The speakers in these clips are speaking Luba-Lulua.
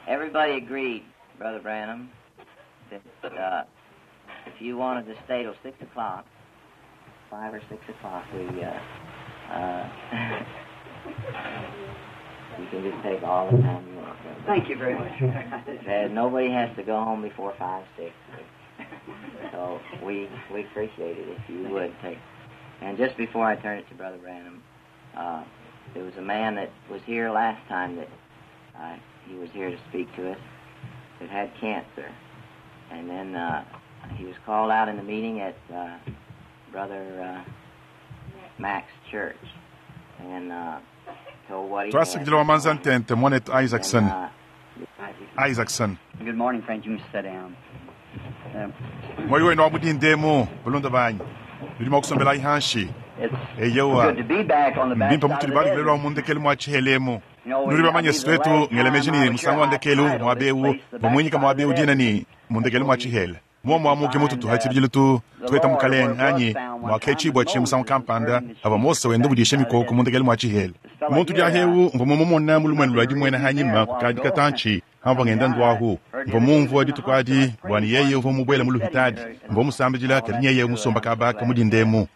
Everybody agreed, Brother Branham, that if you wanted to stay till 6 o'clock, 5 or 6 o'clock, we you can just take all the time you want. Brother. Thank you very much. Nobody has to go home before 5, 6. So we appreciate it if you would take. And just before I turn it to Brother Branham, there was a man that was here last time that he was here to speak to us that had cancer. And then he was called out in the meeting at Brother Mack's church and told what he had. Twasakidila wa manza ntente mwanetu Isaacson. Isaacson. Good morning, friends. You can sit down. Moyo wenu wa mudindemu bulunda banyi. Nudi mwa kusombela ihanshi. Eyewa. Mbimpa mutuli bali kulelwa mundekelu mwa chihelemu. Nudi bamanye swetu ngelemeji ni musangu wa ndekelu mwabeu bamwinyika mwabeu dina ni mundekelu mwa chihele. Mwa mwamuke mutu tuhatibijile tu tuweta mukaleng anyi mwakechibwa chi musangu kampanda aba Mose wenda budisha mikoko mundekelu mwa chihele. Muntu diahewu mva mumumona mulumwenu lwadi mwena hanyima kukadi katanchi hamva ngenda ndwahu mva mumvu dituku adi bwani yeye uva mubwela muluhitadi mva musambijila kadi nyeye musomba kabaka mudindemu.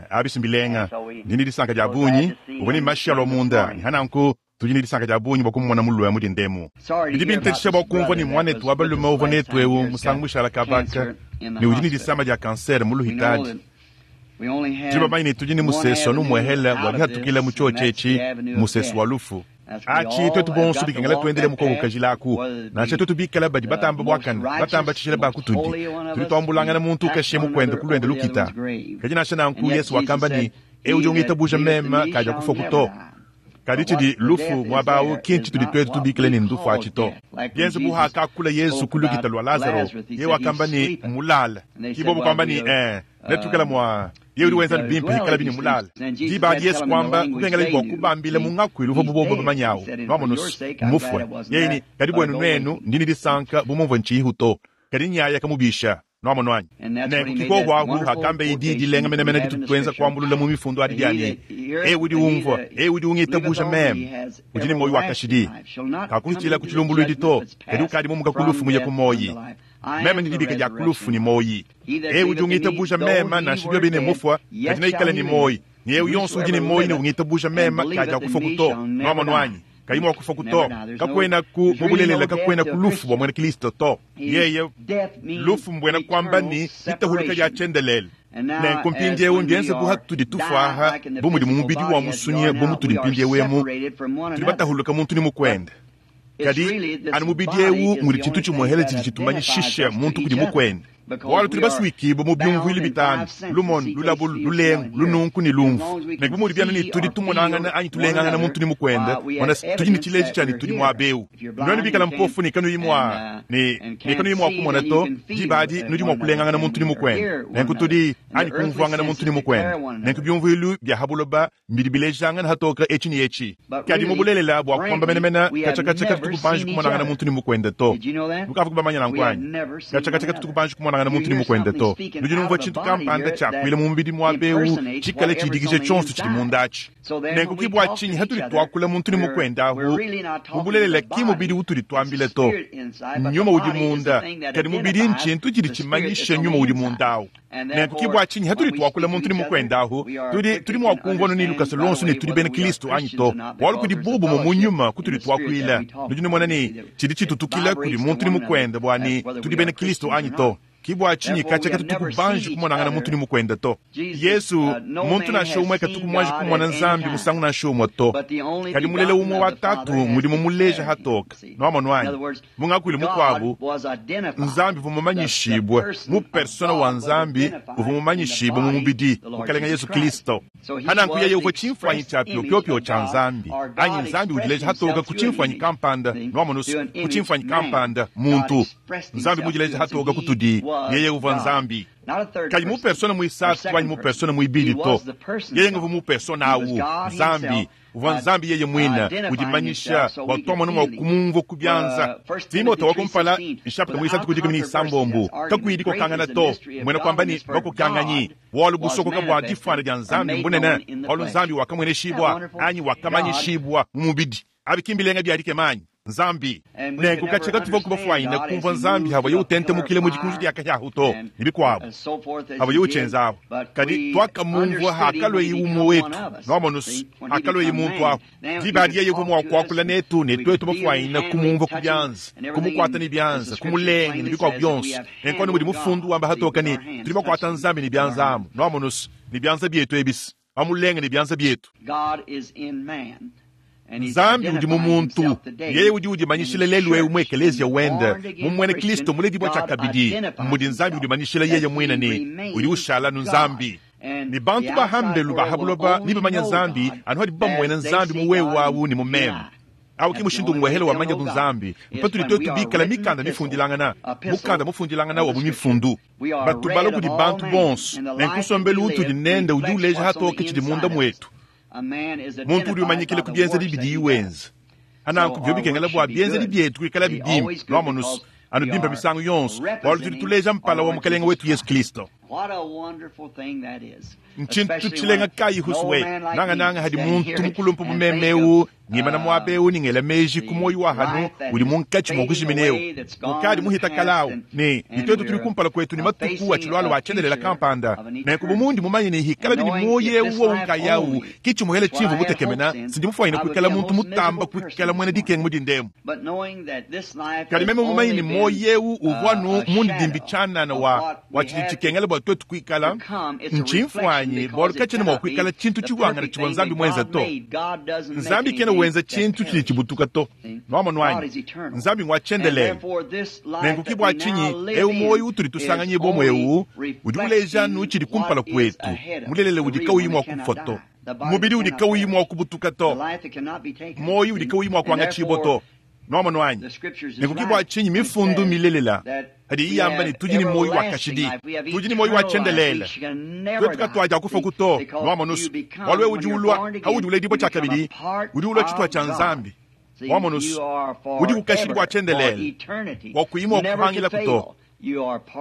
Abisi mbilenga ndini disanka dia bunyi ubone mashalo munda ni hananku tujini disanka dia bunyi bwakumona mulwe mudindemu. Bidi bintetesha bwakumva ni mwanetu wabalume uva netu ewu musangu mushala kabaka ni ujini disama dia kanser muluhitadi. Tudi bamanyi ne tudi ne musesu anu muehela wadihatukila mu tshiotshi musesu wa lufu. Achi twetu bonso bikengela tuendele mukoko kajilaku nansha twetu bikala badi batamba bwakana batamba tshishila bakutudi tudi twambulangana muntu ukashe mukwenda kulwenda lukita kadi nansha nanku Yesu wakamba ni eu jongita buja mema kaja kufa kuto kadi tshidi lufu mwabawu kinchi tudi twetu tubikile ni ndufu achito yenze buhaka kula Yesu kulukita lwa Lazaro ye wakamba ni mulala kibobo kwamba ni netukela mwa ye udi wenza bimpe hikala bini mulala dibadi Yesu kwamba kubengela bwa kubambile mungakwili uva bubobo bamanyawo nwamonusu mufwe yeyini kadi bwenu nwenu ndini disanka bumumvwe nchihuto kadi nyaya kamubisha nwamonwanyi nenku kikohwahu hakambe idi dilenga menemene ditutwenza kwambulula mu mifundo adi diani e udi umvwa e udi ungitabuja meme udi ni moyi wakashidi kakuhitila kuchilumbulwidi to kadi ukadi mumuka kulufu muye kumoyi meme ni dibika dia kulufu ni moyi e udi ungitabuja mema nansha bine mufwa kadi naikala ni moyi ni eu yonso udi ni moyi ni ungitabuja mema kadi akufa kuto nwamonwanyi kayima wakufa kuto kakwena ku mubulelela kakwena ku lufu bwa mwena Kristo to yeye lufu mbwena kwamba ni itahuluka lya chendelele nenku mpindiewu ndienze buha tudi tufaha bumudi mumubidi wa musunye bumu tudi mpindiewemu tudi batahuluka muntu ni mukwenda kadi anu mubidi ewu mudi tshintu tshimuhele tshidi tshitumanyishisha muntu kudi mukwenda bwalu tuli basuikibwa mu byumvuilu bitanu lumonu lulabulu lulengu lununku ni lumvu nenku bumudi byana ni tudi tumonangana anyi tulengangana muntu ni mukwenda wana tudi ni tshileji tshani tudi mwabeu nwenu bikala mpofu ni kanuyi mwa ni kanuyi mwa kumona to dibadi nudi mwa kulengangana muntu ni mukwenda nenku tudi anyi kumvuangana muntu ni mukwenda nenku byumvuilu bya habuloba mbidi bilejangana hatoka etshi ni etshi kadi mubulelela bwa kukwamba menemene kachakacha katukubanji kumonangana muntu ni mukwenda to mukavu kubamanya nankwanyi kachakacha katukubanji kumonangana muntu ni mukwenda to nudi numvwa tshintu kampanda tshakwile mu mubidi mwabeu tshikale tshidikishe tshonso tshidi mundatshi nenku kibwa tshinyi hatuli twakula muntu ni mukwenda ahu mubulelela ki mubidi utuli twambile to nyuma udi munda kadi mubidi ntshintu tshidi tshimanyishe nyuma udi mundawu nenku kibwa tshinyi hatuli twakula muntu ni mukwenda ahu tudi tudi mwakumvwa ni lukasa lonso ni tudi bena Kristo anyi to walu kudi bubu mu munyuma kutuli twakwila nudi numona ni tshidi tshitutukila kudi muntu ni mukwenda bwani tudi bena Kristo anyi to kibwa tshinyi kacha katukubanji kumonangana muntu ni mukwenda to Yesu muntu nansha umwe katukumwanji kumona Nzambi musangu nansha umwe to kadi mulela umwe wa tatu mudi mumuleja hatoka nwamonwanyi mungakwili mukwabu Nzambi vumumanyishibwe mu persona wa Nzambi uvumumanyishibwe mu mubidi mukalenga Yesu Kristo hananku yeye uko chimfwanyi cha pyopyopyo cha Nzambi anyi Nzambi udileja hatoka ku chimfwanyi kampanda nwamonusu ku chimfwanyi kampanda muntu Nzambi mudileja hatoka kutudi yeye uva Nzambi kadi mu persona muisatu anyi mu persona muibili to yeye nguvu mu persona awu Nzambi uva Nzambi yeye mwina udimanyisha watwamona mwa kumumva kubyanza Timote wakumpala nshapita muisatu kudikumi ni isambombu kakwidi kokangana to mwena kwamba ni bakokanganyi walu busokoka bwa difwana dia Nzambi mbunene walu Nzambi wakamweneshibwa anyi wakamanyishibwa mu mubidi abikimbilenga byadike manyi. Nzambi. Nenku katshia katuvua kubafuanyine kumvua Nzambi havuaye utentemukila mu dikunji dia kahia ahu to, ne bikuabu, havuaye utshienza ahu. Kadi tuakamumvua hakalueye umue wetu, nwamonu's, hakalueye muntu ahu. Diba adi yeye uvua mua kuakula netu, ne tuetu bafuanyine kumumvua ku bianza, kumukuata ne bianza, kumulenga, ne bikuabu bionso. Nenku anu mudi Mufundu wamba hatoka ne, tudi bakuata Nzambi ne bianza amu, nwamonu's, ne bianza bietu ebi's, bamulenga ne bianza bietu. Nzambi udi mu muntu. Yeye udi udimanyishila lelu eu mu ekeleziya wende, mu muena Kristo muledibua tshiakabidi, mudi Nzambi udimanyishila yeye muine ne udi ushala anu Nzambi. Ne bantu ba hambelu ba ha buloba nebamanye Nzambi anu hadibu bamuena Nzambi mu wewe awu ne mu meme. Awu ki mushindu umuehele wamanya bu Nzambi, mpatudi tuetu bikala mikanda mifundilangana, mukanda mufundilangana wa mu mifundu. Batubala kudi bantu bonso, nenku nsombelu utudi nende udi uleja hatoke tshidi munda muetu. Muntu udi umanyikila ku bienzedi bidiye wenza. Hananku biobi bikengela bua bienzedi bietu kuikalabi bimpe, lwamonu's, anu bimpe misangu yonso, bualu tudi tuleja mpala wa Mukalenge wetu Yesu Kristo. Ntshintu tshilenga kayi huswe, nangananga hadi muntu mukulumpe bu meme eu ngimana muaba eu ne ngela meji ku muoyo wa hanu udi munkatshi mua kujimina eu ukadi muhita kala au, ne ne tuetu tudi kumpala kuetu ne matuku atshilualua a tshiendelela kampanda. Nenku bu mundi mumanye ne hikalabi ne muoyo eu wowu nkayawu ki tshimuhele tshimvua mutekemena, sindi mufuanyine kuikala muntu mutamba kuikala muena dikenga mu dinda emu. Kadi meme mumanye ne muoyo eu uvua anu mundidimbi tshianana wa wa tshidi tshikengela bua tuetu kuikala, ntshimfuanyi, bualu katshiena mua kuikala tshintu tshihuangane tshivua Nzambi muenza to. Nzambi kena wenza tshintu tshidi tshibutuka to. Nuamonu anyi? Nzambi ngua tshiendelele. Nenku ki bua tshinyi eu muoyo utudi tusanganyibua mu eu udi uleja anu tshidi kumpala kuetu, mulelela udi kauyi mua kufua to, mubidi udi kauyi mua kubutuka to, muoyo udi kauyi mua kuangatshibua to. Nuamonu anyi? Nenku ki bua tshinyi mifundu milelela hadiyi yamba ne tudi ne muoyo wa kashidi, tudi ne muoyo wa tshiendelele, tuetu katuadiakufua to. Nuamonu's, bualu wewe udi ulua, haudi uledibua tshiakabidi, udi ulua tshituha tshia Nzambi. Wamonu's, udi ku kashidi bua tshiendelele, bua kuyi mua kupangilaku to.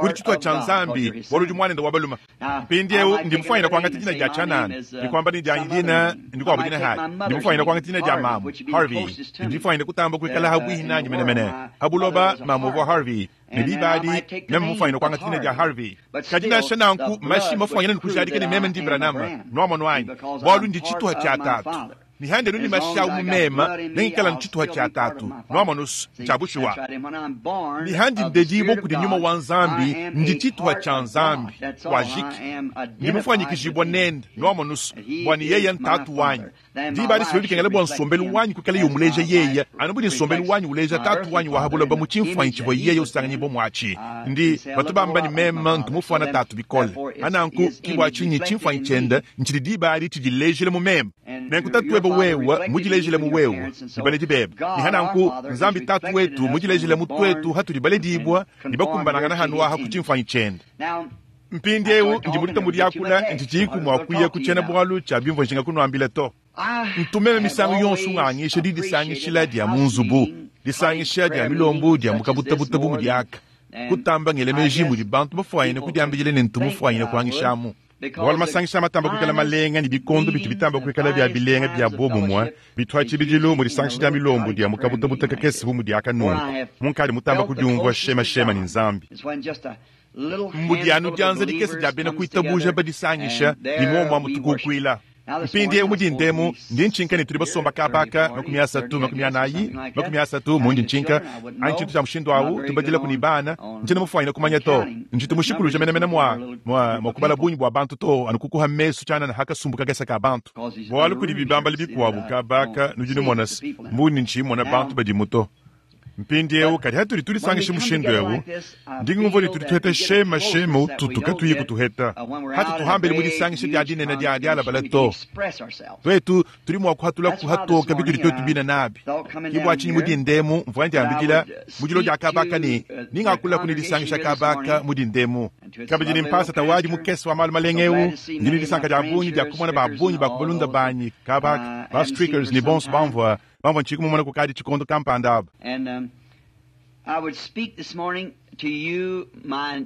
Udi tshituha tshia Nzambi, bualu udi muanende wa balume. Mpindieu ndi mufuanyine kuangata dina dia tshianana ne kuamba ne dianyi dina ndikuabu dina hayi. Ndi mufuanyine kuangata dina dia mamu Harvey. Ndi mufuanyine kutamba kuikala habuihi nanyi menemene ha buloba. Mamu uvua Harvey, ne diba adi meme mufuanyine kuangata dina dia Harvey. Kadi nansha nanku mashi mafuanyine ne kujadika ne meme ndi Branham, nuamonu anyi, bualu ndi tshituha tshia tatu. Ne handenu ne mashi awu mu mema, nengikala ne tshituha tshia tatu. Nuamonu's, ntshia bushuwa. Ne handi ndedibua kudi Nyuma wa Nzambi, ndi tshituha tshia Nzambi. Wajiki. Ndi mufuanyikijibua nende, nuamonu's, bua ne yeye ntatu wanyi. Diba adi sibe bikengela bua nsombelu wanyi kuikala yomuleja yeye, anu budi nsombelu wanyi uleja tatu wanyi wa ha buloba mu tshimfuanyi tshivua yeye usanganyibua muatshi. Ndi batu bamba ne meme ntu mufuana tatu bikole. Hananku ki bua tshinyi tshimfuanyi tshiende ntshidi diba adi tshidilejile mu meme. Nenku tatu webe wewe mudilejile mu wewe ne baledi bebe. Ne hananku Nzambi tatu wetu mudilejile mu tuetu hatudi baledibua ne bakumbanangana hanu aha ku tshimfuanyi tshiende. Mpindieu ndi mudite mu diakula, ntshitshiyiku mua kuya ku tshiena-bualu tshia bimvua njinga kunuambila to. Ntu meme misangu yonso ngangisha didisangishila dia mu nzubu, disangisha dia milombu dia mu kabutabuta bu mudi aka, kutamba ngela meji mudi bantu bafuanyine kudiambidila ne ntu mufuanyine kuangishamu. Bualu masangisha matamba kuikala malenga ne bikondo bitu bitamba kuikala bia bilenga bia buobumue bitu ha tshibidilu mu disangisha dia milombu dia mu kabutabuta kakese bu mudi aka nunku, munkadi mutamba kudiumvua shemashema ne Nzambi. Mbudi anu dianza dikese dia bena kuitabuja badisangisha ne muomu amu tukukuila. Mpindieu mu dinda emu ndi ntshinka ne tudi basomba kaba aka 30, 40, 30 mundi ntshinka, anyi tshintu tshia mushindu au, tubadilaku ne bana. Ntshiena mufuanyine kumanya to. Ntshitu mushikuluja menemene mua, mua, mua kubala bungi bua bantu to, anu kukuha mesu tshianana ha kasumbu kakese ka bantu. Bualu kudi bibambala bikuabu kaba aka, nudi numona se, mbundi ntshiyi mmona bantu badimu to. Mpindieu, kadi hatudi tudisangisha mushindu eu, ndi ngumvua ne tudi tuheta shema shema ututu katuyi kutuheta hatu tuhambele mu disangisha dia dinene dia dialabala to. Tuetu tudi mua kuhatula kuhatoka bitudi tuetu bina nabi. Ki bua tshinyi mu dinda emu mvua ndiambidila mu dilo dia kabaka ne ningakulaku ne disangisha kabaka mu dinda emu. Kabidi ne mpasata wadi mukese wa malu malenga eu, ndi ne disanka dia bungi dia kumona ba bungi ba ku balunda banyi kabaka, ba Strickers ne bonso bamvua bamvua ntshiyi kumumona kukadi tshikondo kampanda aba.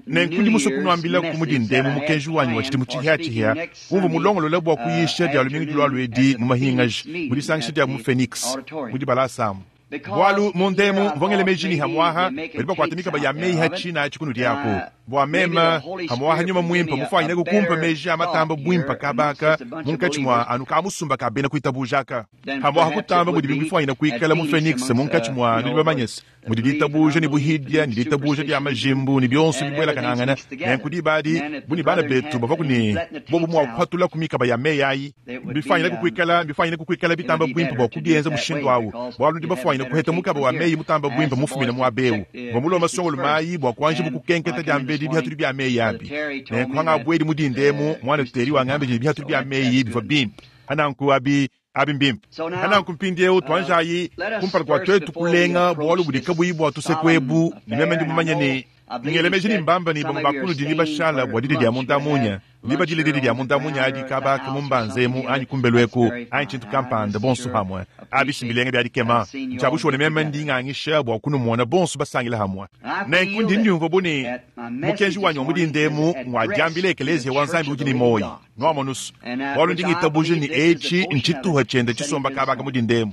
Nenku ndi musue kunuambilaku mu dinda emu mukenji wanyi wa tshidimu tshihiatshihia umvua mulongolole bua kuyisha dia lumingu dilualua edi mu mahingaji mu disangisha dia mu Phoenix mu dibalasa amu. Bwalu mundemu mvongele meji ni hamwaha badi bakwata mikaba ya meyi ha tshina atshi kunudi aku bua mema hamwaha nyuma mwimpa mufwanyine kukumpa meji a matamba bwimpa kabaka munkatshi mwa anu ka musumba ka bena kuitabujaka hamwaha kutamba mudi bifwanyine kuikala mu Phoenix munkatshi mwa nudi bamanyese mudi ditabuja ni buhidya ni ditabuja dya majimbu ni byonso bibwela kanangana nenku dibadi buni bana betu bava kuni bobu mwa kuhatula ku mikaba ya meyi ayi bifwanyine kukuikala bitamba bwimpa bwa kubienza mushindu awu bwalu ndi bafwanyine kuheta mukaba wa meyi mutamba bwimpa mufumina mwa bewu bamuloma songolo mayi bwa kuanji bukukenketa dya mbedi bihatuli bya meyi abi nenkuhanga bwedi mudindemu mwana tuteri wangambe je bihatuli bya meyi bivwa bimpa ananku abi abi mbimpa ananku mpindieu twanjayi kumpala kwa twetu kulenga bwalu budi kabuyi bwa tusekwebu ni meme ndi mumanye ni ngelemeji ni mbamba ni bamwe bakulu dini bashala bwa didi dya mundamunya liba dile didi dya mundamunya adi kabaka mumbanzemu anyi kumbelweku anyi tshintu kampanda bonso hamwe abishi bilenge bya dikema ntshabushone meme ndi ngangisha bwa kunumona bonso basangila hamwe nenku ndi ndiumva buni mukenji wanyi wa mudindemu ngwadiambile ekelezia wa nzambi udi ni moyi nwamonusu bwalu ndi ngitabuje ni etshi ntshituha tshiende tshisomba kabaka mudindemu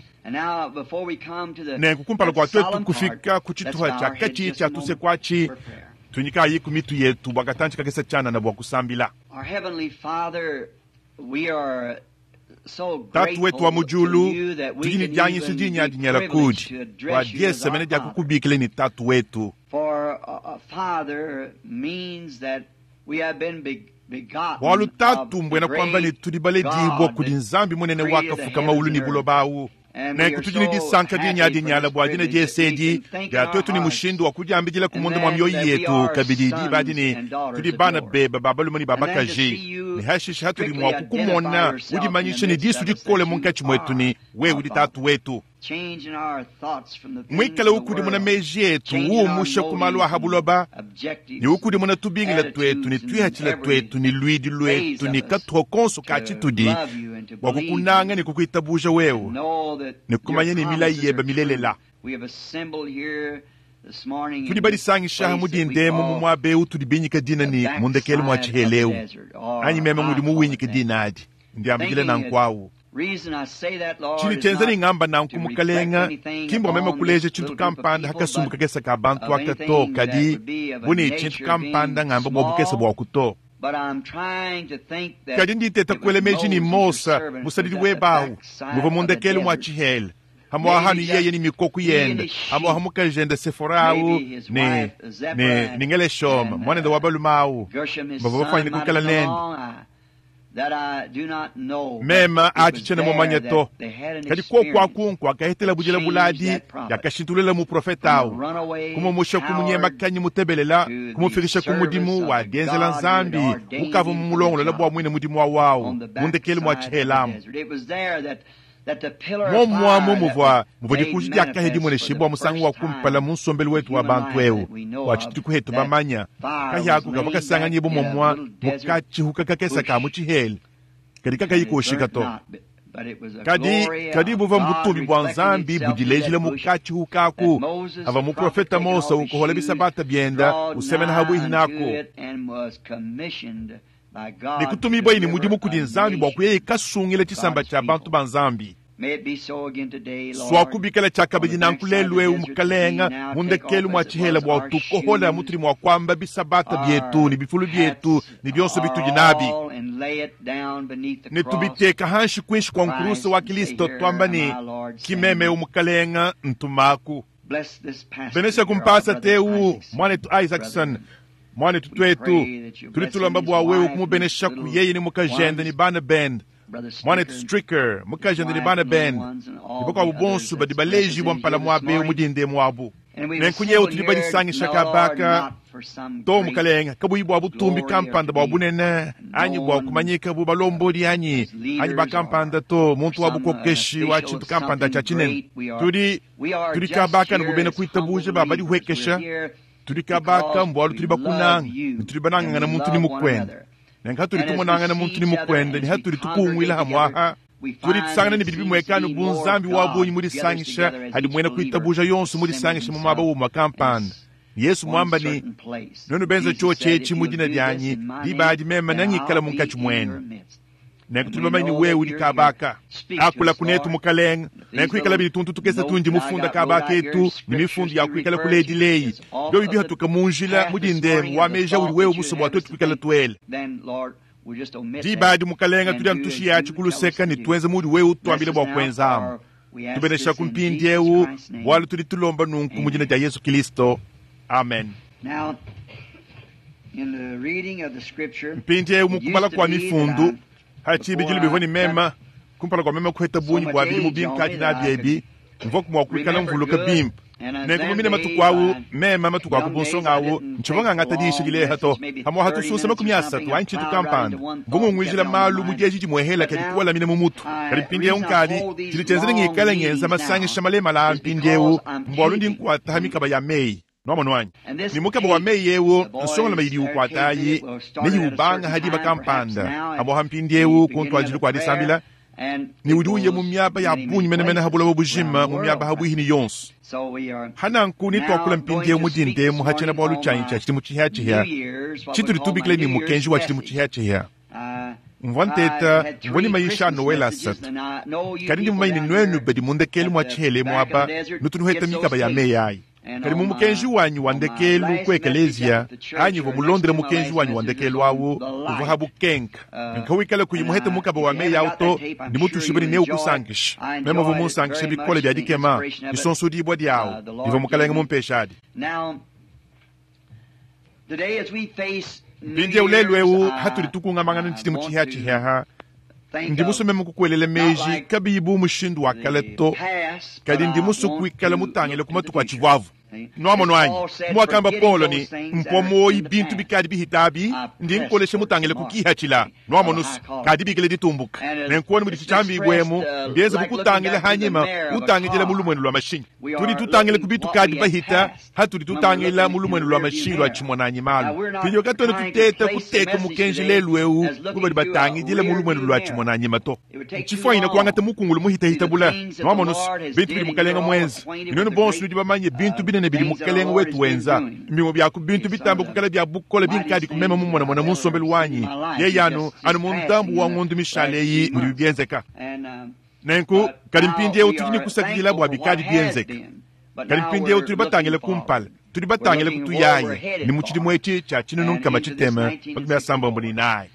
nenku kumpala kwa twetu kufika ku tshituha tshia katshi tshia tusekwatshi tunyikayi ku mitu yetu bwa katantshi kakesa tshanana bwa kusambila tatu wetu wa mujulu tudi ni dianyiso dinya dinyela kudi bwa diesemene dia kukubikile ni tatu wetu bwalu tatu mbwena kwamba ni tudi baledibwa kudi nzambi munene wakafuka maulu ni buloba nenku tudi ni disanka dinya dinyala bwa dina diesedi dia twetu ni mushindu wa kudiambidila ku munda mwa mioyo yetu kabidi diba dini tudi bana beba babalume ni babakaji ni hashisha hatudi mwa kukumona udimanyisha ni disu dikole munkatshi mwetu ni wewe udi tatu wetu mwikale ukudimuna meji etu uumusha ku malu aha buloba ni ukudimuna tubingila twetu ni twihatshila twetu ni lwidi lwetu ni katuho konso ka tshitudi bwa kukunanga ni kukuitabuja wewe ni kumanya ni milayi yeba milelela tudi badisangishaha mudindemu mu muaba eu tudi binyika dina ni mundekelu mwa tshiheleu anyi meme ngudi muwinyika dina adi ndiambikile nankwawu tshini tshenza ni ngamba nanku mukalenga kimbwa meme kuleja tshintu kampanda hakasumbu kakesa ka bantu aka to kadi buni tshintu kampanda ngamba bwa bukesa bwa kuto kadi nditeta kuele meji ni mosa musadidi webawu muva mundekelu mwa tshihele hamwaha ni yeye ni mikoku yende hamwaha mukajende seforawu ni ni ningeleshoma mwanende wa balumawu bava bafwanyine kukala nende mema atshitshene mumanye to kadi kokwakunkwa akahetela budila buladi yakashintululela muprofeta awu kumumusha kumunyemakanyi mutebelela kumufikisha ku mudimu wa dienzela nzambi ukava mumulongolola bwa mwine mudimu wawawu mundekeli mwa tshihelamu momwamo muvwa muvwa dikunji diakahe dimoneshibwa musangu wa kumpala mu nsombelu wetu wa bantu eu wa tshituku hetu bamanya kahyaku kava kasanganyibu momwa mukatshihuka kakesa ka mu tshihele kadi kakayi koshika to kadi kadi buva mbutumbi bwa nzambi budilejile mukatshihukaku ava muprofeta mosa ukohola bisabata byenda usemena habwihi nako nikutumibwa ini mudimu kudi nzambi bwa kuyeyi kasungila tshisamba tshia bantu ba nzambi swakubikala tshiakabidi nanku lelu eu mukalenga mundekelu mwa tshihela bwa tukohola mutudi mwa kuamba bisabata bietu ni bifulu bietu ni bionso bitudi nabi ne tubiteka hanshi kwinshi kwa nkurusa wa kilisto twamba ni kimeme eu mukalenga ntumaku benesha kumpasa teu mwanetu Isaacson mwanetu twetu tudi tulomba bwa wewe kumubenesha ku yeye ni mukajende ni bana bende mwanetu Stricker mukajende ni bana bende ni bakuabu bonso badi baleji bwa mpala muabe mudinde muabu nenku nyewu tudi badisangisha kabaka to mukalenga kabuyi bwa butumbi kampanda bwa bunene anyi bwa kumanyika bu balombodi anyi anyi bakampanda to muntu wa bukokeshi wa tshintu kampanda tshia tshinene tudi tudi kabaka ni bubene kuitabuja ba badihwekesha tudi kabaka mbwalu tudi bakunanga ni tudi banangangana muntu ni mukwenda nenka hatuli tumonangana muntu ni mukwenda ni hatuli tukungwila hamwaha tudi tusangana ni bidi bimwekano bunzambi wa bunyi mudisangisha hadi mwena kuitabuja yonso mudisangisha mu mwaba wumwa kampanda Yesu mwamba ni nonu benza cho chechi mudina dyanyi dibadi mema nangikala munkatshi mwenu. Nenku tudi bamanye ne wewe udi kaba aka. Akula kunetu, Mukalenge. Nenku ikala bidi tuntu tukese tundi mufunda kaba aka etu, ne mifundu ya kuikala kuledileyi. Biobi bihatuka mu njila mu dindemu wa meji audi wewe musue bua tuetu kuikala tuela. Diba adi, Mukalenge, tudi anu tushiya ku luseka ne tuenza muudi wewe utuambila bua kuenzamu. Tubeneshaku mpindieu, bualu tudi tulomba nunku mu dina dia Yesu Kilisto. Amen. Mpindieu mu kubala kua mifundu, ha tshibidilu bivua ne mema kumpala kua meme kuheta bungi bua bidimu binkadi nabi ebi, mvua mua kuikala mvuluka bimpe. Nenku mu mine matuku awu, mema matuku a ku bunsonga awu, ntshivua ngangata diyisha dileha to. Pamua hatusunsa 30 anyi tshintu kampanda, mvua ngunguijila malu mu dieji dimuehela kadi kuwalamina mu mutu. Kadi mpindieu nkadi, tshidi tshienza ne ngikale ngenza masangisha malemala a mpindieu, mbualu ndi nkuata ha mikaba ya meyi. Nwamonu anyi? Ne mukaba wa meyi eu, nsongalume idi ukuatayi ne iwubanga ha diba kampanda, amuha mpindieu ku ntuadijilu kua disambila, ne udi uya mu miaba ya bungi menemene ha buloba bujima, mu miaba ha buihi ne yonso. Ha nanku netuakula mpindieu mu dindemu ha tshiena-bualu tshianyi tshia tshidimu tshihiatshihia, tshitudi tubikila ne mukenji wa tshidimu tshihiatshihia. Mvua nteta, mvua ne mayisha a Noele asatu, kadi ndi mumanye ne nuenu badi mu ndekelu mua tshihela emu aba nutu nuheta mikaba ya meyi ayi. Kadi mu mukenji wanyi wa ndekelu ku ekeleziya, anyi uvua mulondele mukenji wanyi wa ndekelu awu, uvua ha bukenka. Nka wikala kuyi muhete mukaba wa meyi awu to, ndi mutushibue ne neukusankishe. Meme uvua munsankishe bikole bia dikema, disonsodibua diawu divua Mukalenge mumpeshadi. Mpindieu lelu eu hatudi tukungamangana ne tshidimu tshihiatshihiaha, ndi musue meme kukuelela meji kabiyi bu mushindu wa kale to, kadi ndi musue kuikala mutangile ku matuku atshivuavu. Nwamonu anyi? Muakamba Paulo ne, mpua muoyi bintu bikadi bihita abi, ndi nkolesha mutangile ku kihatshila. Nwamonu se, kadi bikile ditumbuka. Nenkuone mudi tshitshambi-ibwemu, mbienze bu kutangila hanyima, utangidila mu lumuenu lua mashinyi. Tudi tutangila ku bitu kadi bahita, hatudi tutangila mu lumuenu lua mashinyi lua tshimonanyi malu. Pindieu katuena tuteta kuteka mukenji lelu eu bu badi batangidila mu lumuenu lua tshimonanyima to. Ntshifuanyine kuangata mukungulu muhitahita bula. Nwamonu se, bintu bidi Mukalenge muenze. Nuenu bonso nudi bamanye bintu binene bidi Mukalenge wetu wenza. Mbimue bia ku bintu bitamba kuikala bia bukole binkadi ku meme mumonamona mu nsombelu wanyi. Yeye anu, anu mu ndambu wa ngondu mishale eyi mudibi bienzeka. Nenku, kadi mpindieu tudi ne kusakidila bua bikadi bienzeka. Kadi mpindieu tudi batangile kumpala, tudi batangile kutuyayi ne mu tshidimu etshi tshia tshinunu nkama tshitema 94.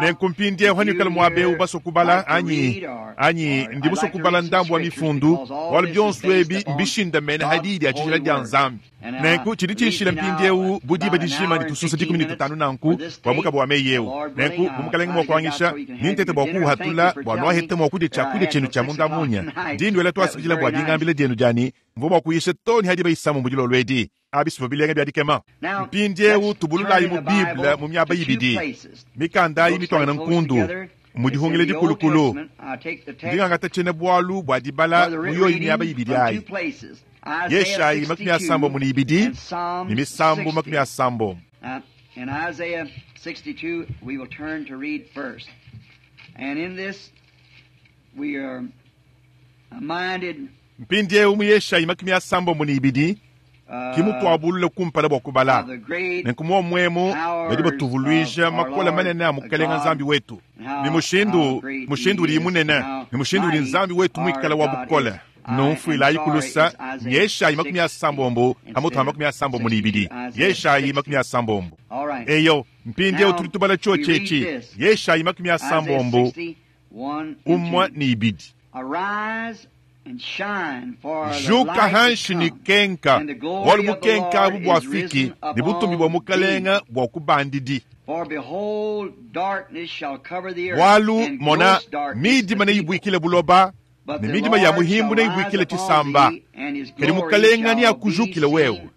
Nenku mpindieu hanuikala muaba eu basue kubala anyi, anyi ndi musue kubala ndambu wa mifundu, bualu bionso ebi mbishindamene ha diyi dia tshijila dia Nzambi. Nenku tshidi tshinshila mpindieu bu diba dijima ne tusunsa 15 nanku bua mukaba wa meyi eu. Nenku bu Mukalenge mua kuangisha, nintete bua kuuhatula bua nuahete mua kudia tshiakudia tshienu tshia munda munya. Ndi nduela tuasakidila bua dingambila dienu dia ne mvua mua kuyisha too ne ha diba isamu mu dilolo edi. Abi sivua bilenga bia dikema. Mpindieu tubululayi mu Bible mu miaba ibidi. Mikanda ayi mituangana nkundu mu dihungila dikulukulu. Ndi ngangata tshiena-bualu bua dibala mu yoyi miaba ibidi ayi. Yeshayi 62 ne Misambu 30. In Isaiah 62 we will turn to read first. And in this we are minded Mpindieu mu Yeshayi 62 ki mutuabulule kumpala bua kubala. Nenku muomuemu badi batuvuluija makola manene a Mukalenge Nzambi wetu, ne mushindu, mushindu udiyi munene, ne mushindu udi Nzambi wetu muikale wa bukole. Numfuilayi ku lusa, Yeshayi 60 hamutu ha 62. Yeshayi 60. Eyo, mpindieu tudi tubala tshiotshi etshi, Yeshayi 60, 1 ne 2. Juka hanshi ne kenka, bualu bukenka abu buafiki ne butumbi bua Mukalenge bua kubandidi. Bualu mona, midima neyibuikile buloba, ne midima ya muhimbu neyibuikile tshisamba. Kadi Mukalenge neakujukile wewe,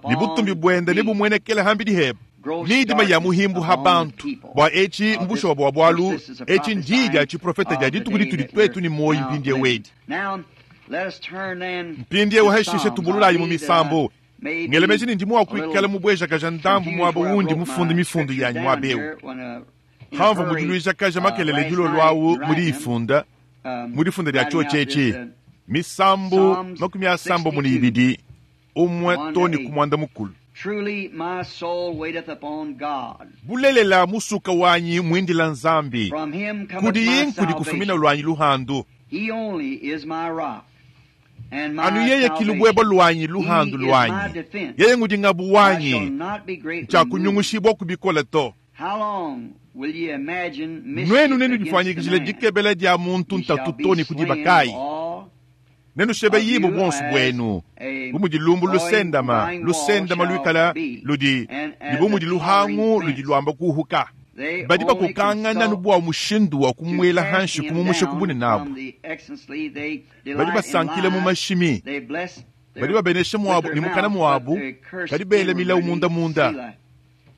ne butumbi buende nebumuenekele hambidi hebe. Midima ya muhimbu ha bantu bua etshi mbushuwa bua bualu etshi ndiyi dia tshiprofeta dia dituku ditudi tuetu ne muoyo mpindieu edi. Mpindieu hashishe tubululayi mu misambu. Ngelemeji ne ndi mua kuikala mubuejakaja ndambu muaba wundi mufunde mifundu yanyi muaba eu. Hamvua mudiluijakaja makelele dilolo awu mu diyifunda, mu difunda dia tshiotshi etshi, Misambu 62, 1 to ne ku 10. Truly my soul waiteth upon God. Bulelela musuka wanyi mwindila Nzambi. From him cometh Kudi my yinkudi kufumina salvation. lwanyi luhandu. He only is my rock and my Anu yeye kilubwebo salvation. lwanyi luhandu He is my lwanyi. defense. Yeye ngudi ngabu I shall wanyi. not be greatly moved. Nchakunyungushibwa kubikola to. How long will ye imagine mischief Nwenu nenu against the difanyikijile man? dikebela dia muntu He shall ntatu be to ni slain kudibakayi. of all Nenu shebe of yibo you bonsu as bwenu. a Bumudi lumbu going lusendama, wall lusendama shall lwikala be, ludi and as libumudi a luhangu tottering ludi fence. lwamba kuhuka. They Badi only bakukangana consult nubwa mushindu wa to kumwela cast hanshi him kumumusha down kubune nabo. from the excellency. They Badi delight in basankile mu lies. mashimi. They bless their, Badi babenesha with mwabu their ni mukana mouth, but mwabu. they curse Kadi bele mila inwardly. munda munda. Selah.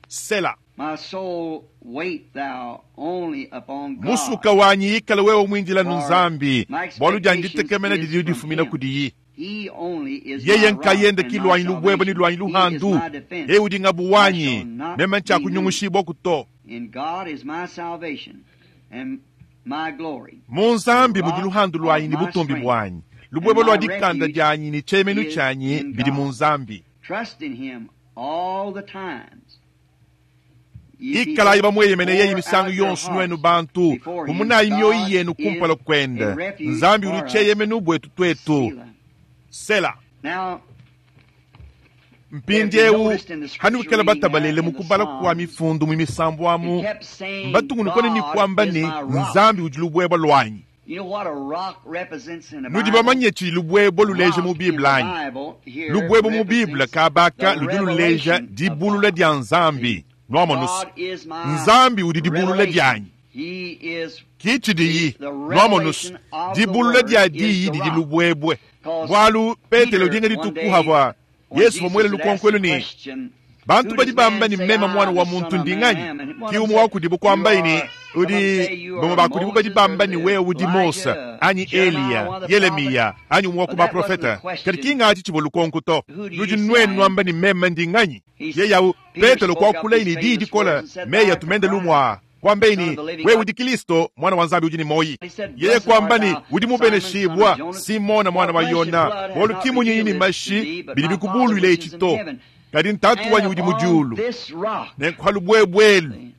Sela. My soul, wait thou only upon God. Musuka wanyi ikala wewe mwindila For nunzambi. my Bwalu expectations janditekemena is didi from difumina him. kudiyi. He only is Yeye my rock nkayenda and my kilwanyi lubwebo ni salvation. lwanyi He is luhandu. my defense. Yeye udi ngabu I wanyi. shall not Mema be moved. nchakunyungushibwa kuto. In God is my salvation and my glory. Mu The nzambi mudi rock luhandu of lwanyi ni my butumbi strength bwanyi. Lubwebo and lwa my dikanda refuge lyanyi ni chemenu is chanyi in bidi mu God. nzambi. Trust in him all the times. Ye Ikalayi people, bamweyemene yeye pour misango out your yonso nwenu hearts bantu. before him. Mumunayi myoyi God yenu kumpala is kwenda. a refuge Nzambi for uli us. cheyemenu bwetu twetu. Selah. Sela. Now, if you Mpindyewu noticed in the hani scripture bukela reading there batabalele in mu the kubala kwa Psalms, mifundu mu misambu it amu. kept saying, Mbatungunukone ni God kwamba is ni my rock. nzambi udi lubwebo lwanyi. You know what a rock represents in the Nudi Bible? bamanye chi lubwebo luleje mu Rock in the Biblia anyi. Bible here Lubwebo mu Biblia represents kabaka the ludi luleja revelation of dibulula God. dya See, nzambi. Nwamonusu. God is my Nzambi udi dibulula revelation. dyanyi. He is Kichidiyi the nwamonusu. revelation of the Dibulula word dya is diyi the didi rock. lubwebwe. Because Bwalu Petelo Peter dinga one litukuha day, bwa when Yesu Jesus bamwele had asked lukonkwelu the ni question, bantu Who badi does bamba man ni say mema I, mwana the wa Son muntu of ndi Man, nganyi am? And one of ki them umwe said, wakudi You bukwamba ini are, some of them udi say you bamwe are bakudi badi Moses or bamba ni the wewe udi Mosa Elijah, anyi Jeremiah, Eliya one of the prophets. Yeremiya anyi umwe But that wasn't the wakubaprofeta kadi question. kingachi chibo lukonko to Who do you ludi say I nwenu am? nwamba ni mema ndi nganyi He, yeyawu Peter Petelo spoke up kwakula these ini didi famous words kola and said, Thou meya art the tumende Christ, lumwa kwamba Son of ini the living wewe God. udi Kristo mwana wa nzambi udi ni moyi He said, yeye Blessed art kwamba ni thou, udi Simon, son of mubeneshibwa Jonas, Simona for mwana wa flesh and Yona blood has not wolukimunyi revealed ni this to mashi thee, but bili my Father bikubulwile which is in ichito heaven. kadi ntatu And wanyi udi upon mujulu this rock, nenkuha lubwebwelu see,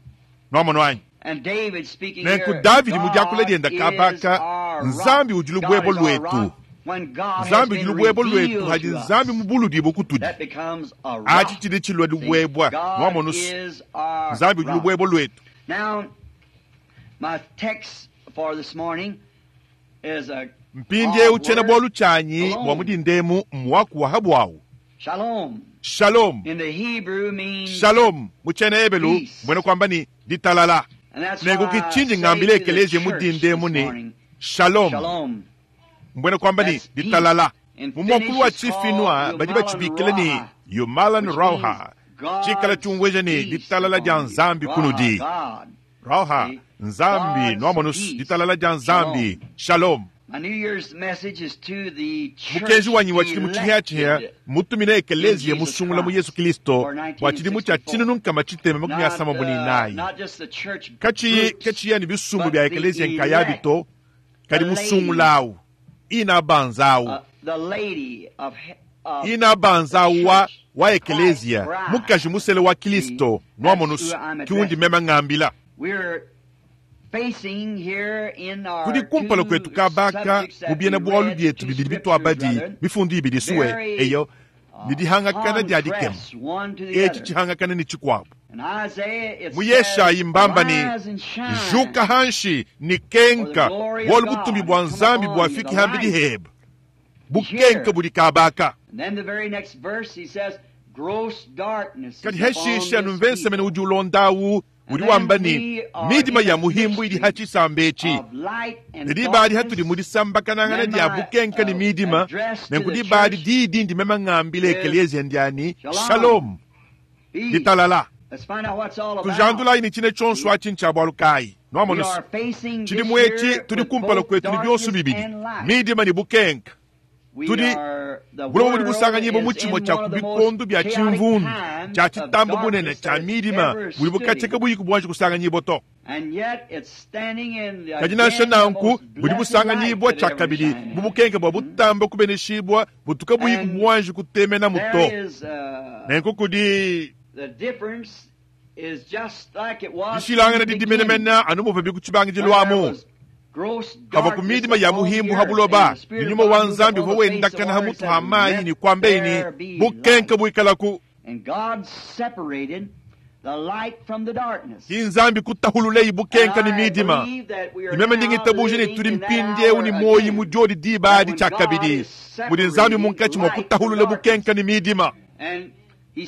nwamono wanyi and David speaking nenku here, Davidi mudyakula God lyenda is kabaka our rock. nzambi udi God lubwebo is our lwetu rock. When God has nzambi udi been lubwebo lwetu revealed hadi to nzambi us, mubuludi bukutudi that becomes a achi rock. chili chilwa See, lubwebwa God nwamonusu is our nzambi udi rock. lubwebo lwetu Now, my text for this morning is a mpindyewu odd chena word, bwalu chanyi bwa shalom. mudindemu mwaku wa bwawu Shalom. shalom In the Hebrew means shalom muchena ebelu peace. mbwene kwamba ni ditalala And that's nenku why I kichinji say ng'ambile to the ekeleziya church mudindemu this ni morning, shalom Shalom. mbwene kwamba ni That's peace. ditalala In mumwakulu Finnish wa it's called chifinwa badi Jumalan bachibikile ni Rauha, yumalan which means rauha chikala God's chungweja ni peace ditalala lya upon you. nzambi Raha, kunudi God. rauha See? nzambi God's nwamonusu peace. ditalala lya nzambi Shalom. shalom My New Year's message is to the church mukenji wanyi wa chilimu chihiachiha elected mutumine in ekeleziya Jesus musungula mu Yesu Christ Kristo for wa chilimu cha 1964. chinunu chitema makumi Not, asamba mu ninayi not just the church kachiyi groups, kachiya ni bisumbu but bya the ekeleziya nkaya elect, bito the kadi lady, musungulawu ina banzawu the lady of ina the banzawu wa church, wa Christ's ekeleziya bride. mukaji musele wa See, Kristo that's who nwamonusu I'm kiwundi addressing. mema ng'ambila We're facing here in kudi our kumpala two kwetu kabaka subjects that mu we biena bwalu read, byetu two bibili scriptures bitwabadi rather, mifundu ibili suwe very eyo nidihangakana lya dikema contrasts one to the eci other. chihangakana ni chikwabu In Isaiah it mu says, Yeshayi mbamba ni Arise and shine, juka hanshi ni for the kenka glory of bwalu God butumbi has bwa come nzambi upon you. bwafiki The hambi light diheba is bukenka here. buli kabaka And then the very next verse he says, Gross darkness kadi is upon heshisha this numvensemene people. udi ulondawu And udi then wamba ni we are midima in ya a muhimbu ili mystery hachisamba eci of light and nidibali hatuli darkness. mulisambakanangana Then lya my bukenka ni midima address to the nenkudibali church didi ndimema ng'ambile is ekeleziya ndyani Shalom, shalom peace. ditalala Let's find out what's all about. tujandulayi ni chine chonso See? achi nchabwalukayi We nwamonusu are facing chili this mweci year tuli with kumpala both kwetu ni byonso darkness bibili and light. midima ni bukenka We tuli are, the bulobo buli world busanganyibwa mu is chimo in cha one of the most kubikondo bya chaotic chimvundu times cha of chitambo bunene darkness cha that has midima ever buli stood bukacheka in. buyiku bwanji kusanganyibwa to Kadi nansha nanku budi busanganyibua tshiakabidi mu bukenke bua butamba kubeneshibua butu kabuyi buanji kutemenamu to. Nenku kudi dishilangana didi menemene anu muvua ku tshibangidilu amu. Kavua ku midima ya muhimbu ha buloba, ne nyuma wa Nzambi uvua wendakana ha mutu ha mayi ne kuambeyi ne, bukenke buikalaku. Ki Nzambi kutahululeyi bukenka ne midima. Ne meme ndi ngitabuja ne tudi mpindieu ne muoyi mu diodi diba adi tshiakabidi, mudi Nzambi munkatshi mua kutahulula bukenka ne midima,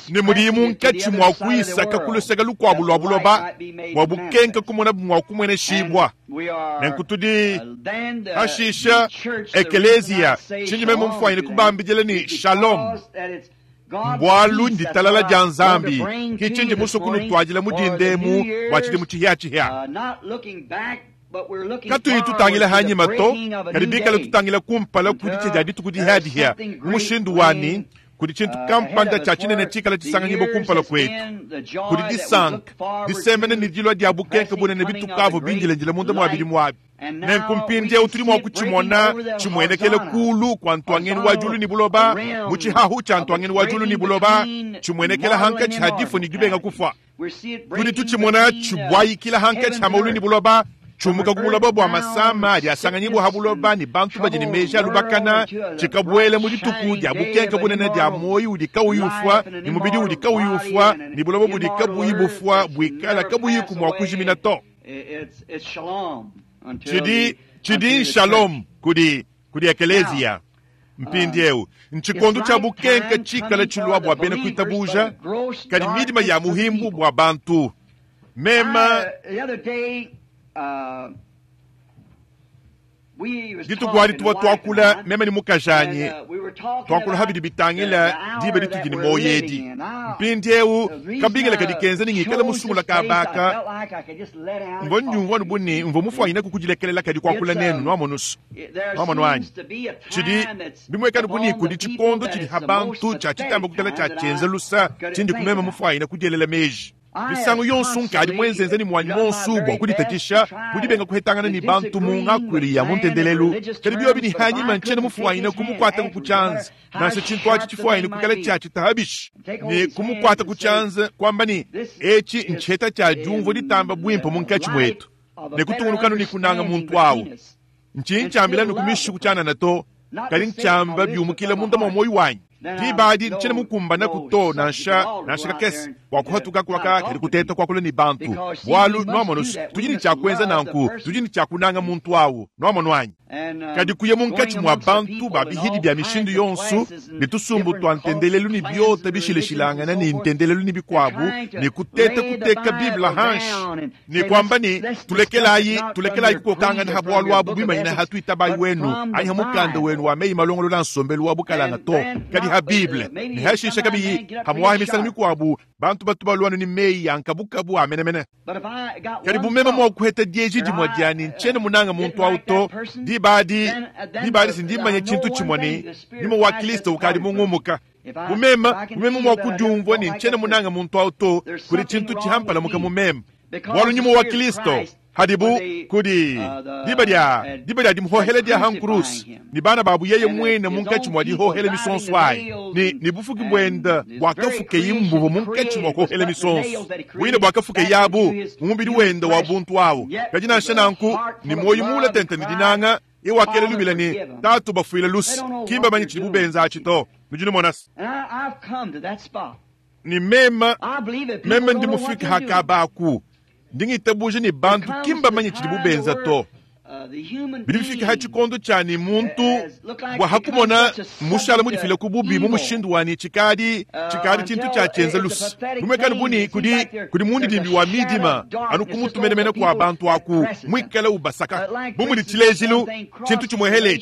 ne mudiyi munkatshi mua kuyisaka ku luseke lukuabu lua buloba bua bukenka kumona mua kumueneshibua. Nenku tudi hashisha ekeleziya tshindi meme mfuanyine kubambidila ne shalom, bualu nditalala dia Nzambi ki tshindi musue kunutuadila mu dindemu bua tshidimu tshihiatshihia. Katuyi tutangila hanyima to, kadi bikale tutangila kumpala ku ditshia dia dituku dihiadihia mu mushindu wani kudi tshintu kampanda tshia tshinene tshikala tshisanganyibua kumpala kuetu. Kudi disanka disemena ne dilua dia bukenke bunene bitukavua bindilendile munda mua bidimu abi. Nenku mpindieu tudi mua kutshimona tshimuenekele kulu kua ntuangenu wa diulu ne buloba, mu tshihahu tshia ntuangenu wa diulu ne buloba, tshimuenekela hankatshi ha difua ne dibenga kufua. Tudi tutshimona tshibuayikila hankatshi ha maulu ne buloba, tshiumuka ku buloba bua masama adi asanganyibua ha buloba ne bantu badi ne meji a lubakana, tshikabuela mu dituku dia bukenke bunene dia muoyo udi kauyi ufua ne mubidi udi kauyi ufua ne buloba budi kabuyi bufua buikala kabuyiku mua kujimina to. Tshidi tshidi shalom kudi kudi ekeleziya. Mpindieu ntshikondo tshia bukenke tshikala tshilua bua bena kuitabuja, kadi midima ya muhimbu bua bantu. Mema dituku adi tuvua tuakula meme ne mukajanyi, tuakula habidi bitangila diba ditudi ne muoyo edi. Mpindieu kabingila kadi kenza ne ngikala musungula kabaka mvua ndiumvua anu bu ne mvua mufuanyine kukudilekelela kadi kuakula nenu nuamonusu nuamono anyi. Tshidi bimuekanu bu ne kudi tshikondo tshidi ha bantu tshia tshitamba kukala tshia tshienza lusa tshindi kumema mufuanyine kudielela meji. Misangu yonso nkadi muenzenze ne muanyi monso bua kuditatshisha mudibenga kuhetangana ne bantu mu ngakuilu ya mu ntendelelu, kadi biobi ne hanyima ntshiena mufuanyine kumukuata ku tshianza nansha tshintu atshi tshifuanyine kukala tshia tshitahabishi ne kumukuata ku tshianza kuamba ne etshi ntshiheta tshia diumvua ditamba buimpe munkatshi muetu ne kutungunukanu ne kunanga muntu awu. Ntshinyi ntshiambila ne kumishiku tshianana to, kadi ntshiamba biumukila munda mua muoyo wanyi. Diba adi ntshiena mukumbana ku to nansha nansha kakese bua kuhatuka kuaka kadi kuteta kuakula ne bantu, bualu nuamono tudi ne tshia kuenza nanku, tudi ne tshia kunanga muntu awu nuamono anyi. Kadi kuya munkatshi mua bantu ba bihidi bia mishindu yonso ne tusumbu tua ntendelelu ne biota bishileshilangana ne ntendelelu ne bikuabu ne kuteta kuteka Bible hanshi ne kuamba ne tulekelayi tulekelayi kukokangana ha bualu abu bimanyina ha tuitabayi wenu anyi ha mukanda wenu wa meyi malongolola nsombelu wa bukalanga to, kadi ha Bible ne hashisha kabiyi hamuahi misangu mikuabu bantu batu baluanu ne meyi ya nkabukabu a menemene. Kadi bumema mua kuheta dieji dimue diani ntshiena munanga muntu awu to, diba adi diba adi sindimanya tshintu tshimue ne nyuma wa Kristo ukadi mungumuka. Bumema bumema mua kudiumvua ne ntshiena munanga muntu awu to, kudi tshintu tshihampalamuka mumema. Bualu nyuma wa Kristo hadibu kudi diba dia diba dia dimuhohela dia hankurusi ne bana babu yeye mwene munkatshi mua dihohela misonso ayi ne ne bufuki buenda buakafuke imbuvu munkatshi mua kuhohela misonso bwine buakafuke yabu mu mubidi wenda wa buntu awu. Kadi nansha nanku ne muoyo mula tente ne dinanga iwakela lubila ne tatu bafuile lusi kimba manyi tshidi bubenza atshi to. Nudi numona ni mema meme ndi mufike hakabaku ndingitabuja ne bantu kimba manye tshidi bubenza to. Bidi bifika ha tshikondo tshia ne muntu bua hakumona mushala mudifile ku bubi mu mushindu wa ne tshikadi tshikadi tshintu tshia tshienza lusa bumekani buni kudi kudi mundidimbi wa midima anu kumutumenemene kua bantu aku mwikala ubasaka bu mudi tshilejilu tshintu tshimuehele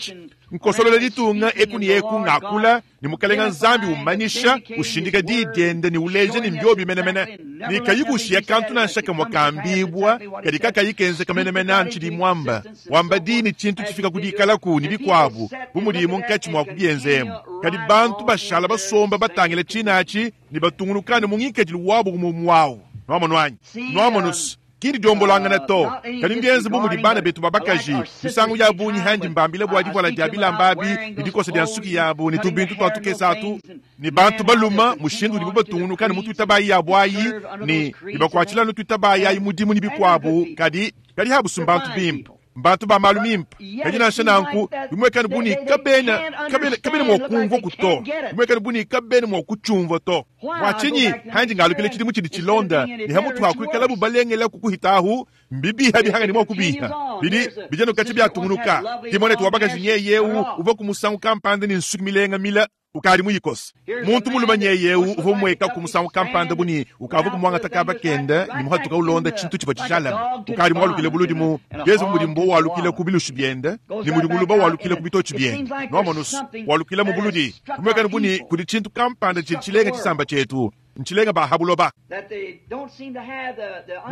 nkosolola ditunga eku ne eku ngakula ne mukalenga Nzambi umanyisha ushindika diyi diende ne uleja ne mbiobi menemene ne kayi kushiya kantu nansha kamwe kambibwa kadi kakayi kenzeka menemene anu tshidi mwamba wamba diyi ne tshintu tshifika ku dikalaku ne bikuabu bu mudi munkatshi mua kubienzemu. Kadi bantu bashala basomba batangila tshinatshi ne batungulukane mu ngikadilu wabu mu mwawu. Nuamono anyi? Nuamono. Ki ndidiombolangana to, kadi mbienze bu mudi bana betu ba bakaji misangu ya bungi handi mbambila bua divuala dia bilamba abi ne dikosa dia nsuki yabu ne tubintu tua tukese atu, ne bantu balume mushindu udibu batungunuka ne mu tuitabayi yabu ayi ne bakuatshila anu tuitabayi ayi mudimu ne bikuabu, kadi kadi habu mbantu bimpe, mbantu ba malu mimpe. Kadi nansha nanku bimuekane bu ne kabena kabena kabena mua kumvua ku to, bimuekane bu ne kabena mua kutshiumvua to. Bua tshinyi handi ngalukile tshidimu tshidi tshilonda ne hamutu ha kuikalabu balengela kukuhitahu mbibiha bihanga ne mua kubiha bidi bijanuka biatungunuka. Kimone wa bakaji nyeyeu uvua ku musangu kampanda ne nsuki milenga mila ukadi muyikosa. Muntu mulume nyeyeu uvua mueka ku musangu kampanda buni ukavua kumuangata kaba kenda ne muhatuka ulonda tshintu tshivua tshishalame. Ukadi mualukile buludi mu Yezu mudi mbo walukile ku bilushi biende ne mudi nguluba walukile ku bitotshi biende. Nwamonusu walukile mu buludi kumwekana buni kudi tshintu kampanda tshidi tshilenga tshisamba tshietu ntshilenga ba habuloba.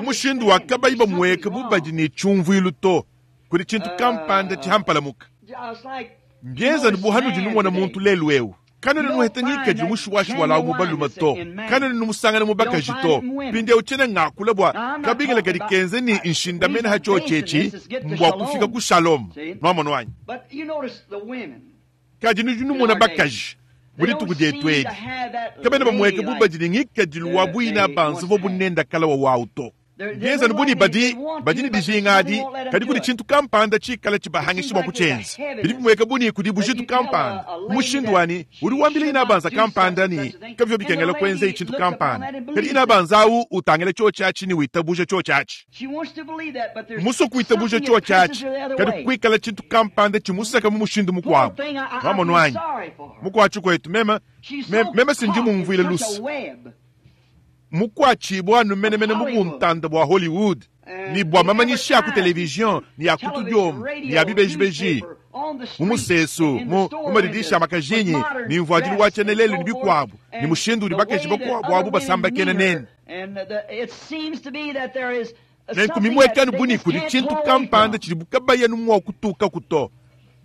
Mushindu wa kabayi bamueka bubadi ne tshiumvuilu to kudi tshintu kampanda tshihampalamuka. Mbienza ne buhanudi numona muntu lelu eu. Kanene nuheta ngikadi mushuwashi wala mu balume to. Kanene numusangana mu bakaji to. Pindiewu tshiena ngakula bua kabingila kadi kenze ni nshindamene ha tshiotshi mbua kufika ku shalom. Nwamono wanyi. Kadi nudi numona bakaji mu dituku dietu edi. Kabena bamueka bubadi ne ngikadilu wa buyina banzu vo bunenda kala wa wawu to. Bienza buni badi badi ne dijinga adi kadi kudi tshintu kampanda tshikala tshibahangisha bua kutshienza. Bidi bimueka buni kudi bujitu kampanda. Mushindu wani udi wambila ina banza kampanda ni kavyo bikengela kwenza tshintu kampanda. Kadi ina banza awu utangela tshiotshi atshi ni witabuja tshiotshi atshi. Muso kuitabuja tshiotshi atshi kadi kuikala tshintu kampanda tshimusaka mu mushindu mukuabu. Nwamono wanyi mukuatshi kwetu mema mema sindi mumvuile lusa. Mukwachibwa numenemene mu buntanda bwa Hollywood ni bwa mamanyishi ya ku television ni ya kutudioma ni ya bibejibeji mu musesu mu madirisha ya makajinyi ni mvuadilu wa tshenelelu ni bikuabu ni mushindu udi bakaji bakuabu abu basambakena nene. Nenku mimwekanu buni kudi tshintu kampanda tshidi bukabayanu mua kutuka kuto.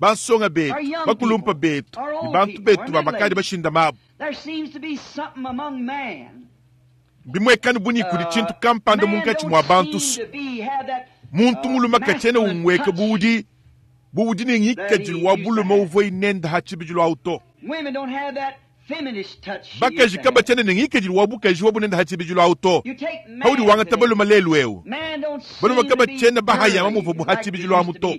Bansonga betu, bakulumpa betu, ni bantu betu ba makadi bashinda mabu. Bimwekanu buni kudi tshintu kampanda munkatshi mua bantu. Muntu mulume katshiena umweka buudi buudi ne ngikadilu wa bulume uvua inenda ha tshibidilu awu to. Bakaji kabatshiena ne ngikadilu wa bukaji wa bunenda ha tshibidilu awu to. Haudi wangata balume lelu eu. Balume kabatshiena bahayama muvua bu ha tshibidilu amu to.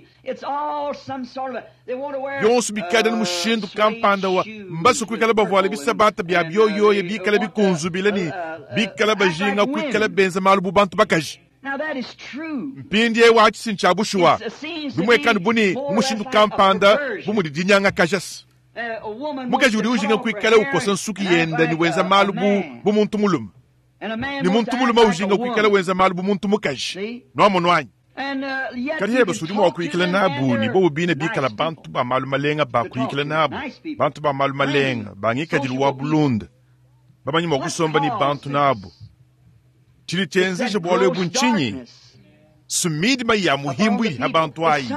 Yonso bikada ne mushindu kampanda wa mbasu kuikala bavuala bisabata bia byoyoya bikala bikunzubile ne bikala bajinga kuikala benza malu bu bantu bakaji. Mpindi ewu atshi ntsha bushuwa. Bimwekanu buni mushindu kampanda bu mudi dinyanga kajasi. Mukaji udi ujinga kuikala ukosa nsuki yenda ni wenza malu bu muntu mulume. Ni muntu mulume ujinga kuikala wenza malu bu muntu mukaji. Nwamono wanyi. Kadi heba sudi mua kuyikila nabu ni bobu bine bikala bantu ba malu malenga ba kuyikila nabu. Bantu ba malu malenga ba ngikadilu wa bulunda. Bamanyi mua kusomba ni bantu nabu. Tshidi tshienzesha bualu ebu ntshinyi? Sumidima ya muhimbu ha bantu ayi.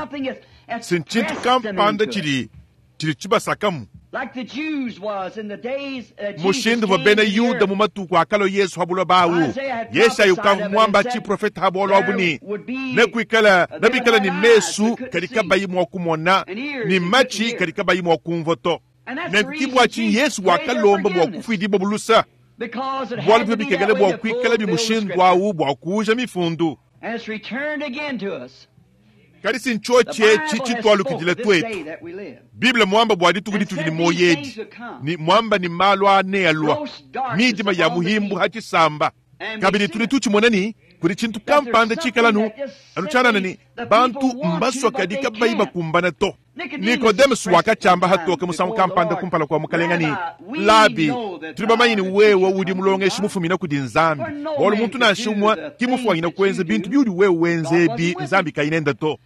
Sintshintu kampanda tshidi tshidi tshibasakamu. Mushindu wa bena Yuda mu matuku akalo Yesu habulwa bawu. Yesaya ukavu mwamba tshi profeta habulwa abu ni nekuikala nabikala ni mesu kadi kabayi mua kumona ni machi kadi kabayi mua kumvua to. Nenkibwa tshi Yesu wakalomba bua kufuidibwa bulusa. Bualu bio bikengela bua kuikala bimushindu awu bua kuuja mifundu. Kadi sintshiotshi etshi tshitwalukidile twetu. Bible mwamba bua dituku ditudi ni moyedi ni mwamba ni malu ane alua midima ya muhimbu hatshisamba. Kabidi tudi tutshimona ni kudi tshintu kampanda tshikalanu anu tshianana ni bantu mbaswa kadi kabayi bakumbana to. Nicodemus wakatshamba hatoka musangu kampanda kumpala kua mukalenga ni Labi, tudi bamanyi ni wewe udi mulongeshi mufumina kudi Nzambi. Bualu muntu nansha umwe kimufuanyina kuenza bintu biudi wewe wenzebi Nzambi kayinenda to.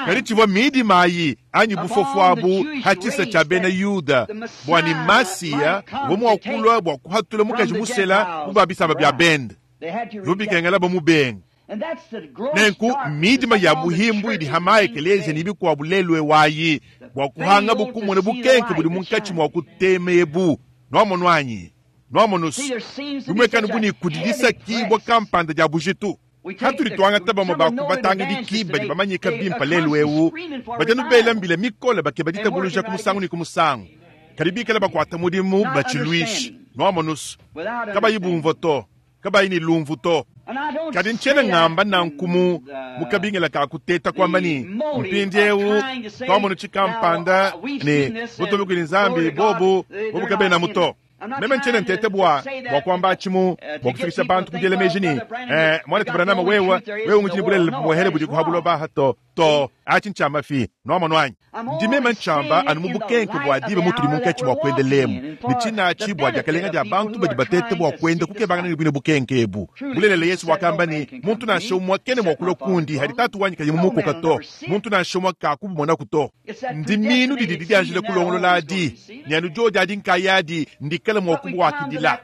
Kadi tshivua midima ayi anyi bufofu abu hatshisa tshia bena Yuda bua ni Masiya uvua mua kulua bua kuhatula mukaji musela mu ba bisamba bia bende. Lubikengela bamubenga. Nenku midima ya muhimbu idi hama ekelezia ni bikuabu lelu ewayi bua kuhanga bukumona bukenke budi munkatshi mua kutema ebu. Nwamono anyi? Nwamonu's, bimwekanu bu ne kudi disakiibwa kampanda dya bujitu. Hatudi twangata bamwe ba ku batangidiki badi bamanyika bimpe lelu ewu, badi anu bela mbila mikole bakeba ditabuluja ku musangu ne ku musangu, kadi bikale bakwata mudimu batshilwisha. Nwamonu's, kabayi bumvwa to, kabayi ne lumvu to. Kadi ntshiena ngamba nanku mu, mu kabingila ka kuteta kuamba ne, mpindiewu twamonu tshikampanda ne butumbi kudi Nzambi, bobu, bobu kabenamu to. Meme ntshiena nteta bua, bua kuamba atshi mu, bua kufikisha bantu ku diela meji ne, eh, Muanetu Branham, wewe, wewe ngudi ne bulelela bumuehele budi ku ha buloba aha to. To, atshi ntshia mafi. Nwamonu anyi? Ndi meme ntshiamba anu mu bukenke bua diba mutudi munkatshi mua kuenda lemu, ne tshinatshi bua diakalenga dia bantu badi bateta bua kuenda kukebangana ne buine bukenke ebu. Bulelela, Yesu wakamba ne, Muntu nansha umue kena mua kulua kundi hadi Tatu wanyi kayi mumukoka to. Muntu nansha umue kakubumonaku to. Ndimiinu didi didianjila kulongolola adi, ne anu diodi adi nkayadi ndikale mua kubuakidila.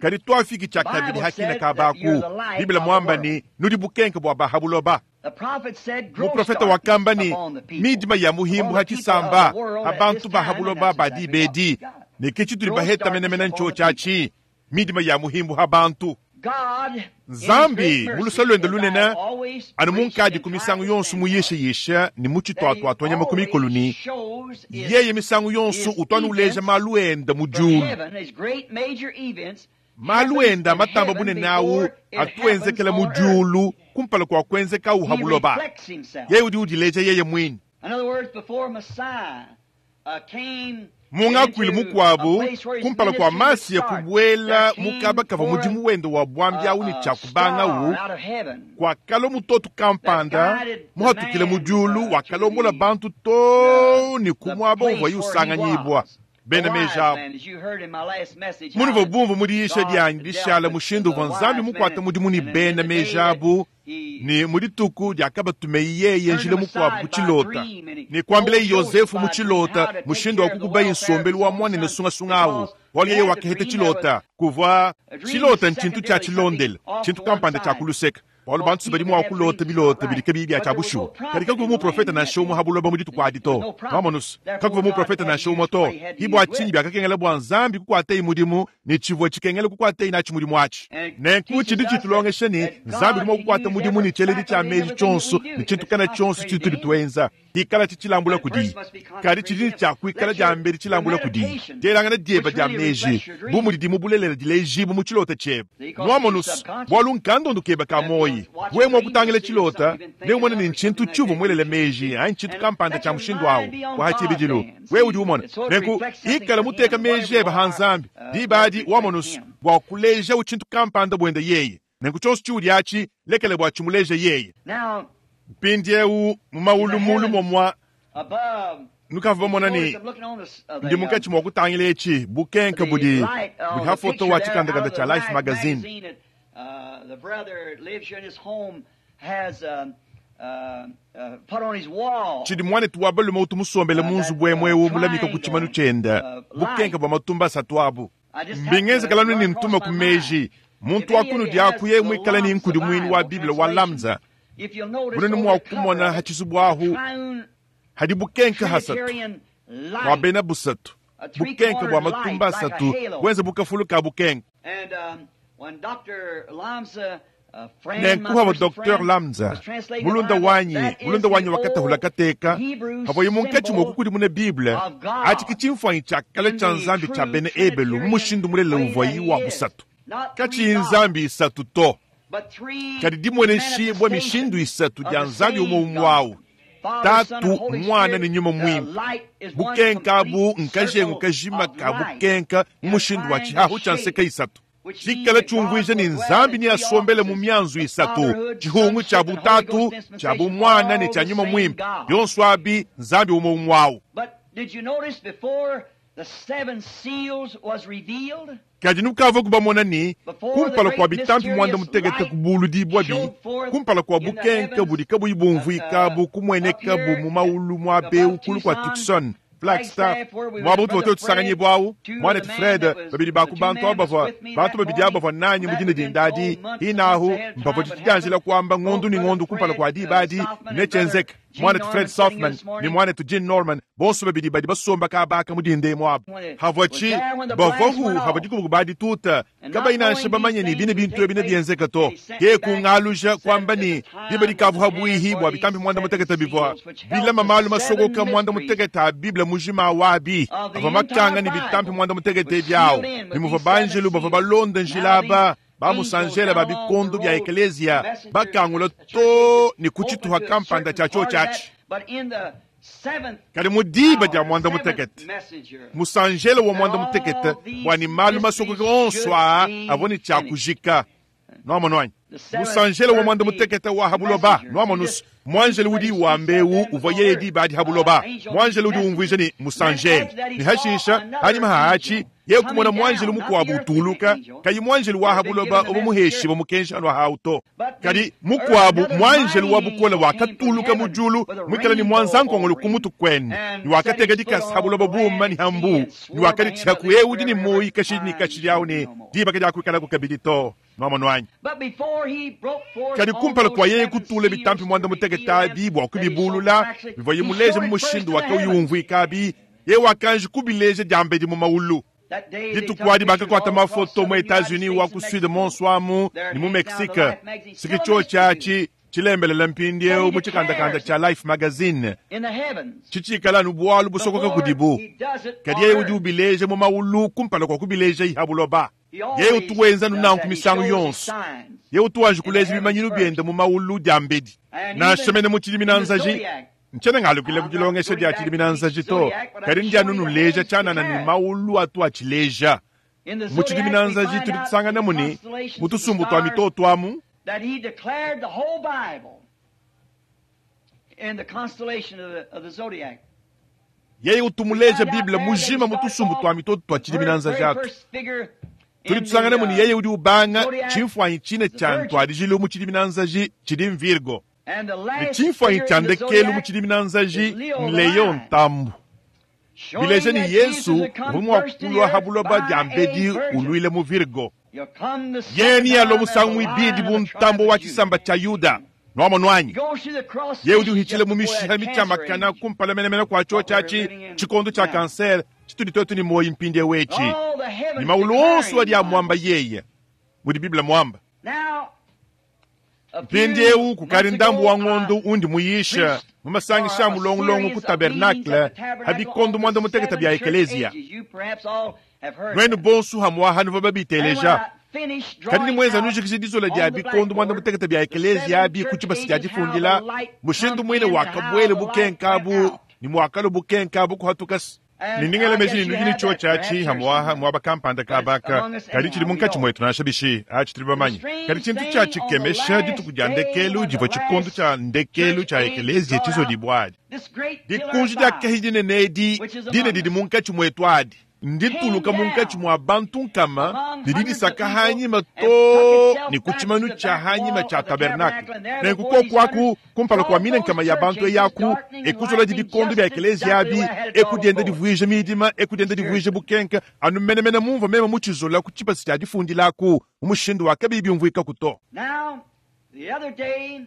Kadi tuafiki tshiakabidi ha kina kaba aku. Bible muamba ne, Nudi bukenke bua ba ha buloba. Muprofete wakamba ne, Midima ya muhimbu ha tshisamba, ha bantu ba ha buloba ba diba edi, ne ke tshitudi baheta menemene ntshiotshi atshi, midima ya muhimbu ha bantu. Nzambi, mu luse luende lunene, anu munkadi ku misangu yonso muyisheyishe ne mutshituatuatua nyama ku mikolo ne, Yeye misangu yonso utu anu uleja malu ende mu diulu. Malu ende a matamba bunene au atu enzekela mu diulu kumpala kua kuenzekawu ha buloba. Yeye udi udileja yeye muine. Mu ngakuilu mukuabu, kumpala kua Masiya kubuela mu kaba kavua mudimu wende wa buambi au ne tshia kubangawu, kuakalua mutoto kampanda muhatukile mu diulu wakalombola bantu too ne ku muaba uvuaye usanganyibua. Bena meji abu. Munuvua bumvue mu diyisha dianyi dishala mushindu uvua Nzambi mukuate mudimu ne bena meji abu, ne mu dituku diakabatumeyi yeye njila mukuabu ku tshilota, ne kuambilaye Yozefu mu tshilota mushindu wa kukubaye nsombelu wa muanende sungasunga au, bualu yeye wakaheta tshilota. Kuvua tshilota ntshintu tshia tshilondela, tshintu kampanda tshia ku luseke. Bualu bantu badi mua kulota bilota bidi kabiyi bia tshia bushuwa. Kadi kakuvua muprofete nansha umue ha buloba mu dituku adi to. Nwamonu's, kakuvua muprofete nansha umue to. Ki bua tshinyi biakakengela bua Nzambi kukuataye mudimu ne tshivua tshikengela kukuataye natshi mudimu atshi. Nenku tshidi tshitulongesha ne, Nzambi udi mua kukuata mudimu ne tshieledi tshia meji tshionso ne tshintu kana tshionso tshitudi tuenza, hikalatshi tshilambula kudiye. Kadi tshidi ne tshia kuikala diambedi tshilambula kudiye. Dielangana diebe dia meji, bu mudidi mu bulelela dilejibua mu tshilota tshiebe. Nwamonu's, bualu nkandondu kebe ka muoyi. Wewe mua kutangila tshilota, neumone ne ntshintu tshiuvua muelele meji anyi tshintu kampanda tshia mushindu au wa ha tshibidilu. Wewe udi umona. Nenku, ikala muteka meji ebe ha Nzambi, diba adi, wamonu's, bua kulejawu tshintu kampanda buende yeye. Nenku tshionso tshiudi atshi, lekela bua tshimuleje yeye. Mpindiewu mu maulu mulu momua, nukavua bamona ne ndi munkatshi mua kutangila etshi bukenke budi budi ha foto wa tshikandakanda tshia Life magazine. Tshidi muanetu wa balume utu musombele mu nzubu emu eu mulamika ku tshimanu tshiende bukenke bua matumba asatu abu. Mbingenzekela anu ne ntuma ku meji muntu wa kunudi aku yeye muikale ne nkudimuinu wa Bible wa Lamsa, bunene mua kumona ha tshizubu ahu hadi bukenke hasatu bua bena busatu, bukenke bua matumba asatu buenze bu kafulu ka bukenke. Nenku pavua Docteur Lamsa, mulunda wanyi, mulunda wanyi wakatahula kateka, pavuaye munkatshi mua kukudimuna Bible, atshi ke tshimfuanyi tshia kale tshia Nzambi tshia bena Ebelu mu mushindu mulelela uvuayi wa busatu. Katshiyi nzambi isatu to, kadi dimueneshibua mishindu isatu dia Nzambi umue umue au, Tatu, Muana ne Nyuma Muimpe. Bukenka abu nkajengu kajima ka bukenka mu mushindu wa tshihahu tshia nseka isatu. Tshikala tshiumvuija ne Nzambi neasombele mu mianzu isatu, tshihungu tshia bu-Tatu, tshia bu-Muana ne tshia Nyuma Muimpe, bionso abi Nzambi umue umue au. Kadi nukavuaku bamona ne, kumpala kua bitampi muanda-mutekete kubuludibuabi, kumpala kua bukenke budi kabuyi bumvuika bu kumuenekabu mu maulu muaba eu kulu kua Tucson, Flagstaff, muaba utuvua tuetu tusanganyibua au, muanetu Fred, babidi ba ku bantu aba bavua, bantu babidi aba bavua nanyi mu dina dinda adi, hine ahu, mpavua tshidianjila kuamba ngondu ne ngondu kumpala kua diba adi, netshienzeke. Muanetu Fred Sothmann ne muanetu Gene Norman, bonso babidi badi basomba kaba aka mu dinda emu abu. Havua tshi, bavuaku havua dikubuku ba dituta, kabayi nansha bamanye ne bine bintu ebi nebienzeke to. Ke kungaluja kuamba ne, diba dikavua pabuihi bua bitampi muanda-mutekete bivua bilama malu masokoka muanda-mutekete a Bible mujima wabi avua makanga ne bitampi muanda-mutekete ebi awu, ne muvua banjelu bavua balonda njila aba bamusanjela ba bikondo bia ekeleziya bakangula too ne ku tshituha kampanda tshia tshiotshi atshi. Kadi mu diba dia muanda-mutekete, musanjela wa muanda-mutekete bua ne malu masokoka onso aa avua ne tshia kujika. Nuamonu anyi? Musanjela wa muanda-mutekete wa ha buloba. Nuamonus, muanjelu udi wamba eu uvua yeye diba adi ha buloba. Muanjelu udi umvuija ne musanjela. Ne hashisha, hanyima ha atshi, yeye kumona muanjelu mukuabu utuluka, kayi muanjelu wa ha buloba uvua muheshibue mukenji anu ahawu to. Kadi mukuabu muanjelu wa bukole wakatuluka mu diulu muikale ne muanzankongolo ku mutu kuende, ne wakateka dikasa ha buloba buuma ne ha mbuu, ne wakaditshiha ku eu udi ne muoyo kashidi ne kashidi au ne, diba kadiakuikalaku kabidi to. Nuamonu anyi? Kadi kumpala kua yeye kutula bitampi muanda-mutekete abi bua kubibulula, bivuaye muleje mu mushindu wa kauyi umvuika abi, yeye wakanji kubileja diambedi mu maulu. Dituku adi bakakuata mafoto mu Etats-Unis wa ku Sud monso amu ne mu Mexique. Siki tshiotshi atshi tshilembelela mpindieu mu tshikandakanda tshia Life magazine, tshitshikala anu bualu busokoka kudibu. Kadi yeye udi ubileja mu maulu kumpala kua kubilejayi ha buloba. Yeye utu wenza anu nanku misangu yonso. Yeye utu wanji kuleja bimanyinu biende mu maulu diambedi, nansha mene mu tshidiminanzaji. Ntshiena ngalukila ku dilongesha dia tshidiminanzaji to, kadi ndi anu nuleja tshianana ne maulu atu atshileja. Mu tshidiminanzaji tudi tusanganamu ne, mu tusumbu tua mitoto amu, that he declared the whole Bible in the constellation of the zodiac. Yeye utu muleja Bible mujima mu tusumbu tua mitoto tua tshidiminanzaji atu. Tudi tusanganamu ne yeye udi ubanga tshimfuanyi tshine tshia ntuadijilu mu tshidiminanzaji tshidi m'Virgo, ne tshimfuanyi tshia ndekelu mu tshidiminanzaji n'Leo ntambu, bileja ne Yezu uvua mua kulua ha buloba diambedi uluile mu Virgo. Yeye nealue musangu muibidi bu ntambue wa tshisamba tshia Yuda. Nuamonu anyi? Yeye udi uhitshila mu mishiha mitshiamakana kumpala menemene kua tshiotshi atshi, tshikondo tshia kansere tshitudi tuetu ne muoyo mpindieu etshi. Ne maulu onso adi amuamba yeye, mudi Bible muamba. Mpindieu kukadi ndambu wa ngondo undi muyisha mu masangisha a mulongolongo ku tabernakle ha bikondo muanda-mutekete bia ekeleziya. Nuenu bonso hamuaha nuvua babiteleja. Kadi ni muenza nujikija dizola dia bikondo muanda-mutekete bia ekeleziya abi ku tshibasa tshia difundila, mushindu muine wakabuela bukenka abu ne muakalua bukenka abu kuhatuka. Ne ndi ngela meji ne nudi ne tshiotshi atshi hamuaha muaba kampanda kabaka, kadi tshidi munkatshi muetu nansha bishi, atshi tudi bamanye. Kadi tshintu tshia tshikemesha dituku dia ndekelu divua tshikondo tshia ndekelu tshia ekeleziya tshizodibua adi. Dikunji dia kahia dinene edi dine didi munkatshi muetu adi ndituluka munkatshi mua bantu nkama ne didisaka hanyima too ne ku tshimanu tshia hanyima tshia tabernakle. Nenku koku aku kumpala kua mine nkama ya bantu eyi aku, ekuzoladi bikondo bia ekeleziya abi, eku dienda divuija midima, eku dienda divuija bukenke, anu menemene mumvua meme mutshizola ku tshibasa tshia difundila aku, mu mushindu wa kabiyi biumvuikaku to. Now, the other day,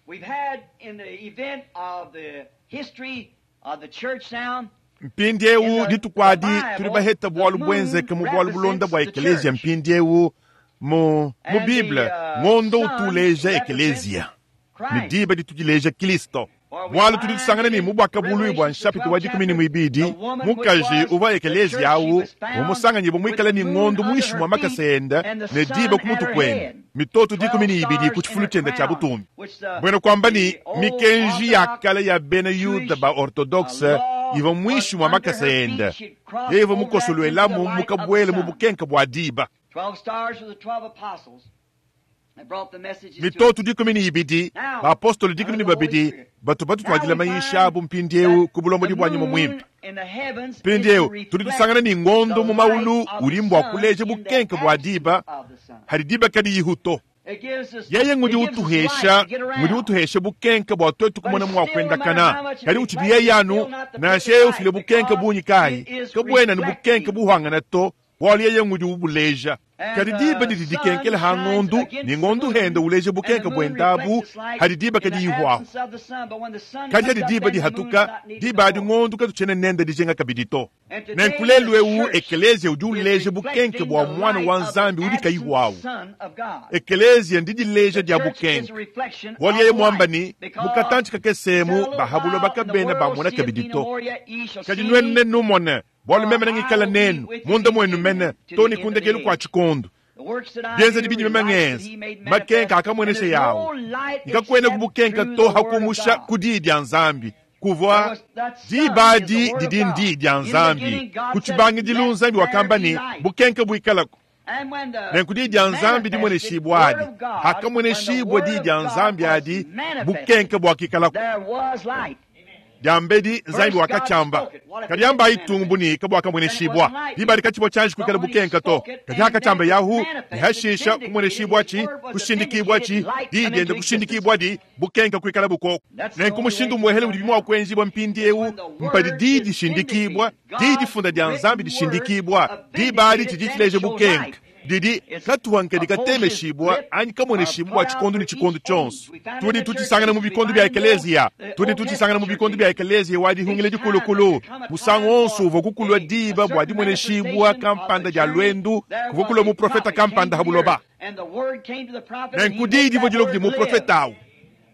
we've had in the event of the history of the church now, Mpindieu dituku adi tudi baheta bualu buenzeke mu bualu bulonda bua ekeleziya mpindieu mu mu Bible, ngondo utu uleja ekeleziya ne diba ditu dileja Kristo. Bualu tudi tusangana ne mu Buakabuluibua bua nshapita wa dikumi ne muibidi, mukaji uvua ekeleziya au umusanganyibua muikale ne ngondo muinshi mua makasa ende ne diba ku mutu kuende, mitoto 12 ku tshifulu tshiende tshia butumbi. Mbuena kuamba ne, mikenji ya kale ya bena Yuda ba Ortodokse ivua muinshi mua makasa ende, yeye ivua mukosoluelamu mukabuele mu bukenke bua diba. 12 stars were the 12 apostles that brought the messages to Mitoto 12, bapostolo 12 batu batutuadila mayisha abu mpindieu ku bulombodi bua Nyuma Muimpe. Mpindieu tudi tusangana ne ngondo mu maulu udi mbua kuleja bukenke bua diba, hadi diba kadiyihu to. Yeye ngudi utuhesha, ngudi utuhesha bukenke bua tuetu kumona mua kuendakana. Kadi utshidi yeye anu, nansha yeye ufile bukenke bungi kayi, kabuena ne bukenke buhangana to, bualu yeye ngudi ubuleja. Kadi diba didi dikenkela ha ngondu, ne ngondu henda uleja bukenke buendabu hadi diba kadiyihuahu. Kadi hadi diba dihatuka, diba adi ngondu katutshiena nende dijinga kabidi to. Nenku lelu eu ekeleziya udi uleja bukenke bua Muana wa Nzambi udi kayihuahu. Ekeleziya ndidileja dia bukenke. Bualu yeye muamba ne, mu katantshi kakese emu ba ha buloba kabena bamona kabidi to. Kadi nuenu nenumone, bualu meme nengikale nenu munda muenu mene too ne ku ndekelu kua tshikondo. Bienzedi bindi meme ngenza, makenka akamuenesha yawu, ne kakuena ku bukenka to ha kumusha ku diyi dia Nzambi. Kuvua diba adi didi ndiyi dia Nzambi. Ku tshibangidilu Nzambi wakamba ne, bukenke buikalaku. Nenku diyi dia Nzambi dimueneshibua adi, hakamueneshibua diyi dia Nzambi adi, bukenke buakikalaku. Diambedi Nzambi wakatshiamba, kadi ambayi tumbu ne kabuakamueneshibua. Diba adi katshivua tshianji kuikala bukenka to, kadi hakatshiamba Yahu, ne hashisha kumueneshibuatshi, kushindikibuatshi, diyi diende kushindikibuadi, bukenka kuikala bukoku. Nenku mushindu umuehele udibi mua kuenjibua mpindieu mpadi diyi dishindikibua, diyi difunda dia Nzambi dishindikibua. Diba adi tshidi tshileja bukenka didi katuha nkadi katemeshibua anyi kamueneshibua bua tshikondo ne tshikondo tshionso. Tudi tutshisangana mu bikondo bia ekeleziya, tudi tutshisangana mu bikondo bia ekeleziya wa dihungila dikulukulu. Musangu wonso uvua kukulua diba bua dimueneshibua kampanda dia luendu, kuvua kulua muprofeta kampanda ha buloba. Nenku diyi divua dilua kudi muprofeta au,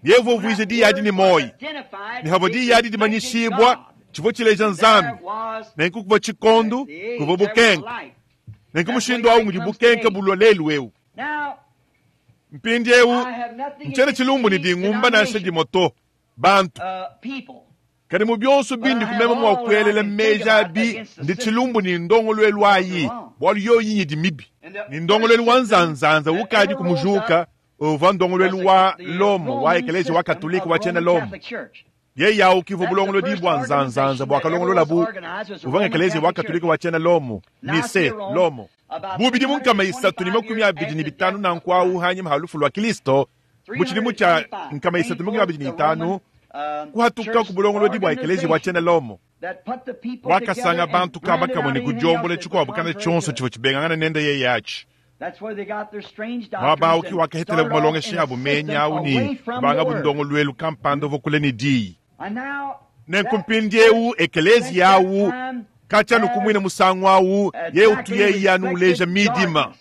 yeye uvua uvuija diyi adi ne muoyo, ne havua diyi adi dimanyishibua, tshivua tshileja Nzambi. Nenku kuvua tshikondo, kuvua bukenke. Nenku mushindu au ngudi bukenke bulua lelu eu. Mpindieu ntshiena tshilumbu ne dingumba nansha dimue to, bantu. Kadi mu bionso bindi kumema mua kuelela meji abi ndi tshilumbu ne ndongoluelu ayi, bualu yoyi nyidi mibi. Ne ndongoluelu wa nzanzanza ukadi kumujuka uvua ndongoluelu wa Lomo wa Ekeleziya wa Katolike wa tshiena Lomo. Yeye awu kivua bulongolodi bua nzanzanza buakalongololabu uvua ng'Ekeleziya wa Katolike wa tshiena Lomo, Nicee, Lomo. Bu bidimu 325 nanku awu hanyima ha lufu lua Kilisto, mu tshidimu tshia 325, kuhatuka ku bulongolodi bua Ekeleziya wa tshiena Lomo, wakasanga bantu kaba kamue ne kudiombola tshikuabu kana tshionso tshivua tshibengangana nende yeye atshi. Muaba awu ki wakahetelabu malongesha abu menyi awu ne kubangabu ndongoluelu kampanda uvua kule ne diyi. Nenku mpindieu ekeleziya awu katshia anu ku muine musangu awu yeye utu yeye anu uleja midima,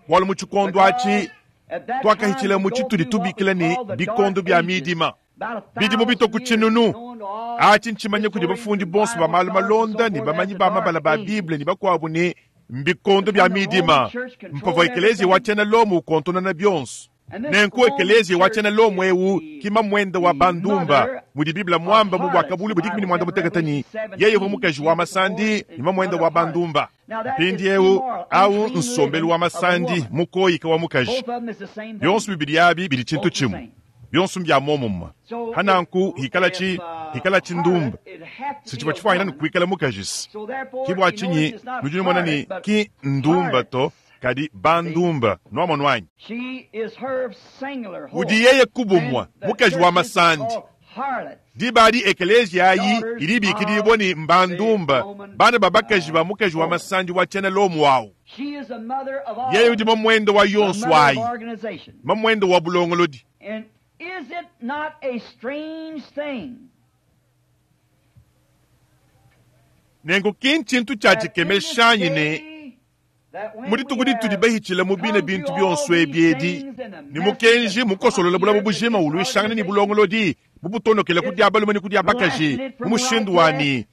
bualu mu tshikondo atshi tuakahitshila mu tshitudi tubikila ne bikondo bia midima. Bidimu bitue ku tshinunu atshi ntshimanya kudi bafundi bonso ba malu malonda ne bamanyi ba mabala ba Bible ne bakuabu ne mbikondo bia midima, mpavua ekeleziya wa tshiena Lomo ukontonona bionso. Nenku ekeleziya wa tshiena Lomo eu ki mamuende wa bandumba, mudi Bible muamba mu Buakabuluibua 15 ne, yeye uvua mukaji wa masandi ne mamuende wa bandumba. Mpindieu au nsombelu wa masandi mukoyika wa mukaji. Bionso bibidi abi bidi tshintu tshimue. Bionso mbia muomumue. Hananku hikalatshi hikalatshi ndumba si tshivua tshifuanyina ne kuikala mukaji si. Ki bua tshinyi nudi numona ne ki ndumba to, kadi bandumba. Nuamonu anyi? Udi yeye kubumua mukaji wa masandi. Diba adi ekeleziya ayi idi ibikidibua ne mbandumba, bana ba bakaji ba mukaji wa masandi wa tshiena Lomo awu. Yeye udi mamuende wa yonso ayi, mamuende wa bulongolodi. Nenku ki ntshintu tshia tshikemesha anyi ne mu dituku ditudi bahitshile mu bine bintu bionso ebi edi, ne mukenji mukosolola bulaba bujima uluishangana ne bulongolodi bubutonokela ku dia balume ne ku dia bakaji mu mushindu wa ne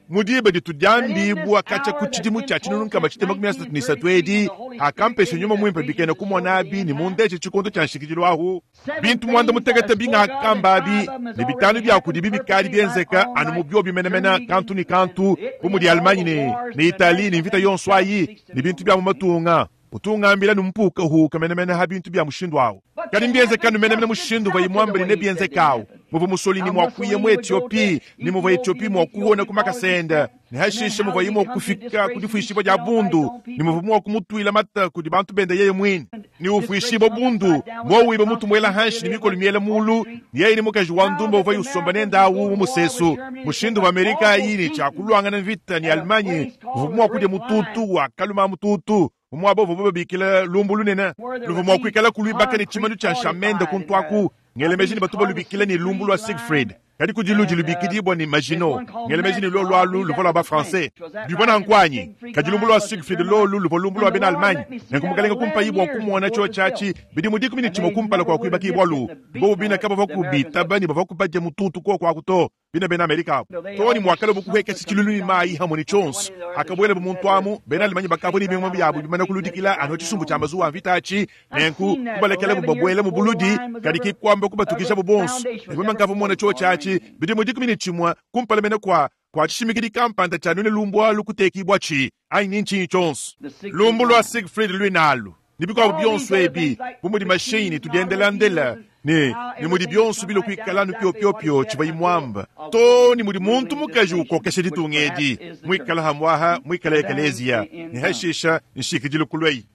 mu diba ditu diambibua katshia ku tshidimu tshia 1933 edi, akampesha Nyuma Muimpe bikena kumona abi ne mundeje tshikondo tshia nshikidilu ahu. Bintu 15 bingakamba abi ne bitanu bia kudibi bikadi bienzeka anu mu biobi menemene kantu ne kantu, bu mudi Allemagne ne Italie ne mvita yonso ayi ne bintu bia mu matunga. Utu ungambila numpuukahuuka menemene ha bintu bia mushindu awu. Kadi mbienzeka anu menemene mushindu uvua muambe ne nebienzeka awu, muvua Mussolini mua kuya mu Ethiopie ne muvua Ethiopie mua kuhona ku makasa ende, ne hashishe muvua mua kufika ku difuishibua dia bundu ne muvua mua kumutuila mata kudi bantu bende yeye muine, ne ufuishibua bundu mua wiba mutu muela hanshi ne mikolo miela mulu, ne yeye ne mukaji wa ndumba uvua usomba nende awu mu musesu. Mushindu wa Amerika ayi ne tshia kuluangana mvita ne Allemagne uvua mua kudia mututu wa kaluma mututu. Mu muaba uvuabu babikila lumbu lunene, luvua mua kuikala kuluibaka ne tshimanu tshia nshamende kuntu aku. Ngela meji ne batu balubikila ne lumbu lua Siegfried, kadi kudi ludi lubikidibua ne Maginot. Ngela meji ne luolu alu luvua lua ba-Français. Bivua nanku anyi? Kadi lumbu lua Siegfried lolu luvua lumbu lua bena Allemagne. Nenku mukalenge kumpayi bua kumona tshiotshi atshi bidimu 11 kumpala kua kuibakibualu. Bobu bine kabavua kubitaba ne bavua kubadia mututu kuoku aku to. Bina bena Amerika abu too ne muakalua kuhuekesha tshilulu ne mayi hamue ne tshionso. Hakabuelabu muntu amu, bena Allemagne bakavua ne bingoma biabu bimane kuludikila anu tshisumbu tshia mazuwa a mvita atshi. Nenku kubalekelabu babuela mu buludi, kadi ki kuamba kubatukijabu bonso. Nenku meme nkavua mumone tshiotshi atshi bidimu 11 kumpala mene kua kua tshishimikidi kampanda tshia nune lumbu alu kutekibuatshi anyi ni ntshinyi tshionso. Lumbu lua Siegfried luine alu ne bikuabu bionso ebi, bu mudi mashinyi ne tudiendelandela ne ne mudi bionso bilua kuikala anu piopiopio tshivua imuamba, too ne mudi muntu mukaji ukokesha ditunga edi, muikala hamuaha muikala ekeleziya, ne hashisha nshikidilu kulueyi.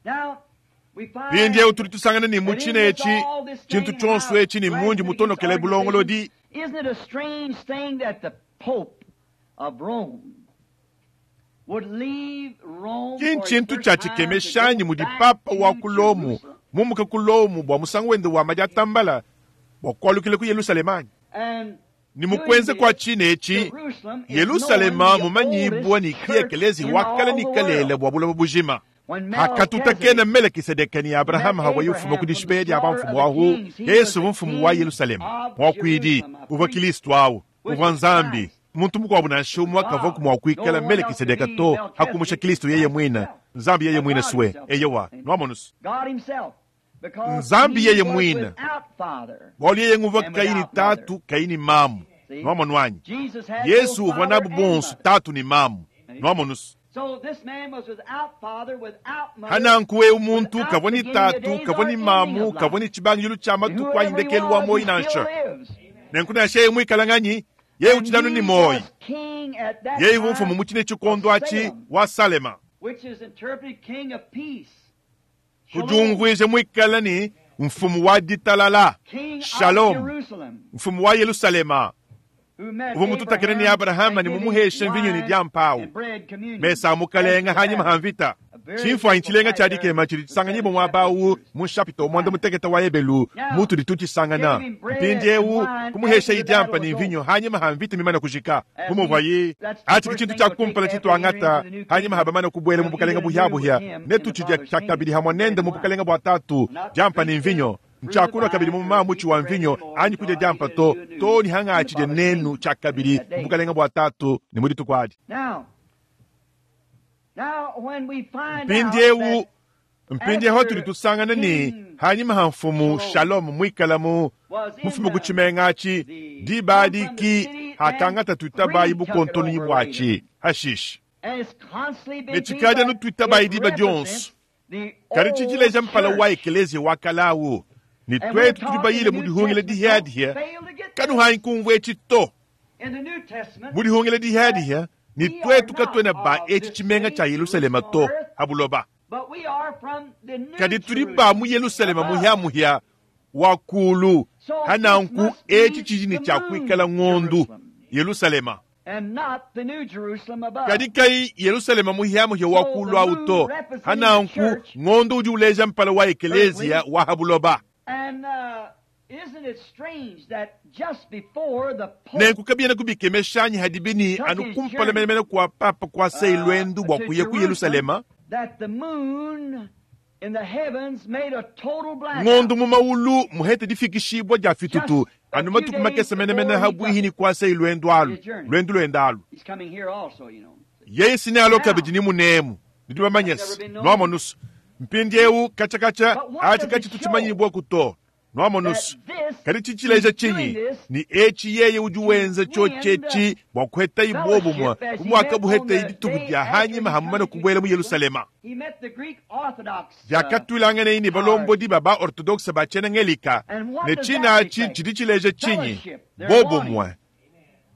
Mpindieu tudi tusangana ne mu tshina etshi tshintu tshionso etshi ne mundi mutonokele bulongolodi. Isn't it a strange thing that the Pope of Rome would leave Rome Ki for his ntshintu first tshia time to tshikemeshanyi go mudi back Papa to wa ku Lomo Jerusalem? mumuka ku Lomo bua musangu wende wa madiatambala bua kualukila ku Yelushalema anyi? And Ne mu kuenza kua tshina etshi, Jerusalem is Yelushalema known the mumanyibua oldest ne ki church ekelezia in wa kale all ne the kalele world. bua buloba bujima. When Hakatutakena Melchizedek Melekisedeke ne Abrahama met hawa yufuma Abraham ku from the dishipeya dia slaughter bamfumu of the ahu, kings, he was Yesu the mfumu wa king Yelushalema, of muakuidi Jerusalem, a uvua priest, Kristo awu, which uvua is Nzambi. Christ. Muntu mukuabu nansha umwe akavua God. mua No kuikala one else could Melekisedeke be to hakumusha Melchizedek Kristo yeye Christ mwine, himself, Nzambi yeye or mwine God swe. himself. Eyewa, nwamonusu. God himself, because Nzambi he yeye was mwine. without father Bualu yeye nguvua and kayi ni without mother. tatu kayi ni mamu. See? Nwamonu anyi? Jesus had Yesu both uvua father nabu and bonso mother. tatu ni mamu. Nwamonusu. So this man was without father, without mother, Hananku eu muntu without kavua ni beginning of tatu days kavua or ni ending mamu of kavua life. ni tshibangidilu tshia And matuku anyi whoever he ndekelu wa was, moyi he still nansha. lives. Nenku nansha yeye muikala nganyi, yeye And utshidi anu ni he moyi. was king at that Yeye uvua mfumu time mu tshine of tshikondo atshi Salem, wa Salema. which is interpreted king of peace. Shalom, Kudiumvuija muikala ni mfumu wa ditalala, king of Shalom, Jerusalem, mfumu wa Yerusalema. who met Uvua mututakene ni Abraham Abrahama and ne gave him mumuheshe mvinyo ne wine diampawu. and bread communion Mesa mukalenga after the hanyima battle. ha mvita. A very Tshimfuanyi beautiful tshilenga type tshia there, dikema tshidi the tshisanganyibwa seventh muaba chapter of awu Hebrews. mu nshapita mwanda mutekete wa Ebelu Now, mutudi tutshisangana. gave him bread and Mpindiewu wine after kumuhesha the idiampa battle ne was mvinyo over. hanyima ha mvita mimane kujika. As Bumuvua he, ye that's the achi first tshintu thing tshia we'll take kumpala after we enter tshituangata into the new hanyima kingdom. habamane kubuela mu We'll eat bukalenga anew with buhyabuhya him in ne the tutshidia Father's tshia kingdom, kabidi hamwe bread nende and mu wine. bukalenga bua tatu Not diampa ne drink the mvinyo fruit of the ntshiakunwa kabidi vine mu or mama eat mutshi the wa bread mvinyo anymore anyi until kudya I diampa eat to it anew to ni in hanga the atshidya Father's nenu kingdom tshia at kabidi that mu day. bukalenga bua tatu ne mu dituku adi. Now, now when we find out Mpindiewu that mpindiewu hatudi after tusangana ni King hanyima ha mfumu Shalom Shalom muikala mu was in mufume ku the, tshimenga atshi the diba come from the adi ki city, then hakangata tuitabayi greed took it bukontonyi over later. bwatshi hashisha. And it's constantly Ne been seen, tshikadi anu but tuitabayi it diba dionso. represents the Kadi old tshidileja mpala wa church. ekelezia wa kalawu ne And we're twetu taught in the tudi bayile mu New dihungila Testament, don't dihiadihiya fail to get this. kanuhanyi kumvua etshi to. In the New Testament, Mu dihungila that dihiadihiya ne we are twetu not katuena ba of etshi this tshimenga city, tshia Yerusalema Jerusalem on to earth, habuloba. but we are from the New Kadi tudi ba mu Jerusalem Yerusalema above. muhiamuhia wa kulu So this hananku must etshi be tshidi ne the tshia moon kuikala ng'ondu Jerusalem Yerusalema. and not the New Jerusalem above. Kadi kai Yerusalema muhiamuhia wa So the kulu awu moon to representing the hananku church ng'ondu udi uleja mpala wa earthly. ekelezia wa habuloba. And isn't it strange that just before the Pope Nenku kabiena kubikemeshanyi hadibini took anu his kumpala journey menemene kua papa kua sei lwendu bua to kuya ku Jerusalem, Yerusalema that the moon in the heavens made a total blackout ng'ondu mu maulu muhete difikishibua dia fitutu just a anu few matuku days makese menemene before he habwihi took ni kua sei lwendu alu his journey. lwendu lwenda alu. He's coming here also, you know. Yeye sine alo Now, kabidi ni munemu nidi that's never bamanyesi been known. nwamonusu mpindiewu kachakacha But what achi does it kachi show? tuchimanyibwa kuto nwamonusu That this, kadi chichileja he's doing chinyi this ni echi yeye udi to wenza win chochechi bua kuheta ibobumwa fellowship as he bumwaka met on buheta the idituku day dia after hanyima he hamumane coming to kubuela mu Jerusalem. Yerusalema. He met the Greek Orthodox Vyakatwilangana ni balombodi clergy. ba ba orthodoxe ba tshiena-ngelika And what ne does tshina that atshi reflect? tshidi tshileja tshinyi Fellowship. They're bobumwe wanting.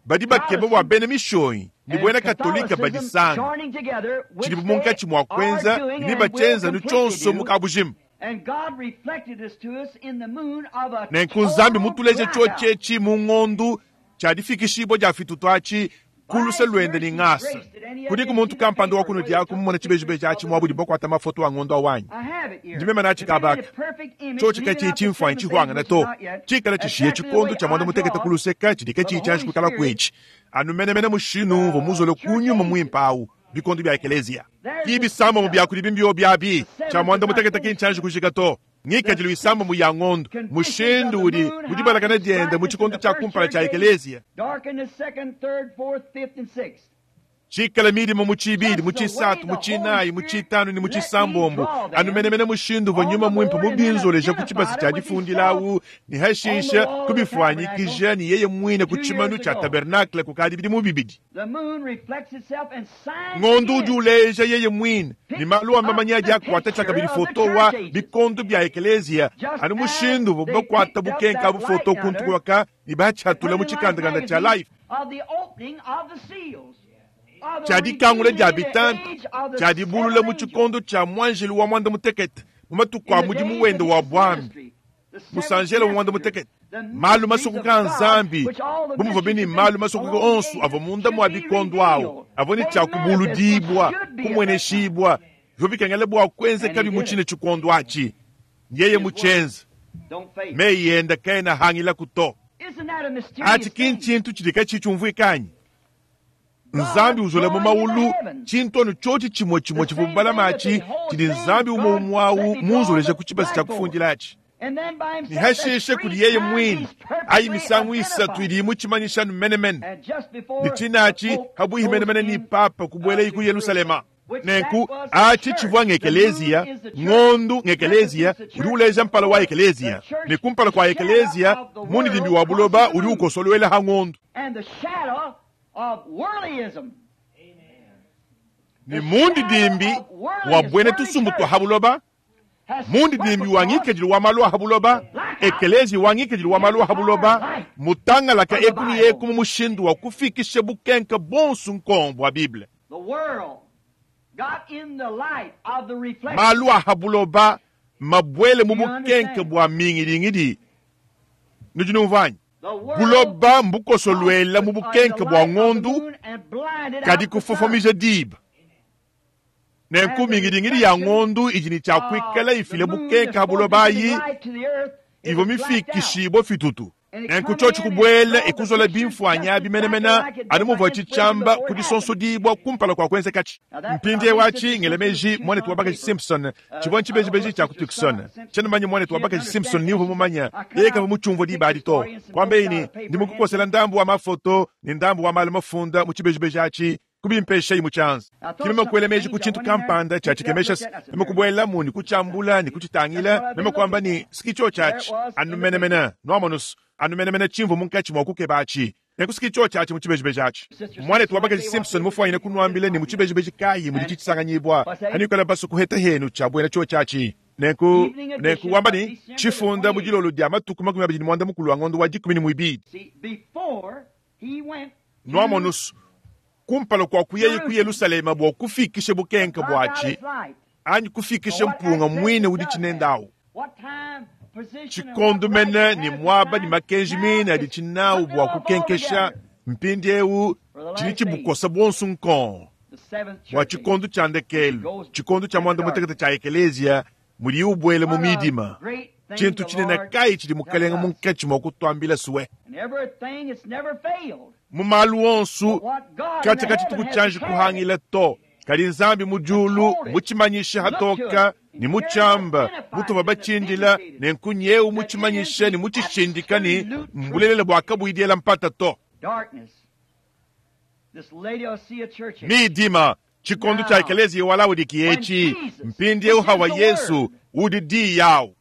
badi bakeba bua Protestant bena mishonyi ne and buena katolika Catholicism badisanga joining together, which tshidi they munkatshi mua are kuenza doing ne and will bachenza nu completely tshionso do. mu kabujimu. And God reflected this to us in the moon of a Nenku Nzambi total mutuleja blackout. tshiotshi mu ng'ondu tshia difikishibua dia fitutu atshi Ku luse luende ne ngasa. Kudiku muntu kampanda wa kunudi aku mumone tshibejibeji atshi muaba udibu bakuata mafoto a ngondo au anyi? Ndi meme natshi kaba aka. Tshiotshi katshiyi tshimfuanyi tshihuangane to, tshikale tshishiye tshikondo tshia muanda mutekete ku luseke tshidi katshiyi tshianji kuikalaku etshi, anu menemene mushindu umvua muzole ku nyuma muimpe au bikondo bia ekeleziya. Ki bisambombo bia kudibi mbiobi abi, tshia muanda mutekete ki ntshianji kujika to. Ngikadilu isambombo ya ngondo, mushindu udi mu dibalakana diende mu tshikondo tshia kumpala tshia ekeleziya. Tshikale midima mu tshibidi, mu tshisatu, mu tshinayi, mu tshitanu ne mu tshisambombo, anu menemene mushindu uvua nyuma muimpe mubinzoleja ku tshibasa tshia difundila au ne hashishe kubifuanyikija ne yeye muine ku tshimanu tshia tabernakle kukadi bidimu bibidi. Ngondo udi uleja yeye muine ne malu a mamanya adi akuata tshiakabidi foto wa bikondo bia ekeleziya, anu mushindu uvuabu bakuata bukenka abu foto kuntu kuaka ne batshiatula mu tshikandakanda tshia Life. Tshia dikangula dia bitanta tshia dibulula mu tshikondo tshia muanjelu wa muanda mutekete mu matuku a mudimu wende wa buambi. Musanjela wa muanda mutekete, malu masokoka a Nzambi, bu muvuabi ne malu masokoka onso avua munda mua bikondo awu, avua ne tshia kubuludibua, kumueneshibua, bivua bikengela bua kuenzekabi mu tshine tshikondo atshi. Yeye mutshienze. Meyi ende kaena ahangilaku to. Atshi ki ntshintu tshidi katshiyi tshiumvuika anyi? Nzambi uzola mu maulu tshintu anu tshiotshi tshimue tshimue tshivua balama atshi tshidi Nzambi umue umue au munzoleja ku tshibasa tshia kufundila atshi. Ne hashishe kudi yeye muine ayi misangu isatu idi imutshimanyisha anu menemene ne tshinatshi habuihi menemene ne papa kubuelayi ku Yelusalema. Nenku atshi tshivua ng'ekeleziya, ngondu ng'ekeleziya udi uleja mpala wa ekeleziya, ne kumpala kua ekeleziya mundidimbi wa buloba udi ukosoluela ha ngondu. Ne mundidimbi wa buena tusumbu tua ha buloba, mundidimbi wa ngikadilu wa malu a ha buloba, ekeleziya wa ngikadilu wa malu a ha buloba, mutangalaka eku ne eku mu mushindu wa kufikisha bukenka buonso nkong bua Bible. Malu a ha buloba mabuele mu bukenke bua mingidingidi. Nudi numvua anyi? Buloba mbukosoluela mu bukenke bua ngondu, kadi kufofomija diba. Nenku mingidingidi ya ngondu idi ne tshia kuikala ifila bukenke ha buloba ayi ivua mifikishibue fitutu. Nenku tshiotshi kubuela e kuzola bimfuanyi abi menemene anu muvuatshi tshiamba ku disonsodibua kumpala kua kuenzekatshi. Mpindieu atshi, ngela meji, muanetu wa bakaji Simpson, tshivua ntshibejibeji tshia ku Tucson. Tshiena mumanye muanetu wa bakaji Simpson ni uvua mumanye, yeye kavua mutshiumvue diba adi to. Kuambaye ne, Ndi mukukosela ndambu wa mafoto ne ndambu wa malu mafunda mu tshibejibeji atshi. Kubimpeshayi mu tshianza. Ke meme kuela meji ku tshintu kampanda tshia tshikemesha se meme kubuelamu ne kutshiambula ne kutshitangila, meme kuamba ne, S'ki tshiotshi atshi, anu menemene, nwamonu's, anu menemene tshimvua munkatshi mua kukeba atshi. Nenku s'ki tshiotshi atshi mu tshibejibeji atshi. Muanetu wa bakaji Simpson mufwanyine kunwambila ne mu tshibejibeji kayi muditshi tshisanganyibua, hanuikala basue kuheta henu tshia buena tshiotshi atshi. Nenku, nenku wamba ne, Tshifunda mu dilolo dia matuku 25 a ngondo wa dikumi ne muibidi. Nwamonu's, kumpala kua kuyaye ku Yelushalema bua kufikisha bukenke buatshi anyi kufikisha mpunga muine udi tshinende au. Tshikondo mene ne muaba ne makenji mine adi tshinawu bua kukenkesha mpindieu tshidi tshibukosa buonso nkong bua tshikondo tshia ndekelu, tshikondo tshia muanda mutekete tshia ekeleziya mudiye ubuela mu midima. Tshintu tshinene kayi tshidi Mukelenge munkatshi mua kutuambila sue? Mu malu onso katshia katshituku tshianji kuhangila to, kadi Nzambi mu diulu mutshimanyishe hatoka ne mutshiamba mutuvua batshindila, nenku nyeu mutshimanyishe ne mutshishindika ne mbulelela bua kabuyi diela mpata to. Midima, tshikondo tshia ekeleziya wa Laodikiya etshi, mpindieu hawa Yezu udi Diyi awu.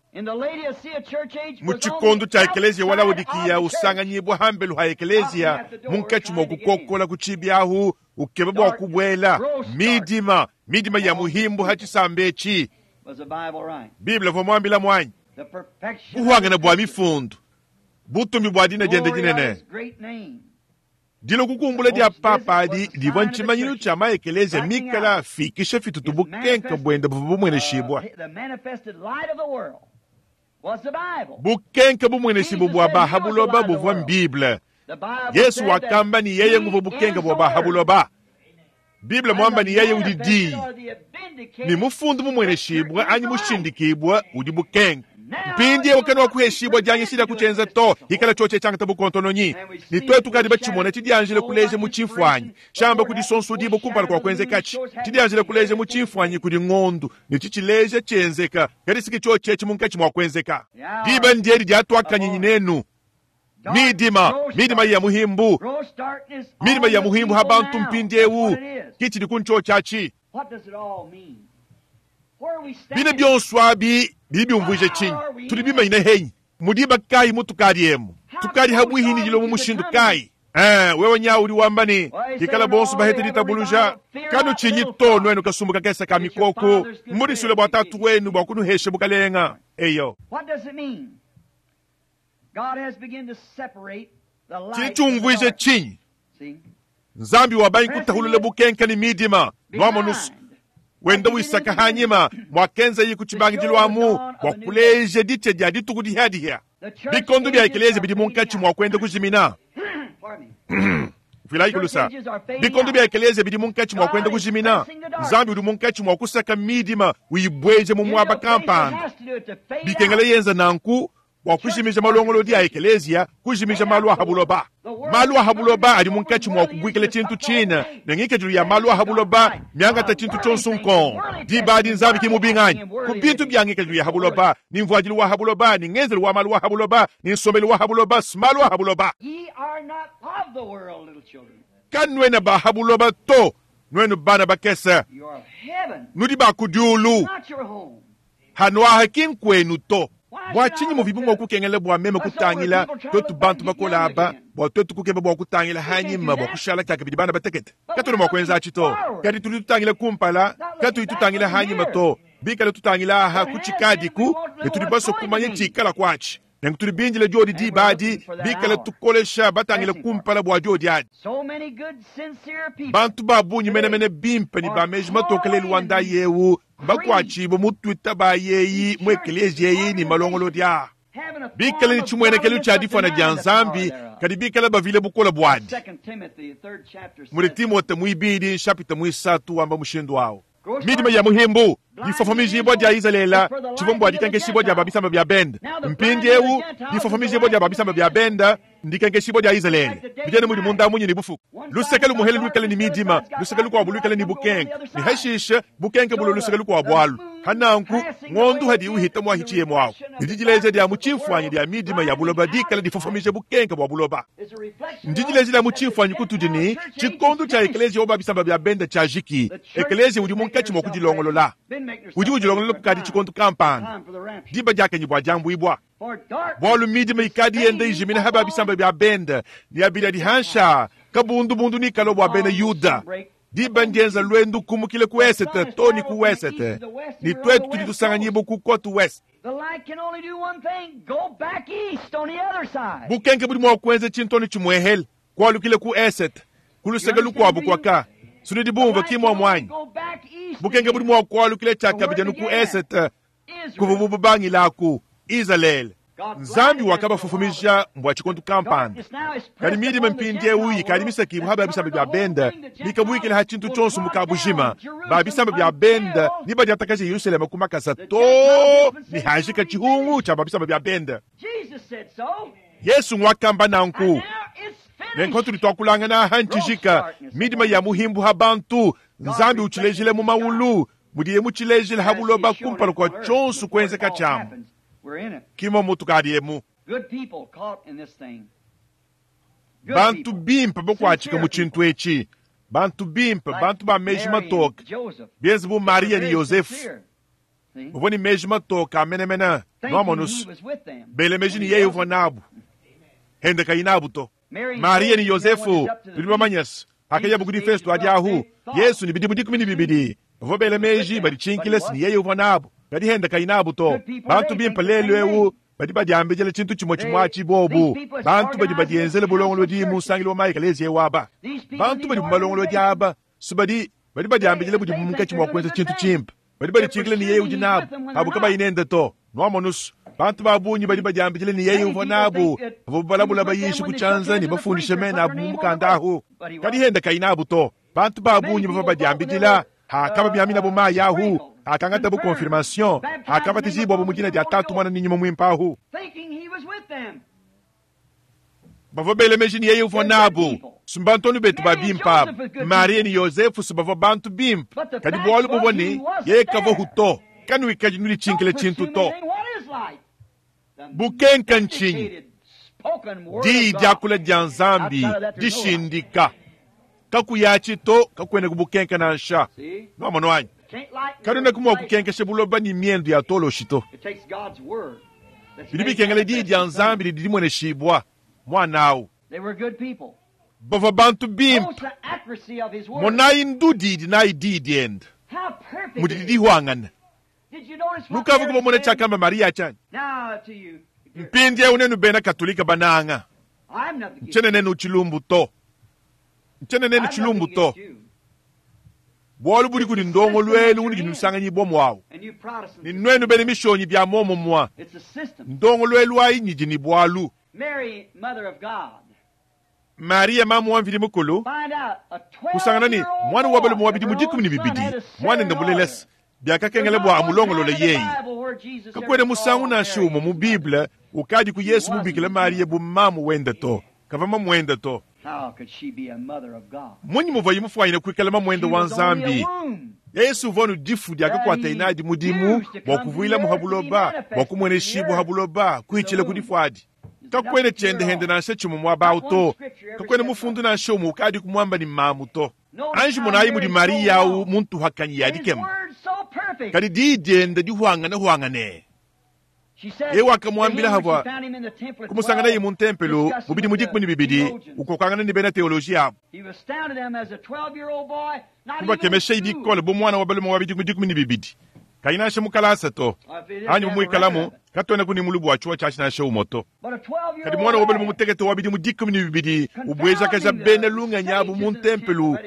Mu tshikondo tshia ekeleziya wa Laodikiya usanganyibua hambelu ha ekeleziya munkatshi mua kukokola ku tshibi ahu ukeba bua kubuela, midima, midima ya muhimbu ha tshisamba etshi. Bible uvua muambilamu anyi? Buhuangane bua mifundu, butumbi bua dina diende dinene. Dilua kukumbula dia papa adi divua ntshimanyinu tshia ma-ekeleziya mikale afikisha fitutu bukenke buende buvua bumueneshibua. Bukenke bumueneshibue bua ba ha buloba buvua m'Bible. Yesu wakamba ni yeye nguvu bukenga bwa bahabuloba. Biblia mwamba ni yeye udi dii. Ni mufundu mumweneshibwa anyi mushindikibwa udi bukenga. Mpindi wakati wa kuheshibwa janyishira kuchenza to ikala choche changa tabu kontononyi ni twetu kadi bachimona chidianjile kuleje mu chimfwanyi shamba kudi sonso dibo kumpala kwa kwenze kachi chidianjile kuleje mu chimfwanyi kudi ngondu ni chichileje chenzeka kadi siki choche chimunkachi mwa kwenzeka diba ndieri dyatwakanyinyi nenu midima midima ya muhimbu midima ya muhimbu habantu mpindi ewu kichili kuncho chachi bine byonswabi bibyumvuje chinyi tuli bimanyine henyi mudiba kayi mutukali emu tukali habwihini jilo mu mushindu kayi wewe nyawu uli wambani kikala bonso bahete litabuluja kanu chinyi to nwenu kasumbu kakesa ka mikoko mulisule bwa tatu wenu bwa kunuheshe bukalenga eyo chichumvwije chinyi nzambi wabanyi kutahulule bukenka ni midima nwamonusu wenda wisaka hanyima mwakenza yi kuchibangidilwamu bwakuleje ditye dya dituku dihadihya bikondo bya ekelezia bidi munkatshi mwakwenda kujimina vilaikulusa bikondo bya ekelezia bidi munkatshi mwakwenda kujimina nzambi udi munkatshi mwakusaka midima uyibweje mu mwaba kampanda bikengela yenza nanku bwakujimija malongolodi ya ekelezia kujimija malu ahabuloba malu ahabuloba ali munkatshi mwa kubwikila tshintu tshina nengikedilu ya malu ahabuloba myangata tshintu tshonso nkongo dibadi nzambi kimubinganyi ku bintu bya ngikedilu ya habuloba ni mvuadilu wa habuloba ni ngenzelu wa malu wa habuloba ni nsombelu wa habuloba simalu ahabuloba kanwena ba habuloba to nwenu bana bakesa nudi bakudiulu hanwaha kinkwenu to bwa tshinyi muvibu mwa kukengela bwa meme kutangila twetu bantu bakola aba bwa twetu kukeba bwa kutangila hanyima bwa kushala kyaka bidi bana batekete katuli mwa kwenza atshi to kadi tuli tutangila kumpala katuyi tutangila hanyima to bikala tutangila aha kuchikadiku ne tudi baso kumanya tshikala kwatshi nenku tuli binjila diodi dibadi bikala tukolesha batangila kumpala bwa diodi adi bantu babunyi menemene bimpe ni bameji matokele luanda yewu bakwatshibwe mutwita bayeyi mu ekelezia eyi ni malongolodi a bikala ni tshimwenekelu tshia difwana dia nzambi kadi bikala bavile bukola bwadi muli timote muibidi nshapita muisatu wamba mushindu awo midima ya muhimbu difofomijibwa dia izalela tshivombo adikankeshibwa dia babisamba bya benda mpindi ewu difofomijibwa dia babisamba bya benda ndikankeshibwa dia izalele bijene muli munda munyi ni bufuku luseke lumuhele lwikale ni midima luseke lukwabu lwikale ni bukenke ni hashishe bukenke bulo luseke lukwabu alu hananku ng'ondu hadi uhita mwahichiye mwawu ndidileje dia muchimfwanyi dia midima ya buloba dikala difofomije bukenke bwa buloba ndidileje dia muchimfwanyi kutudi ni tshikondo tshia ekelezia oba bisamba bya benda tshia jiki ekelezia udi munkatshi mwa kudilongolola udi udilongolola kukadi tshikondo kampanda diba diakenyi bua diambuibua bwalu midima ikadi yenda ijimina haba bisamba bya benda ni abila dihansha kabundubundu nikalo bwa bena yuda diba ndienza lwendu kumukile ku esete to ni ku wesete ni twetu tudi tusanganyibo ku kotu west bukenke budi mua kuenza tshintoni tshimuehele kualukile ku esete kuluseke lukuabu kuaka sunidi bumva kimwa mwanyi bukenke budi mua kualukile tshiakabidya ku esete kuvubu bubangilaku izalele nzambi wakabafufumija mbwa tshikondu kampanda kadi midima mpindi ewu ikadi misakibu haba bisamba bya benda bikabwikila ha tshintu tshonso mukabujima ba bisamba bya benda ni badiatakaja yerusalema kumakasa to ni hajika tshihungu tshia ba bisamba bya benda yesu ngwakamba nanku nenko tuli twakulangana ha ntshijika midima ya muhimbu ha bantu nzambi utshilejile mu maulu mudiye mutshilejile ha buloba kumpala kwa tshonso kuenzeka tshiamu kimo mutu kadi emu bantu bimpe bokuatshika mu tshintu etshi bantu bimpe bantu ba meji matoke bienze bu maria ni yosefu uvua ni meji matoke amenemene nwamonusu bele meji ni yeye uvua nabu hende kayi nabu to maria ni yosefu tudi bamanyese akayabu kudi festo adi ahu yesu ni bidimu dikumi ni bibidi bavua bele meji baditshinkile si ni yeye uvua nabu kadi hende kayi nabu to bantu bimpe lelu ewu badi badiambijela tshintu tshimue tshimue atshi bobu bantu badi badienzele bulongolodi mu nsangilu wa mayi aba bantu badi mu malongolodi aba su badi badi badiambijele budi munkatshi mua kuenza tshintu tshimpe badi baditshinkile ni yeye udi nabu abu kabayi nende to nwamonusu Bantu ba bungi badi badiambidila ne yeye uvua nabu, bavua balabula bayishi ku tshianza ne bafundishe mena abu mu mukanda ahu. Kadi henda kayi nabu to. Bantu ba bungi bavua badiambidila, hakababiaminabu mayi ahu, hakangatabu confirmation, hakabatijibwabu mu dina dia Tatu, Muana ne Nyuma Muimpe ahu. Bavua bela meji ne yeye uvua nabu. Si mbantonu betu ba bimpe abu. Mariya ne Yozefu si bavua bantu bimpe. Kadi bualu buvua ne, yeye kavahu to. Kanuikadi nuditshinkila tshintu to. Bukenka ntshinyi? Diyi diakula dia Nzambi dishindika. Kakuyatshi to, kakuena ku bukenka nansha. Nuamonu anyi? Kanuenaku mua kukenkesha buloba ne miendu ya toloshi to. Bidi bikengela diyi dia Nzambi didi dimueneshibua. Muana au. Bavua bantu bimpe. Monayi ndudi idi nayi diyi diende, mudidi dihuangana. Nukavua kubamona tshiakamba Mariya tshianyi? Mpindieu nenu bena Katolika bananga, ntshiena nenu tshilumbu to. Ntshiena nenu tshilumbu to. Bualu budi kudi ndongoluelu unudi nusanganyibua muawu. Ne nuenu bena mishonyi bia muomumue, ndongoluelu ayi nyidi ne bualu. Mariya mamu wa Mvidi Mukulu kusangana ne muana wa balume wa bidimu 12, muanende mulelese, biakakengela bua amulongolole yeye. Kakuena musangu nansha umue mu Bible ukadiku Yesu mubikile Mariya bu mamu wende to. Kavua mamuende to. Mmunyi muvuaye mufuanyine kuikala mamuende wa Nzambi? Yesu uvua anu difu diakakuataye nadi mudimu bua kuvuilamu ha buloba, bua kumueneshibua ha buloba, kuitshila ku difu adi. Kakuena tshiende hende nansha tshimue muaba au to. Kakuena mufundu nansha umue ukadi kumuamba ne mamu to. Anji monayi mudi Mariya au mu ntuhakanyi ya dikema. Kadi diyi diende dihuangane-huangane. Yeye wakamuambila havua kumusanganaye mu ntempelo mu bidimu 12 ukokangana ne bena teoloji abu. Kubakemeshayi bikole bu muana wa balume wa bidimu 12, kayi nansha mu kalasa to, anyi bu muikalamu, katuenaku ne mulubu wa tshiwa tshiatshi nansha umue to. Kadi muana wa balume mutekete wa bidimu 12 ubuejakaja bena lungenyi abu mu ntempelo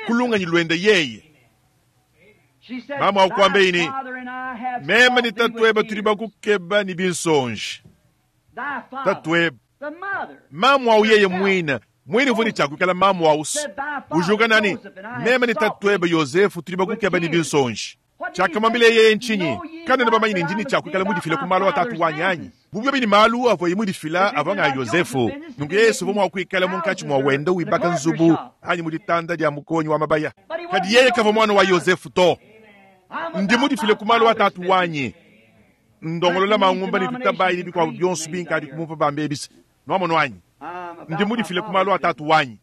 ku lungenyi luende yeye. Mamu akuambeyi ne, meme ne tatuebe tudi bakukeba ne binsonji. Tatuebe, mamu au yeye muine, muine uvua ne tshia kuikala mamu au ujuka nani, meme ne tatuebe Yozefu tudi bakukeba ne binsonji. Tshiakamwambila yeye ntshinyi? Kanuena bamanye ne ndi ne tshia kuikala mudifile ku malu a tatu wanyi anyi? Bu biobi ne malu avuaye mudifila avua nga Yozefu, nunku Yesu uvua mua kuikala munkatshi mua wenda wibaka nzubu anyi mu ditanda dia mukonyi wa mabaya. Kadi yeye kavua muana wa Yozefu to. Ndi mudifile ku malu a tatu wanyi. Ndongolola mangumba ne tutabayi ne bikuabu bionso binkadi kumumpa bambe ebisa. Nuamonu anyi? Ndi mudifile ku malu a tatu wanyi.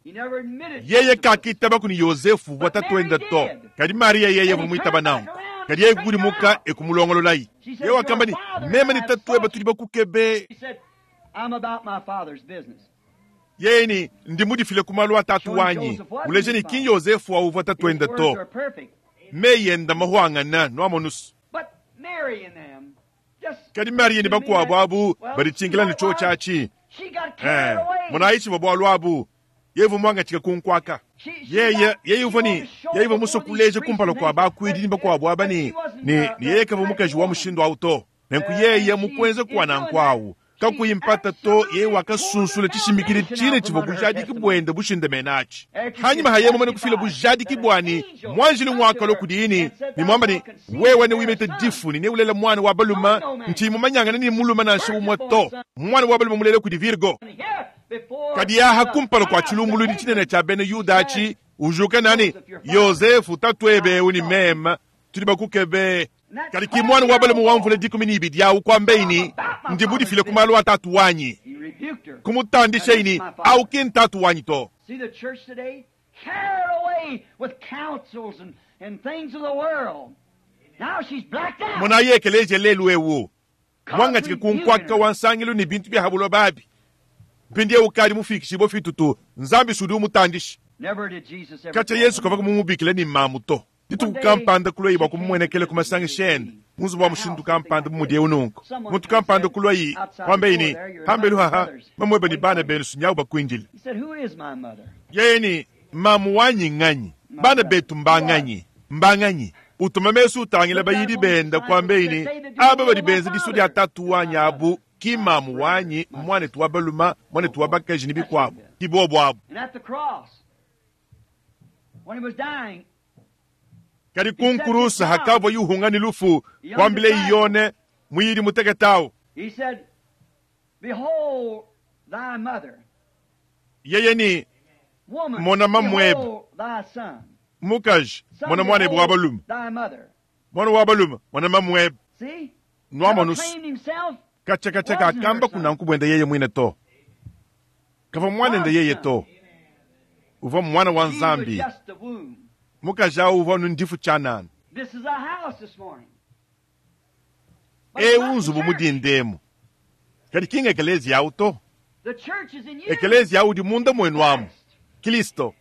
Yeye kakitaba kuni Yozefu uvua tatuende to. Kadi Mariya yeye uvua muitaba nanku. Kadi yeye kukudimuka e kumulongololayi. Yeye wakamba ne, meme ne tatuebe tudi bakukebe. Yeye ne, ndi mudifile ku malu a tatu wanyi. Uleje ne ki Yozefu wa uvua tatuende to. Meyi enda mahuangana, nuamonusu. Kadi Mariya ne bakuabu abu baditshinkila ne tshiotshi atshi. Monayi tshivua bualu abu. Yeye uvua muangatshike ku nkuaka. Yeye, yeye uvua ne, yeye uvua musue kuleja kumpala kua bakuidi ne bakuabu aba ne, ne, ne yeye kavua mukaji wa mushindu au to. Nenku yeye mukuenza kua nanku au. Kakuyi mpata to, yeye wakasunsula tshishimikidi tshine tshivua bujadiki buende bushindamene atshi. Hanyima ha yeye mumane kufila bujadiki bua ne muanjelu ngwakalua kudiye ne, ne muamba ne, wewe newimete difu ne neulela mwana wa balume, ntshiyi mumanyangana ne mulume nansha umue to. Mwana wa balume mulela kudi Virgo. Kadi aha kumpala kua tshilumbuluidi tshinene tshia bena Yuda atshi, ujuka nani, Yozefu tatuebe eu ne meme tudi bakukebe. Kadi ki muana wa balume wa mvula 12 awu kuambeyi ne, ndi mudifile ku malu a tatu wanyi. Kumutandishayi ne, au ki ntatu wanyi to. Monayi ekeleziya lelu eu, muangatshike ku nkuaka wa nsangilu ne bintu bia ha buloba abi. Mpindieu ukadi mufikishibue fitutu, Nzambi si udi umutandisha. Katshia Yesu kavua mumubikile ne mamu to. Dituku kampanda kulwayi bua kumumuenekela ku masangisha ende mu nzubu wa mushindu kampanda bu mudiye nunku. Muntu kampanda kulwayi kuambeyi ne, pambelu haha, mamuebe ne bana benu sunyawu bakuindile. Yeye ne, mamu wanyi nganyi? Bana betu mbanganyi? Mbanganyi? Utuma mesu utangila bayidi benda kuambeyi ne, Aba badi benza disua dia Tatu wanyi abu ki mamu wanyi, muanetu wa baluma, muanetu wa bakaji ne bikuabu, ki bobu abu. Kadi ku nkurusa hakavua yuhunga ne lufu, kuambile Yone muyidi mutekete awu. Yeye ne, Mona mamuebe. Mukaji, mona muanebe wa balume. Muana wa balume, mona mamuebe. Nuamonusu. Katshia katshia kakamba kunanku buende yeye muine to. Kavua muanende yeye to. Uvua muana wa Nzambi. Mukaji awu uvua anu ndifu tshianana. Eu nzubu mu dinda emu. Kadi ki ng'ekeleziya awu to. Ekeleziya awu udi munda muenu amu. Kilisto,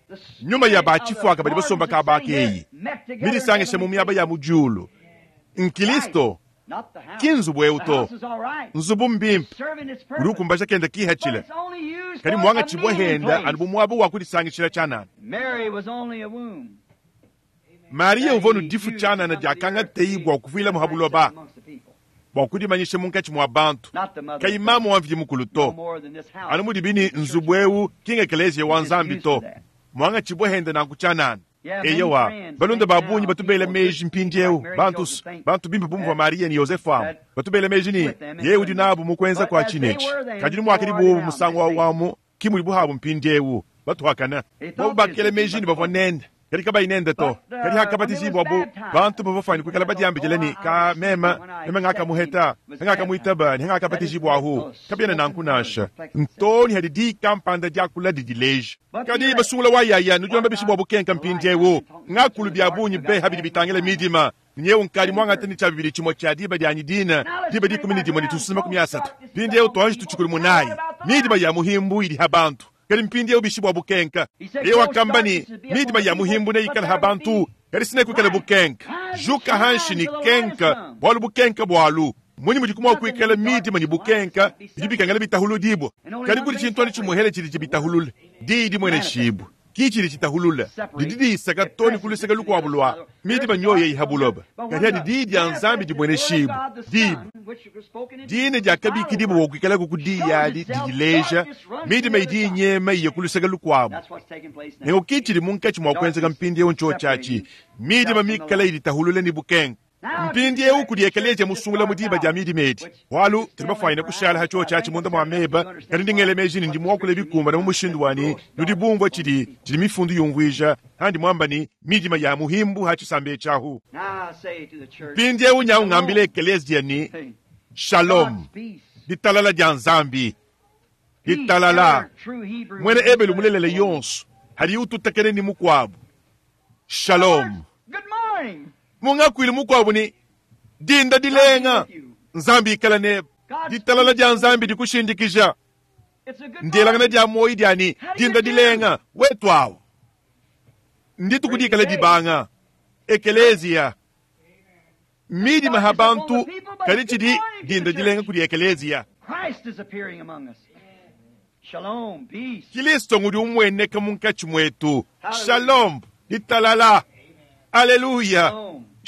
nyuma ya ba tshifuaka badi basomba kaba aka eyi, midisangishe mu miaba ya mu diulu. Nkilisto, ki nzubu eu to. Nzubu mbimpe, udi ukumbaja kenda kihatshila, kadi muangatshibua henda anu bu muaba wa kudisangishila tshianana. Mariya uvua nu difu tshianana diakangateyi bua kuvuilamu ha buloba, bua kudimanyisha munkatshi mua bantu, kayi mamu wa Mvidi Mukulu to. Anu mudibi ne nzubu eu ki ng'ekeleziya wa Nzambi to, muangatshibua henda nanku tshianana. Eyowa, balunda ba bungi batu bela meji mpindieu, bantu, bantu bimpe bu muvua Mariya ne Yozefu amu, batu bela meji ne, yeye udi nabu mu kuenza kua tshinetshi. Kadi numuakadi buobu musangu au amu, ki mudibu habu mpindieu, batuakana. Bobu bakela meji ne bavua nende, kadi kabayi nende to. Kadi hakabatijibua bantu bavua bafuane kuikala badiambidila ne, Ka meme, meme ngakamuheta, ngakamuitaba ne ngakabatijibua-hu. Kabiena nanku nansha. Ntoo ne hadi diyi kampanda diakula didileja. Kadi basungula wa yaya, nudi nuamba bishi bua bukenka mpindieu? Ngakulu bia bungi be ha bidi bitangila midima. Nyewu nkadi muangate ne tshia bibidi tshimue tshia diba dianyi dine, diba 13 ne tususu 30. Mpindieu tuanji tutshikulu munayi. Midima ya muhimbu idi ha bantu. Kadi mpindieu bishi bua bukenka? Yeye wakamba ne, midima ya muhimbu neikale ha bantu, kadi sinekuikale bukenka. Juka hanshi ne kenka, bualu bukenka bualu. Munyi mudi kumua kuikala midima ne bukenka bidi bikengela bitahuludibua? Kadi kudi tshintu anu tshimuehele tshidi tshibitahulule, diyi dimueneshibue. Ki tshidi tshitahulula, didi disaka to ne ku luseke lukuabu lua midima nyoyo eyi ha buloba. Kadi hadi diyi dia Nzambi dimueneshibue, diba dine diakabikidibua bua kuikalaku ku diyi adi didileja, midima idi inyema iya ku luseke lukuabu. Nenku ki tshidi munkatshi mua kuenzeka mpindieu ntshiotshi atshi, midima mikale iditahulule ne bukenka. Mpindieu kudi ekeleziya musungula mu diba dia midima edi, bualu tudi bafuanyine kushala ha tshiotshi atshi munda mua meba. Kadi ndi ngela meji ne ndi muakule bikumbane mu mushindu wa ne nudi bumvua tshidi tshidi mifundu yumvuija handi muamba ne midima ya muhimbu ha tshisamba etshi ahu. Mpindieu nyau ngambila ekeleziya ne shalom, ditalala dia Nzambi, ditalala. Muena Ebelu mulelela yonso hadi ututakena ne mukuabu shalom. Mungakuilu mukuabu ne dinda dilenga, Nzambi ikala nebe. Ditalala dia Nzambi dikushindikija. Ndielangana dia muoyo dia ne dinda dilenga wetu awu. Ndituku dikala dibanga ekeleziya. Midima ha bantu, kadi tshidi dinda dilenga kudi ekeleziya. Kilisto ngudi umueneka munkatshi muetu. Shalom, ditalala. Aleluya.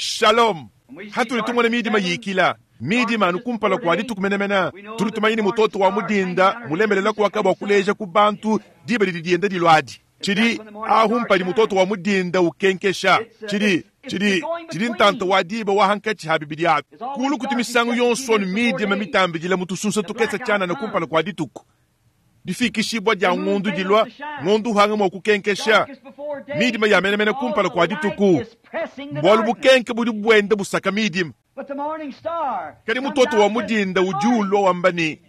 Shalom. Hatudi tumona midima yikila, midima anu kumpala kua dituku menemene, tudi tumanya ne mutoto wa mudinda mulemelela kuaka bua kuleja ku bantu diba didi dienda diluadi. Tshidi ahu mpadi mutoto wa mudinda ukenkesha. Tshidi, tshidi, tshidi ntanta wa diba wa hankatshi ha bibidi abi. Kulu kutu misangu yonso anu midima mitambidila mu tusunsa tukese tshianana kumpala kua dituku. Difikishibua dia ngondu dilua, ngondu uhanga mua kukenkesha midima ya menemene kumpala kua dituku, bualu bukenke budi buenda busaka midima. Kadi mutoto wa mudinda udi ulua wamba ne,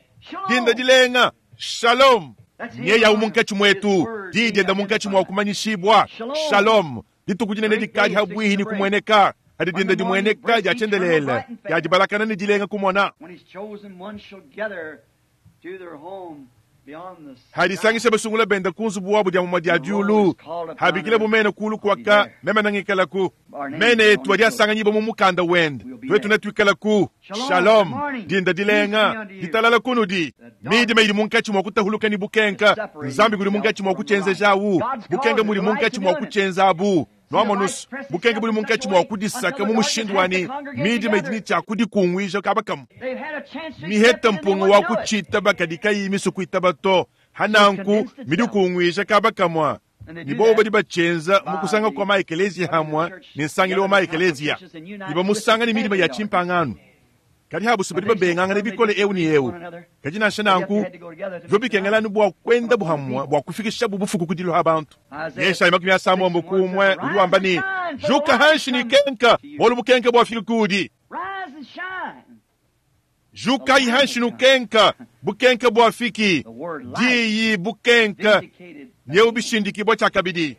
dinda dilenga, shalom. Nyeyawu munkatshi muetu, diyi dienda munkatshi mua kumanyishibua, shalom. Dituku dinene dikadi habuihi ne kumueneka, hadi dinda dimueneka dia tshiendelele, dia dibalakana ne dilenga kumona. Hadisangisha basungula benda ku nzubu wabu dia mumue dia diulu, habikila bu mene kulu kuaka meme nangikalaku. Mene etu adi asanganyibua mu mukanda wende, tuetu netuikalaku. Shalom, dinda dilenga, ditalala kunudi. Midima idi munkatshi mua kutahuluka ne bukenka, Nzambi kudi munkatshi mua kutshienzejawu, bukenka budi munkatshi mua kutshienzabu. Nwamonu's, bukenke budi munkatshi mua kudisaka mu mushindu wa ne midima idi ne tshia kudikunguija kaba kamue. Miheta mpunga wa kutshitaba kadi kayiyi misue kuitaba to. Ha nanku midikunguija kaba kamue. Ne bobo badi batshienza mu kusanga kua ma-ekeleziya hamue ne nsangilu wa ma-ekeleziya, ne bamusanga ne midima ya tshimpangano. Kadi habusu badi babengangana bikole eu ne eu. Kadi nansha nanku, bivua bikengela anu bua kuendabu hamue bua kufikishabu bufuku ku diluha bantu. Yeshaya 61 udi wamba ne, Juka hanshi ne kenka, bualu bukenke buafiki kuudi. Jukayi hanshi nukenka, bukenke buafiki. Diyi, bukenke, nyeu bishindikibua tshiakabidi.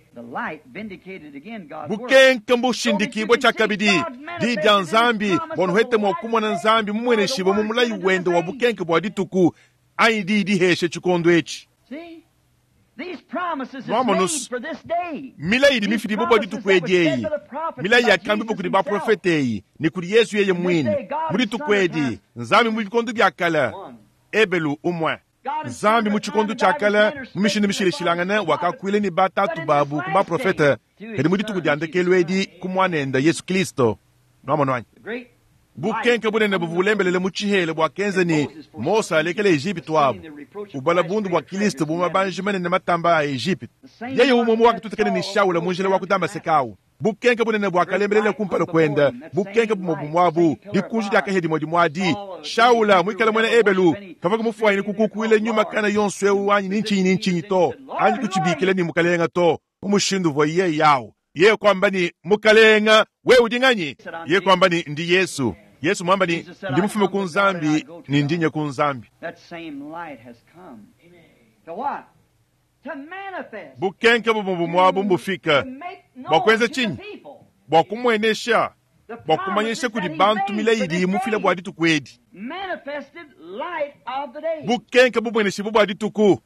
Bukenke mbushindikibue tshiakabidi. Diyi dia Nzambi, bua nuhete mua kumona Nzambi mumueneshibue mu mulayi wende wa bukenke bua dituku, anyi diyi diheshe tshikondo etshi. Nwamonus, milayi idi mifidibue bua dituku edi eyi, milayi yakambibua kudi baprofete eyi ne kudi Yezu yeye muine, mu dituku edi, Nzambi mu bikondo bia kale, Ebelu umue. Nzambi mu tshikondo tshia kale, mu mishindu mishilashilangane, wakakuila ne batatu babu ku baprofete, kadi mu dituku dia ndekelu edi ku Muanende, Yesu Kilisto. Nuamonu anyi? Bukenke bunene buvua bulembelele mu tshihela buakenza ne, Mose alekele Ejipitu abu, ubala bundu bua Kilisto bu mabanji manene matamba a Ejipitu. Yeye umue umue wakatutakena ne Shaula mu njila wa ku Damaseke au. Bukenke bunene buakalembelela kumpala kuende, bukenke bumue bumue abu, dikunji dia kahia dimue dimue adi. Shaula, muikale muena Ebelu, kavua mufuanyine kukukuila nyuma kana yonso eu anyi ni ntshinyi ni ntshinyi to, anyi kutshibikila ne Mukalenge to, mu mushindu uvua yeye au. Yeye kuamba ne, Mukalenge, wewe udi nganyi? Yeye kuamba ne, Ndi Yesu. Yesu muamba ne, Ndi mufume ku Nzambi ne ndi nya ku Nzambi. Bukenke bumue bumue abu mbufike bua kuenza tshinyi? Bua kumuenesha, bua kumanyisha kudi bantu milayi idiye mufile bua dituku edi. Bukenke bumueneshibue bua dituku.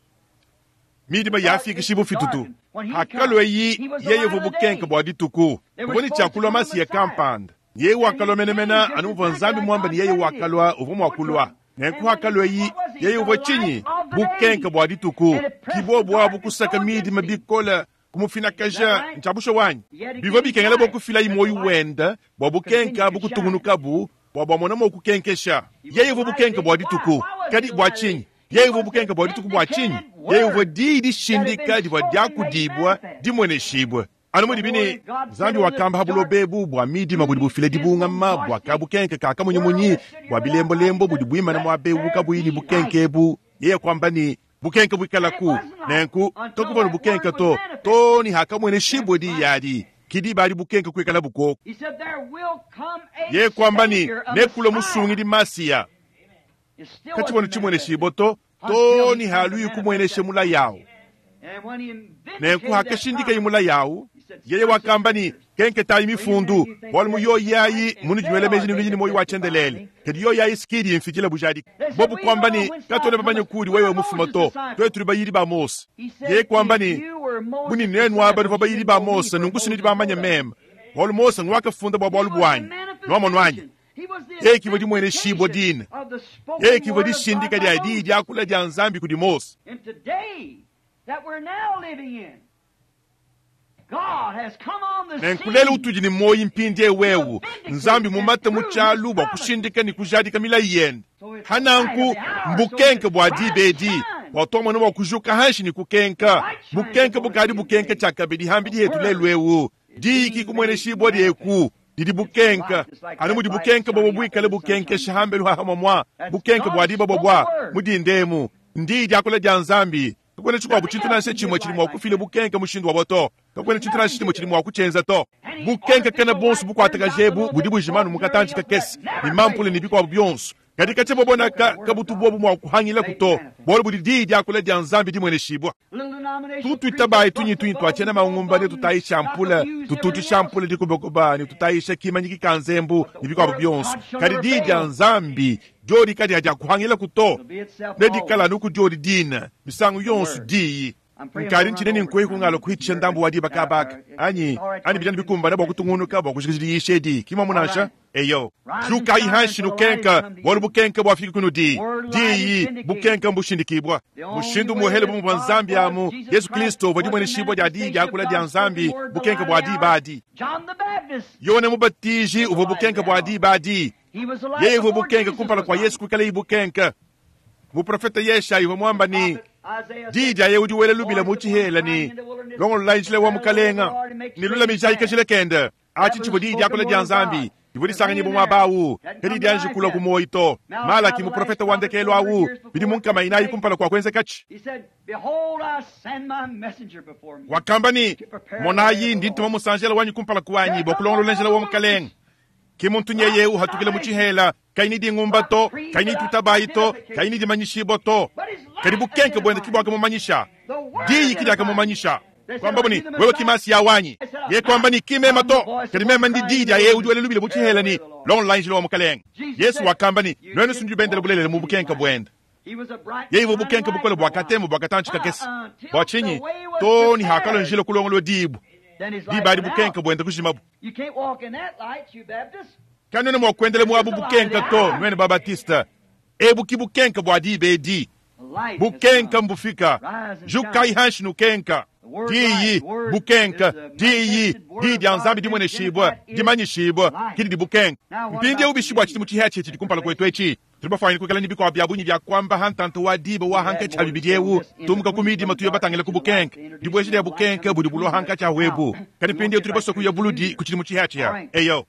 Midima yafikishibu fitutu. Hakalueyi, yeye uvua bukenke bua dituku. Kuvua ne tshia kulua Masiya kampanda. Yeye wakalua menemene anu muvua Nzambi muambe ne yeye wakalua, uvua mua kulua. Nenku hakalueyi, yeye uvua tshinyi? Bukenke bua dituku. Ki bobu abu kusaka midima bikole, kumufinakaja. Ntshia bushuwa anyi? Bivua bikengela bua kufilayi muoyo wende bua bukenke abu kutungunukabu, bua buamona mua kukenkesha. Yeye uvua bukenke bua dituku. Kadi bua tshinyi? Yeye uvua bukenke bua dituku bua tshinyi? Yeye uvua diyi dishindika divua diakudibua, dimueneshibue. Anu mudibi ne, Nzambi wakamba ha buloba ebu bua midima budi bufila dibungama, bua kabukenke ka kamunyimunyi, bua bilembolembo budi buimana muaba eu kabuyi ne bukenke ebu. Yeye kuamba ne, Bukenke buikalaku. Nenku kakuvua ne bukenke to, too ne hakamueneshibue diyi adi. Ki diba adi bukenke kuikalabu kuoku. Yeye kuamba ne, Nekulue Musungidi Masiya. Katshivua ne tshimueneshibue to, too ne haluyi kumuenesha mulayi au. Nenku hakashindikaye mulayi au, yeye wakamba ne, Kenketayi mifundu, bualu mu yoyi ayi munudi nuela meji ne nudi ne muoyo wa tshiendelele, kadi yoyi ayi si ki idi imfikila bujadiki. Bobu kuamba ne, Katuena bamanye kuudi wewe mufuma to, tuetu tudi bayidi ba Mose. Yeye kuamba ne, Bu ne nuenu aba nuvua bayidi ba Mose, nunku si nudi bamanye meme, bualu Mose nguakafunda bua bualu buanyi. Nuamonu anyi? Yeye kivua dimueneshibua dine. Yeye kivua dishindika dia diyi diakula dia Nzambi kudi Mose. Nenku lelu utudi ne muoyo mpindieu eu, Nzambi mumate mu tshialu bua kushindika ne kujadika milayi yende. Ha nanku, mbukenke bua diba edi, bua tuamona mua kujuka hanshi ne kukenka. Bukenke bukadi bukenka tshiakabidi hambidi hetu lelu eu. Diyi ki kumueneshibua dieku didi bukenka, anu mudi bukenke bobo buikale bukenkesha hambelu ha hamua bukenke bua diba bobua mu dinda emu. Ndiyi diakula dia Nzambi. Kakuena tshikuabu tshintu nansha tshimue tshidi mua kufila bukenke mushindu wabo to. Kakuena tshintu nansha tshimue tshidi mua kutshienza to. Bukenke kena buonso bukuatakaja ebu budi bujima anu mu katantshi kakese, ne mampula ne bikuabu bionso. Kadi katshia bobona ka kabutu buobu mua kuhangilaku to, bualu budi diyi diakula dia Nzambi dimueneshibua. Tutuitabayi tunyi-tunyi tua tshiena mangumba ne tutayisha ampula, tututshisha ampula dikubakuba ne tutayisha kimanyiki ka nzembu ne bikuabu bionso. Kadi diyi dia Nzambi diodi kadiakuhangilaku to, nedikale anu ku diodi dine misangu yonso. Diyi. Nkadi ntshina ne nkuehi kungalo kuhitshisha ndambu wa diba kabaka anyi anyi bijana bikumbana bua kutungunuka bua kujikija diyisha edi ki muamu nansha eyo. Jukayi hanshi nukenka, bualu bukenka buafiki kunudi. Diyi bukenka mbushindikibua. Mushindu muhele bu muvua Nzambi amu Yesu Kristo uvua dimueneshibua dia diyi diakula dia Nzambi bukenka bua diba adi. Yone Mubatiji uvua bukenka bua diba adi. Yeye uvua bukenka kumpala kua Yesu kuikalaye bukenka. Muprofete Yeshayi uvua muamba ne, Diyi dia yeye udi wela lubila mu tshihela ne, Longololayi njila wa Mukalenga, ne lulamijayi kajila kende. Atshi tshivua diyi diakula dia Nzambi divua disanganyibua muaba au, kadi dianji kulua ku muoyo to. Malaki, muprofete wa ndekelu au, bidimu nkama inayi kumpala kua kuenzekatshi, wakamba ne, Monayi, ndi ntuma musanjela wanyi kumpala kuanyi bua kulongolola njila wa Mukalenga. Ki muntu nyeye uhatukila mu tshihela, kayi ne dingumba to, kayi ne tutabayi to, kayi ne dimanyishibua to. Kadi bukenke buende ki buakamumanyisha, diyi ki diakamumanyisha. Kuambabu ne, Wewe ki Masiya wanyi. Yeye kuamba ne, Ki meme to, kadi meme ndi diyi dia yeye udi wela lubila mu tshihela ne, Longololayi njila wa Mukalenge. Yesu wakamba ne, Nuenu si nudi bendele bulelela mu bukenke buende. Yeye uvua bukenke bukole bua katemo bua katantshi kakese. Bua tshinyi? Too ne hakalua njila kulongolodibua, diba adi bukenke buende kujimabu. Kanuena mua kuendela mu abu bukenke to, nuenu ba-Batiste. Ebu ki bukenke bua diba edi. Bukenke mbufika. Jukayi hanshi nukenka. Diyi, bukenke, diyi, diyi dia Nzambi dimueneshibua, dimanyishibua, ki didi bukenke. Mpindieu bishi bua tshidimu tshihiatshihia tshidi kumpala kuetu etshi? Tudi bafuanyine kuikala ne bikuabu bia bungi bia kuamba ha ntanta wa diba wa hankatshi ha bibidi eu, tumuka ku midima tuya batangile ku bukenke. Dibueja dia bukenke budi bulua hankatshi ha ebu. Kadi mpindieu tudi basue kuya buludi ku tshidimu tshihiatshihia. Eyo.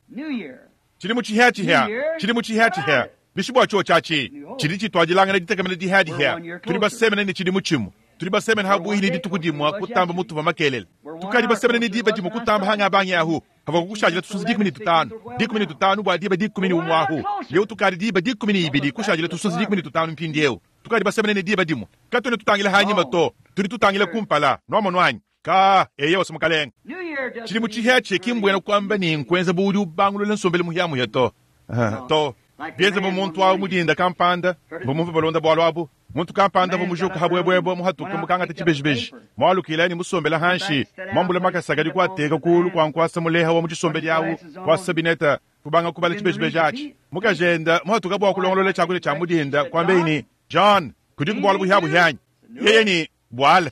Tshidimu tshihiatshihia, tshidimu tshihiatshihia, bishi bua tshiotshi atshi tshidi tshituadilangana ditekemena dihiadihia. Tudi basemene ne tshidimu tshimue. Tudi basemene ha buihi ne dituku dimue kutamba mutuvua makelele. Tukadi basemene ne diba dimue kutamba hanga bangi ahu. Havua kukushadila tusunsa 15, 15 bua diba 11 ahu. Leu tukadi diba 12 kushadila tusunsa 15 mpindieu. Tukadi basemene ne diba dimue. Katuena tutangila hanyima to, tudi tutangila kumpala. Nuamonu anyi? Ka, eyowa, Mukalenge. Tshidimu tshihiatshihia ki mbuena kuamba ne nkuenza bu udi ubangulula nsombelu muhiamuhia to. To. Bienza bu muntu awu mu dinda kampanda, mvua mumvue balonda bualu abu. Muntu kampanda uvua mujuka habuebuebue, muhatuke mukangate tshibejibeji, mualukile ne musombele hanshi, muambule makasa kadi kuateka kuulu kua nkuasa muleha wa mu tshisombedi awu, kuasa bineta, kubanga kubala tshibejibeji atshi. Mukajende muhatuka bua kulongolola tshiakudia tshia mu dinda, kuambeyi ne, John, kudiku bualu buhiabuhia anyi? Yeye ne, Buala,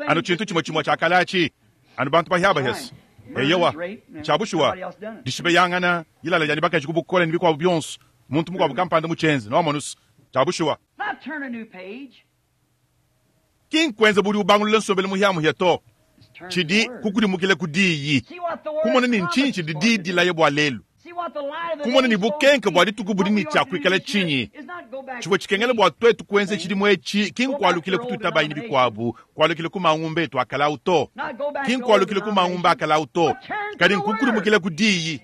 anu tshintu tshimue tshimue tshia kale atshi, anu bantu bahiabahese. Eyowa, ntshia bushuwa, dishibeyangana, dilala dia ne bakaji ku bukole ne bikuabu bionso, muntu mukuabu kampanda mutshienze, nuamonus, tshia bushuwa. Ki nkuenza bu udi ubangulula nsombelu muhiamuhia to, tshidi kukudimukila ku diyi, kumona ne ntshinyi tshidi diyi dilaya bua lelu. Kumona ne bukenke bua dituku budi ne tshia kuikala tshinyi? Tshivua tshikengela bua tuetu kuenza tshidimu etshi ki nkualukila ku tuitabayi ne bikuabu, kualukila ku mangumba etu a kale au to. Ki nkualukila ku mangumba a kale au to, kadi nkukudimukila ku diyi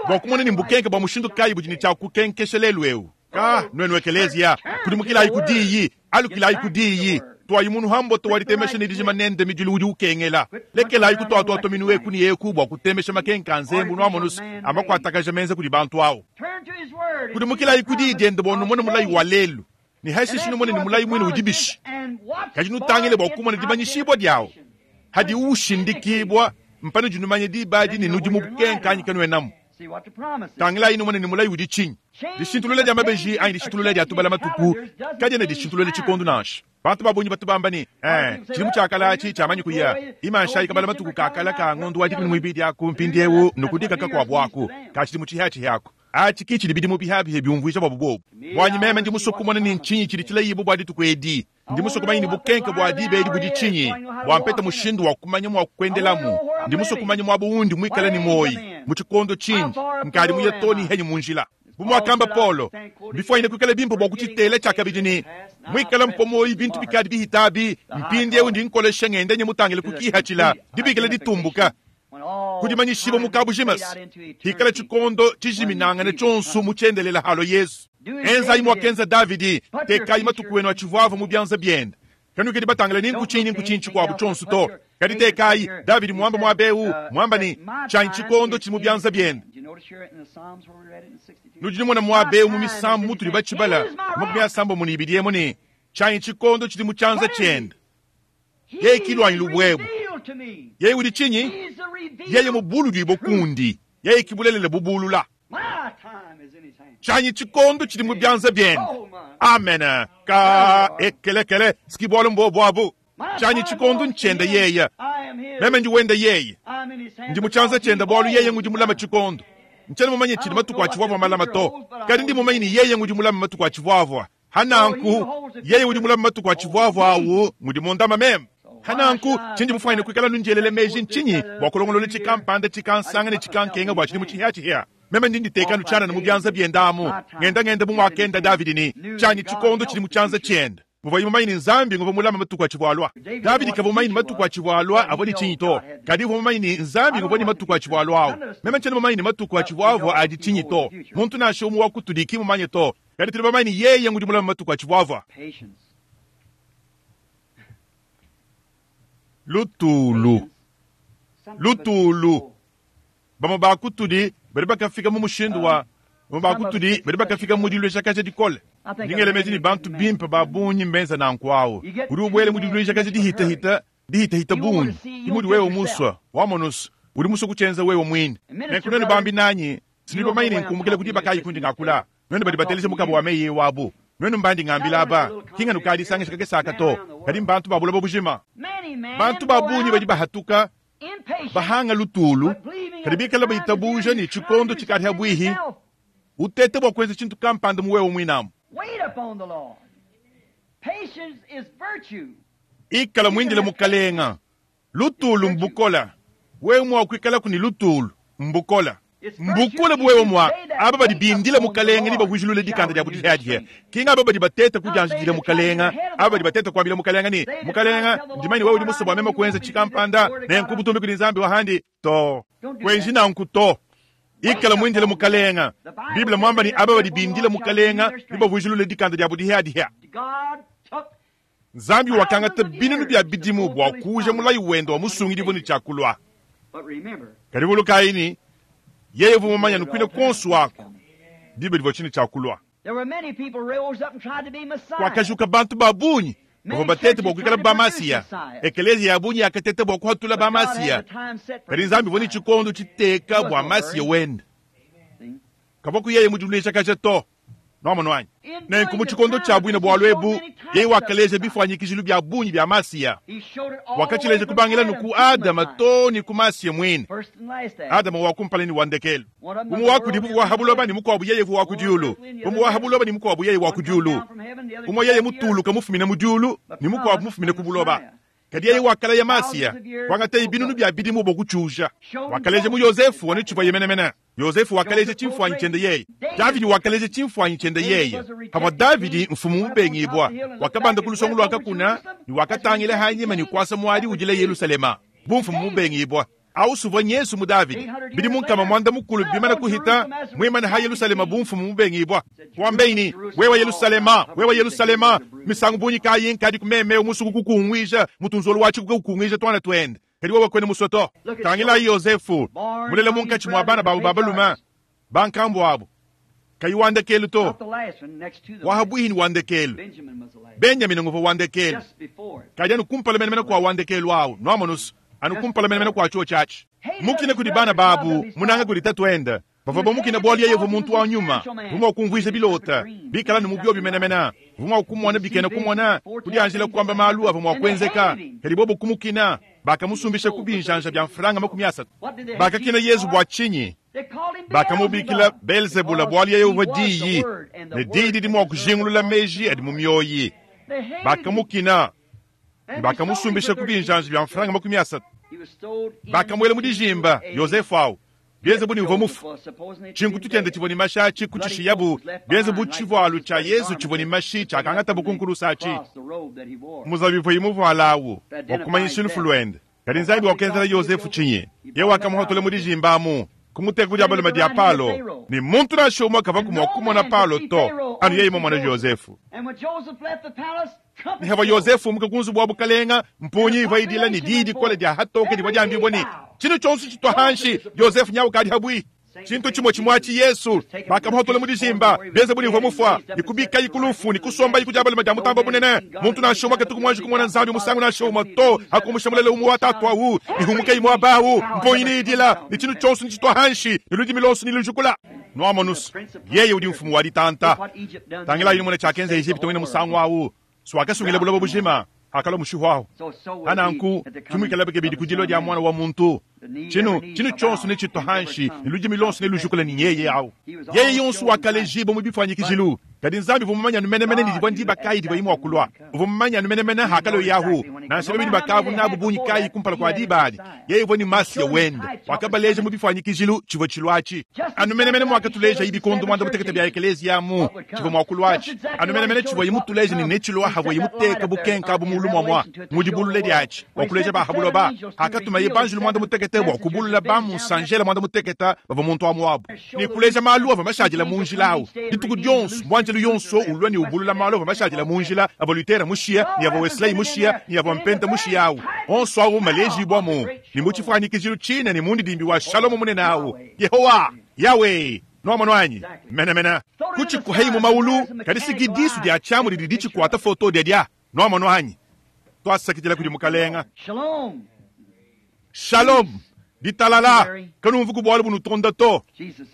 bua kumona ne mbukenke bua mushindu kayi budi ne tshia kukenkesha lelu eu. Ka, nuenu ekeleziya, kudimukilayi ku diyi, alukilayi ku diyi. Tuayi munu ha mboto wa ditemesha ne dijima nende midilu udi ukengela. Lekelayi kutuatuatua minu eku ne eku bua kutemesha makenka a nzembu nuamonus a makuatakaja menza kudi bantu au. Kudimukilayi ku diyi diende bua numone mulayi wa lelu, ne hashishe numone ne mulayi muine udi bishi. Kadi nutangile bua kumona dimanyishibua diawu. Hadiwu ushindikibua, mpanudi numanya diba adi ne nudi mu bukenka anyi kanuenamu. Tangilayi numone ne mulayi udi tshinyi. Dishintulula dia mabeji anyi dishintulula dia tubala matuku kadiena dishintulula tshikondo nansha. Bantu ba bungi batu bamba ne, eh, tshidimu tshia kale atshi tshiamanyi kuya. Imanshayi kabala matuku ka kale ka ngondo wa 12 aku mpindieu nukudika kakuabu aku ka tshidimu tshihiatshihia aku. Atshi ki tshidi bidimu bihiabihi biumvuija buabu buobu. Buanyi meme ndi musue kumona ne ntshinyi tshidi tshilayibue bua dituku edi. Ndi musue kumanya ne bukenke bua diba edi budi tshinyi, bua mpete mushindu wa kumanya mua kuendelamu. Ndi musue kumanya muaba undi muikale ne muoyi, mu tshikondo tshindi nkadi muye too ne henyi mu njila. Bu muakamba Paulo, mbifuanyine kuikala bimpe bua kutshitela tshiakabidi ne, Muikale mpua muoyi bintu bikadi bihita abi, mpindieu ndi nkolesha ngenda nye mutangile ku kihatshila dibikila ditumbuka ku dimanyishibua mu kabujimas, hikala tshikondo tshijiminangane tshionso mu tshiendelela halua Yezu. Enzayi muakenza Davidi, tekayi matuku enu atshivuavua mu bianza biende. Kanuikadi batangile ni nku tshinyi ni nku tshinyi tshikuabu tshionso to, kadi tekayi Davidi muamba muaba eu, muamba ne, Tshianyi tshikondo tshidi mu bianza biende. Nudi numona muaba eu mu misambu mutudi batshibala 32 emu ne, Tshianyi tshikondo tshidi mu tshianza tshiende. Yeye kilwanyi lubwebu. Yeye udi chinyi? Yeye mubulu bokundi. Yeye kibulelele bubulula. Chanyi chikondo chili mu byanza byene. Amen. Ka ekelekele skibwalo mbo abu. Chanyi chikondo nchenda yeye. Meme ndi wenda yeye. Ndi muchanza chenda bwalu yeye ngudi mulama chikondo. Nchena mumanye chili matuku achivwavwa malama to. Kadi ndi mumanye ni yeye ngudi mulama matuku achivwavwa. Hananku yeye udi mulama matuku achivwavwa awu ngudi mundama meme. Hananku chinji mufanye kwikala nunjelele meji nchinyi bwa kulongolola chikampanda chikansanga ne chikankenga bwa chili muchihya meme ndi nditekanu chana na mubyanza byendamu ngenda ngenda mumwakenda Davidi ni chanyi chikondo chili muchanza chenda muvayi mumanyi ni nzambi nguva mulama matuku achivwalwa Davidi kava mumanyi ni matuku achivwalwa avo ni chinyi to kadi uva mumanyi ni nzambi nguva ni matuku achivwalwa awo meme nchena mumanyi ni matuku achivwavwa adi chinyi to muntu nashe umu wakutuliki mumanye to kadi tuli bamanyi ni yeye ngudi mulama matuku achivwavwa lutulu lutulu bamwe bakutuli bali bakafika mu mushindu wa bamwe bakutuli bali bakafika mu dilweshakaje dikole ndingelemeji ni bantu bimpe babunyi mbenza nankwawo uri ubwele mu dilweshakaje dihitahita dihitahita bunyi imudi wewe muswa wamonusu uri muswa kuchenza wewe mwini nenkunene bambi nanyi sindibamanyi ninkumukile kuti bakayi kundi ngakula nwene bali bateleshe mukabo wa meye wabu nwene mbandi ngambila aba kinga nukadisangisha kakesaka to kadi mbantu babula bobujima bantu babunyi badi bahatuka bahanga lutulu kadi bikala baitabuja ni chikondo chikati bwihi utete bwa kwenza chintu kampanda muwewe mwinamu ikala mwindile mukalenga lutulu mbukola wewe mwa kwikala kuni lutulu mbukola mbukule buwewe mwa aba badi bindile mukalenga ni bavujulule dikanda dia budihadihe kinga aba badi bateta kujanjidile mukalenga aba badi bateta kuambila mukalenga ni mukalenga ndimani wewe udi musobwa mema kuenza chikampanda nenkubutumbi kuli nzambi wahandi to kwenji nanku to ikala mwindile mukalenga biblia mwamba ni aba badi bindile mukalenga ni bavujulule dikanda dia budihadihe nzambi wakangata binunu bya bidimu bwa kuja mulayi wendo wa musungilivo ni chakulwa kalivulukaini yeye vumumanya nukwile konsu wako biblia livo chini chakulwa kwakashuka bantu babunyi bavo batete bwakwikala bamasiya ekelezia yabunyi yakatete bwakuhatula bamasiya kadi nzambi voni chikondo chiteka bwa masiya wenda kavaku yeye mudulwisha kasha to nomono wanyi nenku mu chikondo cha bwino bwa lwebu yeye wakaleja bifwanyikijilu bya bunyi bya masiya wakachileja kubangila nuku adama to ni ku masiya mwine adama wakumpala ni wandekelu umu wakudibu wahabuloba ni mukwabu yeye vu wakudiulu umu wahabuloba ni mukwabu yeye wakudiulu umu yeye mutuluka mufumine mudiulu ni mukwabu mufumine kubuloba kadi yeye wakala ya masiya wangata ibinunu bya bidimu bokuchuja wakaleja mu yosefu wanichibwa yemenemene yosefu wakaleja chimfwanyi chende yeye davidi wakaleja chimfwanyi chende yeye pamwa davidi mfumu mubengibwa wakabanda kulusongo lwakakuna ni wakatangile hanyima ni kwasa mwali ujile yerusalema bumfumu mubengibwa ausuvwa nyesu mu davidi bidi munkama mwanda mukulu bimana kuhita mwimana ha yerusalema bumfumu mubengibwa wambeini wewa yerusalema wewa yerusalema misango bunyi kayinkadi kumeme umusuku kukungwija mutunzolo wachi kukungwija twana twende kadi wewe kwene musoto tangila yosefu mulele munkachi mwa bana babu babaluma bankambo abo kayi wandekelu to wahabwihini wandekelu benjamini nguva wandekelu kadi anu kumpala menemene kwa wandekelu awu noamonusu anukumpala menemene kwa chuo chachi mukine kudi bana babu munanga kudi tatuenda bava bamukina bwali yeyo muntu wa nyuma vumwa kumvwisha bilota bikala ni mubyo bimenemena vumwa kumona bikena kumona kudi anjila kwamba malu ava mwa kwenzeka kadi bobo kumukina bakamusumbisha kubinjanja bya mfranga 30 bakakina Yesu bwa chinyi bakamubikila Belzebula bwali yeyo vadiyi ne didi di mwa kujingulula meji adi mumyoyi bakamukina bakamusumbisha kubinjanja bya mfranga 30 bakamwela mudijimba Yosefu awu bienze ni uva mufu chingu tutende chivoni mashachi kuchishiyabu bienze bu chivwalu cha Yesu chivoni mashi chakangata bukunkulusachi muzabivu imuvualawu wakumanyisha lufu lwende kadi nzambi wakenzela Yosefu chinyi ye wakamuhotole mudijimbamu kumuteka kudi abaluma dia palo ni muntu nashe umwe akava kumwa kumona palo to anu yeye mwana Yosefu nihava Yosefu mukakunzu bwa bukalenga mpunyi iva idila ni didi kola dia hatoke divwa diambibwa ni chino chonso chitwa hanshi Yosefu nyawu kadi habwi Tshintu tshimue tshimue atshi Yesu, bakamuhatula mu dijimba, benze bu ne uvua mufua, ne kubikaye ku lufu, ne kusombaye ku dia balume dia Mutambe Bunene. Muntu nansha umue katuku muanji kumona Nzambi musangu nansha umue to, hakumusha mulele umue wa Tatu awu, ne humukayi muaba awu, mponyi neidila, ne tshintu tshionso netshitua hanshi, ne ludimi luonso nelujukula. Nuamonus, yeye udi mfumu wa ditanta. Tangilayi numone tshiakenza Ejipitu muine musangu awu, swakasungila buloba bujima, hakalua mushihu awu. Pananku, ke muikalabi kabidi ku dilua dia Muana wa muntu. Tshinu, tshinu tshionso netshitua hanshi, ne ludimi luonso nelujukula ne nyeye awu. Yeye yonso wakalejibua mu bifuanyikijilu. Kadi Nzambi uvua mumanye anu menemene ne divua ndiba kayi divuaye mua kulua. Uvua mumanye anu menemene hakalua Yahu, nansha babidi bakavua nabu bungi kayi kumpala kua diba adi. Yeye uvua ne Masiya wende. Wakabaleja mu bifuanyikijilu tshivua tshilua atshi. Anu menemene muakatulejaye bikondo muanda-mutekete bia ekeleziya amu tshivua mua kulua atshi. Anu menemene tshivuaye mutuleje ne netshilua havuaye muteka bukenka abu mulu muamua mu dibulula diatshi bua kuleja ba ha buloba. Hakatumaye banjelu muanda-mutekete bua kubulula ba mu nsanjela muanda-mutekete bavua muntu amu abu ne kuleja malu avua mashadila mu njila awu. Dituku dionso muanjelu yonso ulua ne ubulula malu avua mashadila mu njila avua Luther mushiya ne avua Wesley mushiya ne avua Mpenta mushiya awu. Onso awu malejibua mu ne mu tshifuanyikijilu tshine ne mundidimbi wa Shalom munene awu. Yehowa, Yahweh, nuamono anyi? Menemene. Kutshikuhayi mu maulu, kadi siki disu dia tshiamu didi ditshikuata foto diadia. Nuamono anyi? Twasakidila kudi Mukalenga. Shalom. Shalom. Ditalala. Kanumvu ku bualu bunutonda to.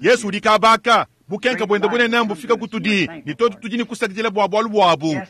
Yesu udi kabaka. Bukenka buende bunene mbufika kutudi, ne tuetu tudi ne kusakidila bua bualu buabu.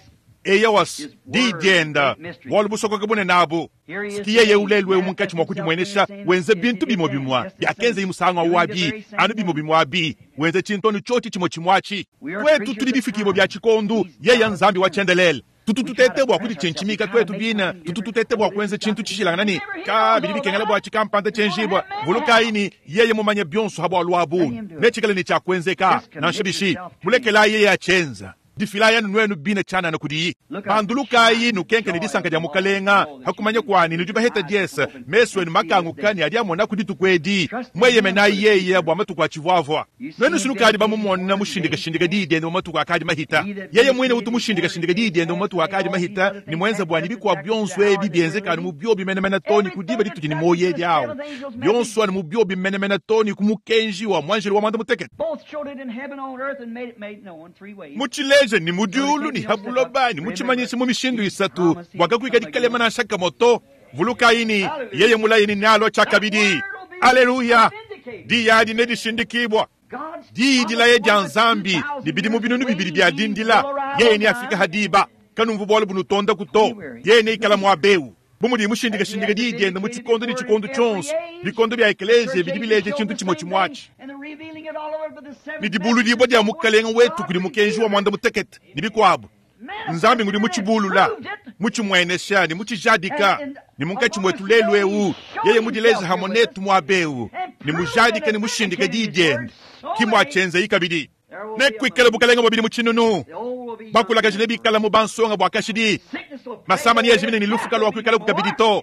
Eyawas, di dienda, bualu busokoka bunene abu. Siki yeye ulelu eu munkatshi mua kudimuenesha, wenze bintu bimue bimue biakenzaye musangu awu abi, anu bimue bimue abi, wenze tshintu anu tshiotshi tshimue tshimue atshi. Tuetu tudi bifikibue bia tshikondu, yeye Nzambi wa tshiendelele. Tutu tutete bua kuditshintshimika tuetu bine, tutu tutete bua kuenza tshintu tshishilangana ne ka bidi bikengela bua tshikampanda tshienjibua. Vulukayi ne, yeye mumanye bionso ha bualu abu, netshikale ne tshia kuenzeka. Nansha bishi, mulekelayi yeye atshienza. Difilayi anu nuenu bine tshianana kudiyi. Pandulukayi nukenke ne disanka dia Mukalenga, ha kumanya kuani nudi baheta diese, mesu enu makanguka ne adi amona ku dituku edi. Mweyemenayi yeye bua matuku atshivuavua. Nuenu sinukadi bamumona mushindikashindika diyi diende mu matuku akadi mahita. Yeye muine utu mushindikashindika diyi diende mu matuku akadi mahita ne muenza bua ne bikuabu bionso ebi bienzeka anu mu biobi menemene too ne ku diba ditudi ne muoyo edi awu. Bionso anu mu biobi menemene too ne ku mukenji wa muanjelu wa muanda-mutekete. Both showed it in heaven, on earth, and made it made known three ways. Mutshileje ne mu diulu ne ha buloba ne mutshimanyishe mu mishindu isatu bua kakuika dikalema nansha kamue to. Vulukayi ne, yeye mulaye ne nealua tshiakabidi. Aleluya! Diyi adi nedishindikibua. Diyi dilaya dia Nzambi ne bidimu binunu bibidi bia dindila, yeye neafike ha diba. Kanumvu bualu bunutondaku to. Yeye neikala muaba eu. Bu mudi mushindikashindika diyi diende mu tshikondo ne tshikondo tshionso, bikondo bia ekeleziya bidi bileja tshintu tshimue tshimue atshi. Ne dibuludibua dia Mukalenga wetu kudi mukenji wa muanda-mutekete ne bikuabu. Nzambi ngudi mutshibulula, mutshimuenesha ne mutshijadika, ne munkatshi muetu lelu eu, yeye mudileja hamue netu muaba eu, ne mujadika ne mushindika diyi diende, ki muatshienzeyi kabidi. Nekuikale bukalenga bua bidimu tshinunu, bakulakaje nebikale mu bansonga bua kashidi, masama neajimine ne lufu kaluakuikalaku kabidi to.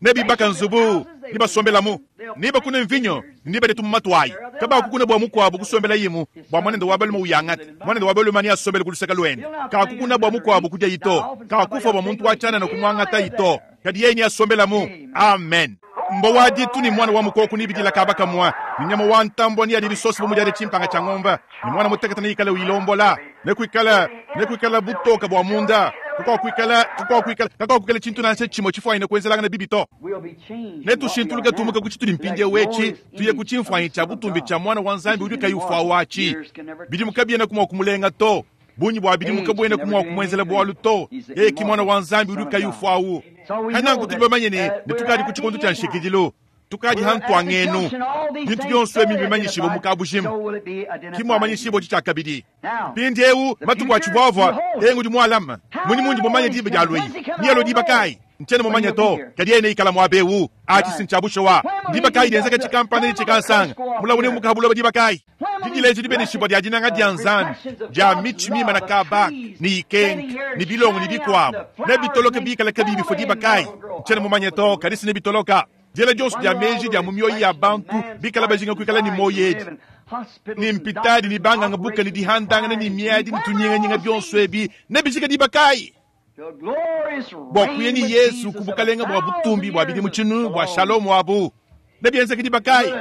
Nebibaka nzubu, nebasombelamu, nebakune mvinyo, nebadie tumuma tuayi. Kabakukuna bua mukuabu kusombelayimu, bua muanende wa balume uyangate. Muanende wa balume neasombele ku luseke luende. Kakukuna bua mukuabu kudiayi to, kakufua bua muntu wa tshianana kumuangatayi to, kadi yeye neasombelamu. Amen. Mbua wa ditu ne muana wa mukoko nebidila kaba kamue, ne nyama wa ntambua neadie bisosa bu mudiadi tshimpanga tshia ngombe, ne muana mutekete neikale uyilombola. Nekuikale, nekuikale butoke bua munda, kakuakuikala, kakuakuikala, kakuakuikala tshintu nansha tshimue tshifuanyine kuenzelangana bibi to. Netushintuluke tumuke ku tshitudi mpindieu etshi, tuye ku tshimfuanyi tshia butumbi tshia Muana wa Nzambi udi kayi ufua watshi. Bidimu kabienaku mua kumulenga to. Bungi bua bidimu kabuenaku mua kumuenzela bualu to. Yeye ki Muana wa Nzambi udi kayi ufua awu. Pananku tudi bamanye ne, ne tukadi ku tshikondo tshia nshikidilu. Tukadi ha ntuangenu. Bintu bionso ebi mbimanyishibue mu kabujima. Ki muamanyishibua tshiakabidi. Mpindieu matuku atshivuavua, yeye ngudi mualama. Munyi mundi mumanye diba dia lueyi? Nealue diba kayi? Ntshiena mumanye to, kadi yeye neikala muaba eu. Atshi si ntshia bushuwa. Ndiba kayi dienzeka tshikampanda ne tshikansanga? Mulawu neumuke ha buloba diba kayi? Didileja dibeneshibua dia dinanga dia Nzambi, dia mitshi mimana kaba ne ikenka, ne bilongo ne bikuabu, nebitoloke bikale kabiyi bifua diba kayi? Ntshiena mumanye to, kadi si nebitoloka. Diela dionso dia meji dia mu mioyo ya bantu bikala bajinga kuikala ne muoyo edi, ne mpitadi ne banganga buka ne dihandangana ne miadi ne tunyinganyinga bionso ebi nebijike diba kayi? Bua kuya ne Yesu ku bukalenga bua butumbi bua bidimu tshinunu bua Shalom abu. Nebienzeke diba kayi?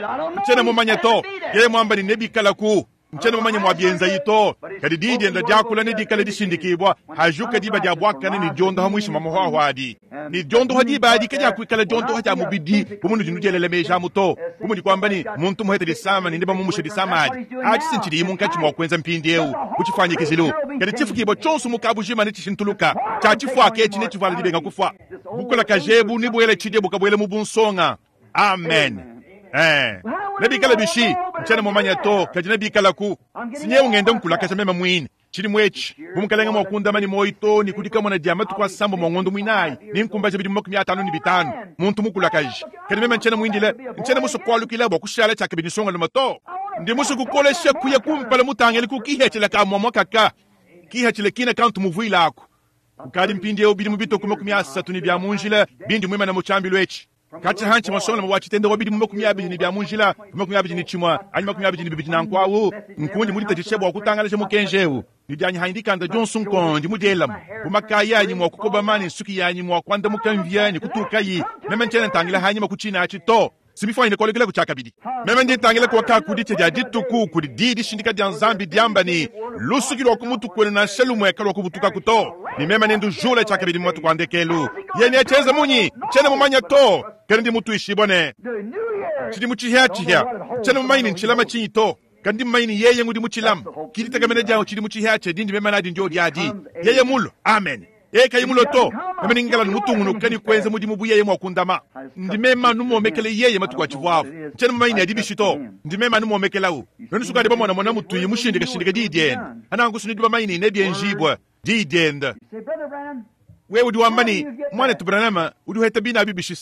Ntshiena mumanye to. Yeye muamba ne, Nebikalaku. Ntshiena mumanye muabienzayi to. Kadi diyi diende diakula nedikale dishindikibua hajuka diba dia buakane ne diondoha muinshi mua mahuahua adi. Ne diondoha diba adi kadiakuikala diondoha dia mubidi bu munudi nudielela meji amu to, bu mudi kuamba ne, muntu muhete disama ne nebamumushe disama adi. Atshi si ntshidiyi munkatshi mua kuenza mpindieu bu tshifuanyikijilu. Kadi tshifukibua tshionso mu kabujima netshishintuluka. Tshia tshifuaka etshi netshivuala dibenga kufua. Bukulakaje ebu nebuele tshidia bukabuele mu bunsonga. Amen. Eh. Nebikale bishi? Ntshiena mumanye to, kadi nebikalaku. Si nyewu ngenda nkulakaja meme muine. Tshidimu etshi, bu Mukalenge mua kundama ne muoyo too ne ku dikamona dia matuku asambombo a ngondo muinayi, nenkumbaje bidimu 55, muntu mukulakaje. Kadi meme ntshiena muindile, ntshiena musue kualukila bua kushala tshiakabidi nsongalume to. Ndi musue kukolesha kuya kumpala mutangile ku kihatshila ka muamua kaka, kihatshila kina kantu muvuile aku. Kukadi mpindieu bidimu bitue ku 30 ne bia mu njila bindi muimane mu tshiambilu etshi. Katshia hantshi musonga wa tshitende wa bidimu 21 bia mu njila, 21 anyi 22 nanku awu, nkundi muditatshishe bua kutangalaja mukenji eu ne dianyi hanyi dikanda dionso nkondi mudielamu. Bu makaya anyi mua kukobama ne nsuki yanyi mua kuandamuka mvia ne kutukayi, meme ntshiena ntangila hanyima ku tshina atshi to. Simifuanyine kualukila tshiakabidi. Meme ndi ntangila kuaka ku ditshia dia dituku kudi diyi dishindika dia Nzambi diamba ne, lusuki lua ku mutu kuenu nansha lumue kaluakubutukaku to, ne meme nendujule tshiakabidi mu matuku a ndekelu. Yeye neatshienze munyi? Tshiena mumanye to, kadi ndi mutuishibue ne, tshidimu tshihiatshihia. Tshiena mumanye ne ntshilama tshinyi to, kadi ndi mumanye ne yeye ngudi mutshilama. Ki ditekemena dianyi tshidimu tshihiatshihia dindi meme nadi ndio adi. Yeye mulue. Amen. Yeye kayi mulue to, meme ningikala anu mutungunuke ne kuenza mudimu bu yeye mua kundama. Ndi meme anu muomekele yeye matuku atshivuavu. Tshiena mumanye ne adi bishi to. Ndi meme anu muomekelawu. Nuenu sukadi bamonamona mutuyi mushindikashindika diyi diende. Ananku nudi bamanye ne nebienjibue diyi diende. Wewe udi wamba ne, Muanetu Branham, udi uheta bina abi bishi?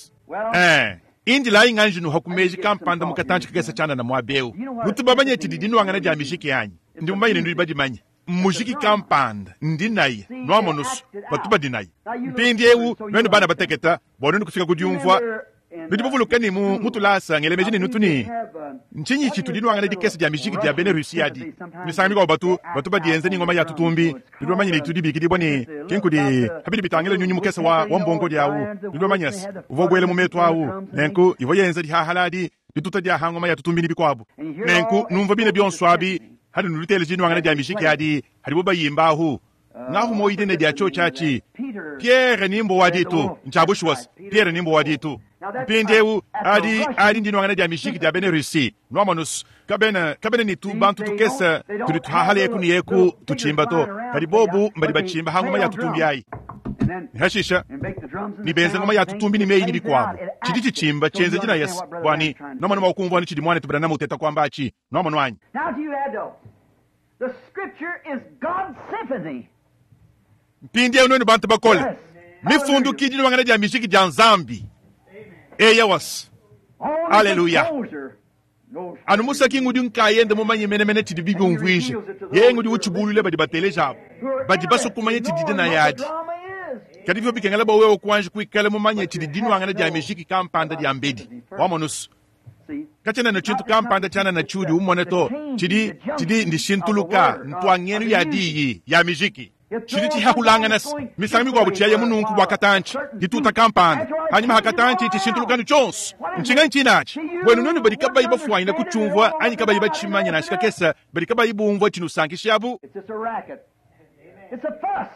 Ee, indilayi nganji nuha ku meji kampanda mu katantshi kakese tshianana muaba eu. Nutu bamanye tshidi dinuangana dia mijiki anyi? Ndi mumanye ne nudi badimanye. Mujiki kampanda ndi naye nuamonusu batu badi naye mpindieu. Nuenu bana bateketa, bua nuenu kufika ku diumvua, nudi bavuluke ne mu mutulasa ngele meji ne nutu ne ntshinyi tshitu dinuangana dikese dia mijiki dia bena Russie adi. Misangu mikuabu batu batu badienza ne ngoma ya tutumbi. Nudi bamanye ne tudi bikidibua ne ki nkudi habidi bitangila nyunyi mukese wa wa mbongodi awu. Nudi bamanye se uvua ubuela mu metu awu, nenku ivua yenza dihahala adi dituta dia ha ngoma ya tutumbi ne bikuabu. Nenku numvua bine bionso abi hadi nuluteleja dinuangana dia mijiki adi hadibo bayimba ahu. Ngahu moyi dina dia tshiotshi atshi Pierre Nimbo wa ditu. Ntshia bushuwa se Pierre Nimbo wa ditu. Mpindieu adi adi ndinuangana dia mijiki dia bena Russie. Nuamonus kabena kabena ne tu bantu tukese tudi tuhahala eku ne eku tutshimba to, kadi bobu mbadi batshimba ha ngoma ya tutumbi ayi. Hashisha ne benza ngoma ya tutumbi ne meyi ne bikuabu. Tshidi tshitshimba tshienza dinaya se bua ne nuamona mua kumvua ne tshidi muanetu Branham uteta kuamba atshi. Nuamonu anyi? Now to you adults, the scripture is God's symphony. Mpindieu nuenu bantu bakole, mifundu ki dinuangana dia mijiki dia Nzambi. Eya was. Only Hallelujah. composer knows Anu musaki ngudi nkayende mumanye menemene tshidi bibiumvuija. Yeye ngudi utshibulule badi bateleja abu. Badi basue kumanya tshidi dinaya adi. drama is. Kadi bivua bikengela bua wewe kuanji kuikala mumanye tshidi dinuangana dia mijiki kampanda dia mbedi. Wamonusu. See? Katshiena ne tshintu kampanda tshianana tshiudi umona to, tshidi tshidi ndishintuluka ntuangenu ya diyi ya mijiki. Tshidi tshihahulangana se misangu mikuabu tshiaya mununku bua katantshi dituta kampanda hanyima ha katantshi tshishintulukanu tshionso. Ntshinganyi tshinatshi buenu nuenu badi kabayi bafuanyina kutshiumvua anyi kabayi batshimanya nansha kakese, badi kabayi bumvua tshinusankisha abu? It's just a racket. It's a fuss.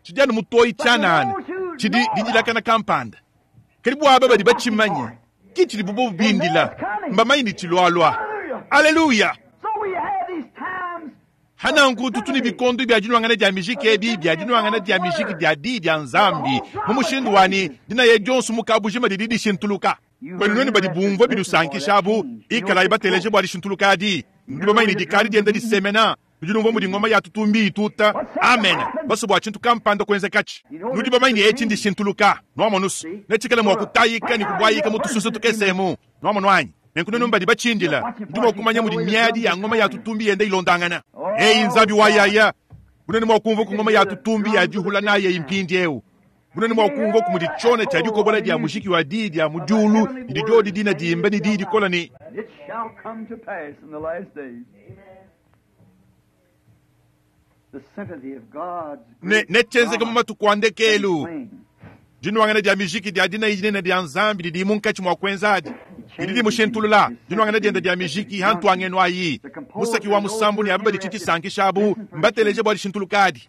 Tshidi anu mutoyi tshianana, tshidi didilakana kampanda. Kadi bua aba badi batshimanye, ki tshidi bobo bindila, mbamanye ne tshilualua. Aleluya! So we have these times Hananku tutu ne bikondo bia dinuangana dia mijiki ebi bia dinuangana dia mijiki dia diyi dia Nzambi mu mushindu wa ne dinaya dionso mu kabujima didi dishintuluka. Kwenu nuenu badi bumvua binusankisha abu, ikalayi bateleje bua dishintuluka adi. Nudi bamanye ne dikadi dienda disemena, nudi numvua mudi ngoma ya tutumbi ituta. Amen. Basue bua tshintu kampanda kuenzekatshi. Nudi bamanye ne etshi ndishintuluka. Nuamonusu netshikale mua kutayika ne kubuayika mu tususu tukese emu. Nuamonu anyi? Nenku nuenu mbadi batshindila, nudi mua kumanya mudi miadi ya ngoma ya tutumbi yenda ilondangana. Eyi Nzambi wa yaya, bunene mua kumvua ku ngoma ya tutumbi ya dihula naye eyi mpindieu. Bunene mua kumvua ku mudi tshiona tshia dikobola dia mujiki wa diyi dia mu diulu didi diodi dina dimba ne diyi dikola ne And it shall come to pass in the last days. The symphony of God's ne great netshienzeke mu drama matuku a ndekelu. playing. Dinuangana dia mijiki dia dinayi dinene dia Nzambi didi munkatshi mua kuenza adi didi dimushintulula. Dinuangana diende dia mijiki ha ntuangenu ayi, musaki wa musambu ne aba badi tshitshisankisha abu mbateleje bua dishintuluka adi.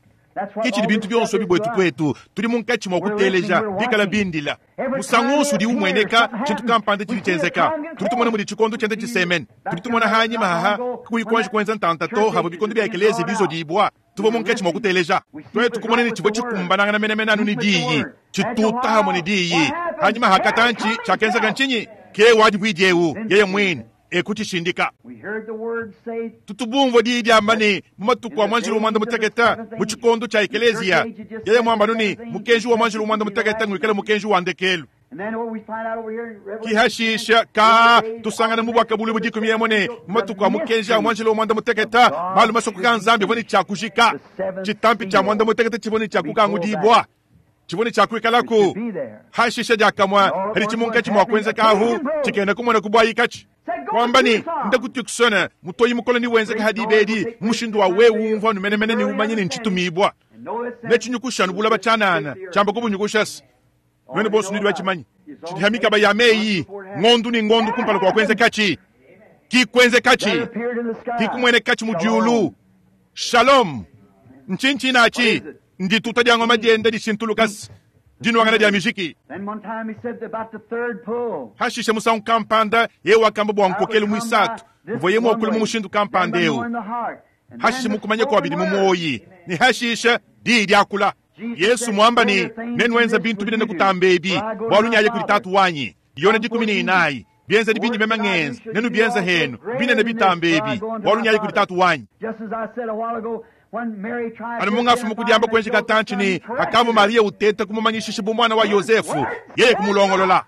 Ke tshidi bintu bionso ebi buetu tuetu. Tudi munkatshi mua kuteleja, bikala bindila. Musangu wonso udi umueneka tshintu kampanda tshidi tshienzeka, tudi tumona mudi tshikondo tshienda tshisemene. Tudi tumona hanyima haha kakuyi kuanji kuenza ntanta to havua bikondo bia ekeleziya bizodibua. Tuvua munkatshi mua kuteleja, tuetu kumona ne tshivua tshikumbanangana menemene anu ne diyi, tshituta hamue ne diyi. Hanyima ha katantshi, tshiakenzeka ntshinyi? Ke wadi buidi eu yeye muine e kutshishindika. Tutu bumvua diyi diamba ne, mu matuku a muanjelu wa muanda mutekete, mu tshikondo tshia ekeleziya, yeye muamba anu ne, mukenji wa muanjelu wa muanda mutekete nguikale mukenji wa ndekelu. Ki hashisha ka tusangana mu Buakabuluibua dikumi emu ne, mu matuku a mukenji a muanjelu wa muanda mutekete, malu masokoka a Nzambi avua ne tshia kujika. Tshitampi tshia muanda mutekete tshivua ne tshia kukangudibua, tshivua ne tshia kuikalaku. Hashisha diakamue haditshi munkatshi mua kuenzeka ahu, tshikena kumona ku buayikatshi. Kuamba ne, Nda ku Tucson, mutoyi mukole newenzeke ha diba edi, mu mushindu wa wewe umvua anu menemene ne umanye ne ntshitumibua. Netshinyukushe anu bulaba tshianana, tshiamba kubunyukushase. Nuenu bonso nudi batshimanye. Tshidi ha mikaba ya meyi, ngondu ne ngondu kumpala kua kuenzekatshi. Ki kuenzekatshi, ki kumuenekatshi mu diulu. Shalom! Ntshinyi tshinatshi? Ndituta dia ngoma dienda dishintulukase, dinuangana dia mijiki. Hashishe musangu kampanda yeye wakamba bua nkokelu muisatu uvuaye muakule mu mushindu kampanda eu. Hashishe mu kumanya kua bidi mu muoyi, ne hashishe diyi diakula. Yesu muamba ne, Nenuenza bintu binene kutamba ebi, bualu nyaye kudi Tatu wanyi. Yone 14. Bienzedi bindi meme ngenza, nenubienze henu, binene bitamba ebi, bualu nyaye kudi Tatu wanyi. Anu mungafumu kudiamba kuenji katantshi ne, hakavua Mariya uteta kumumanyishisha bu muana wa Yosefu, yeye kumulongolola.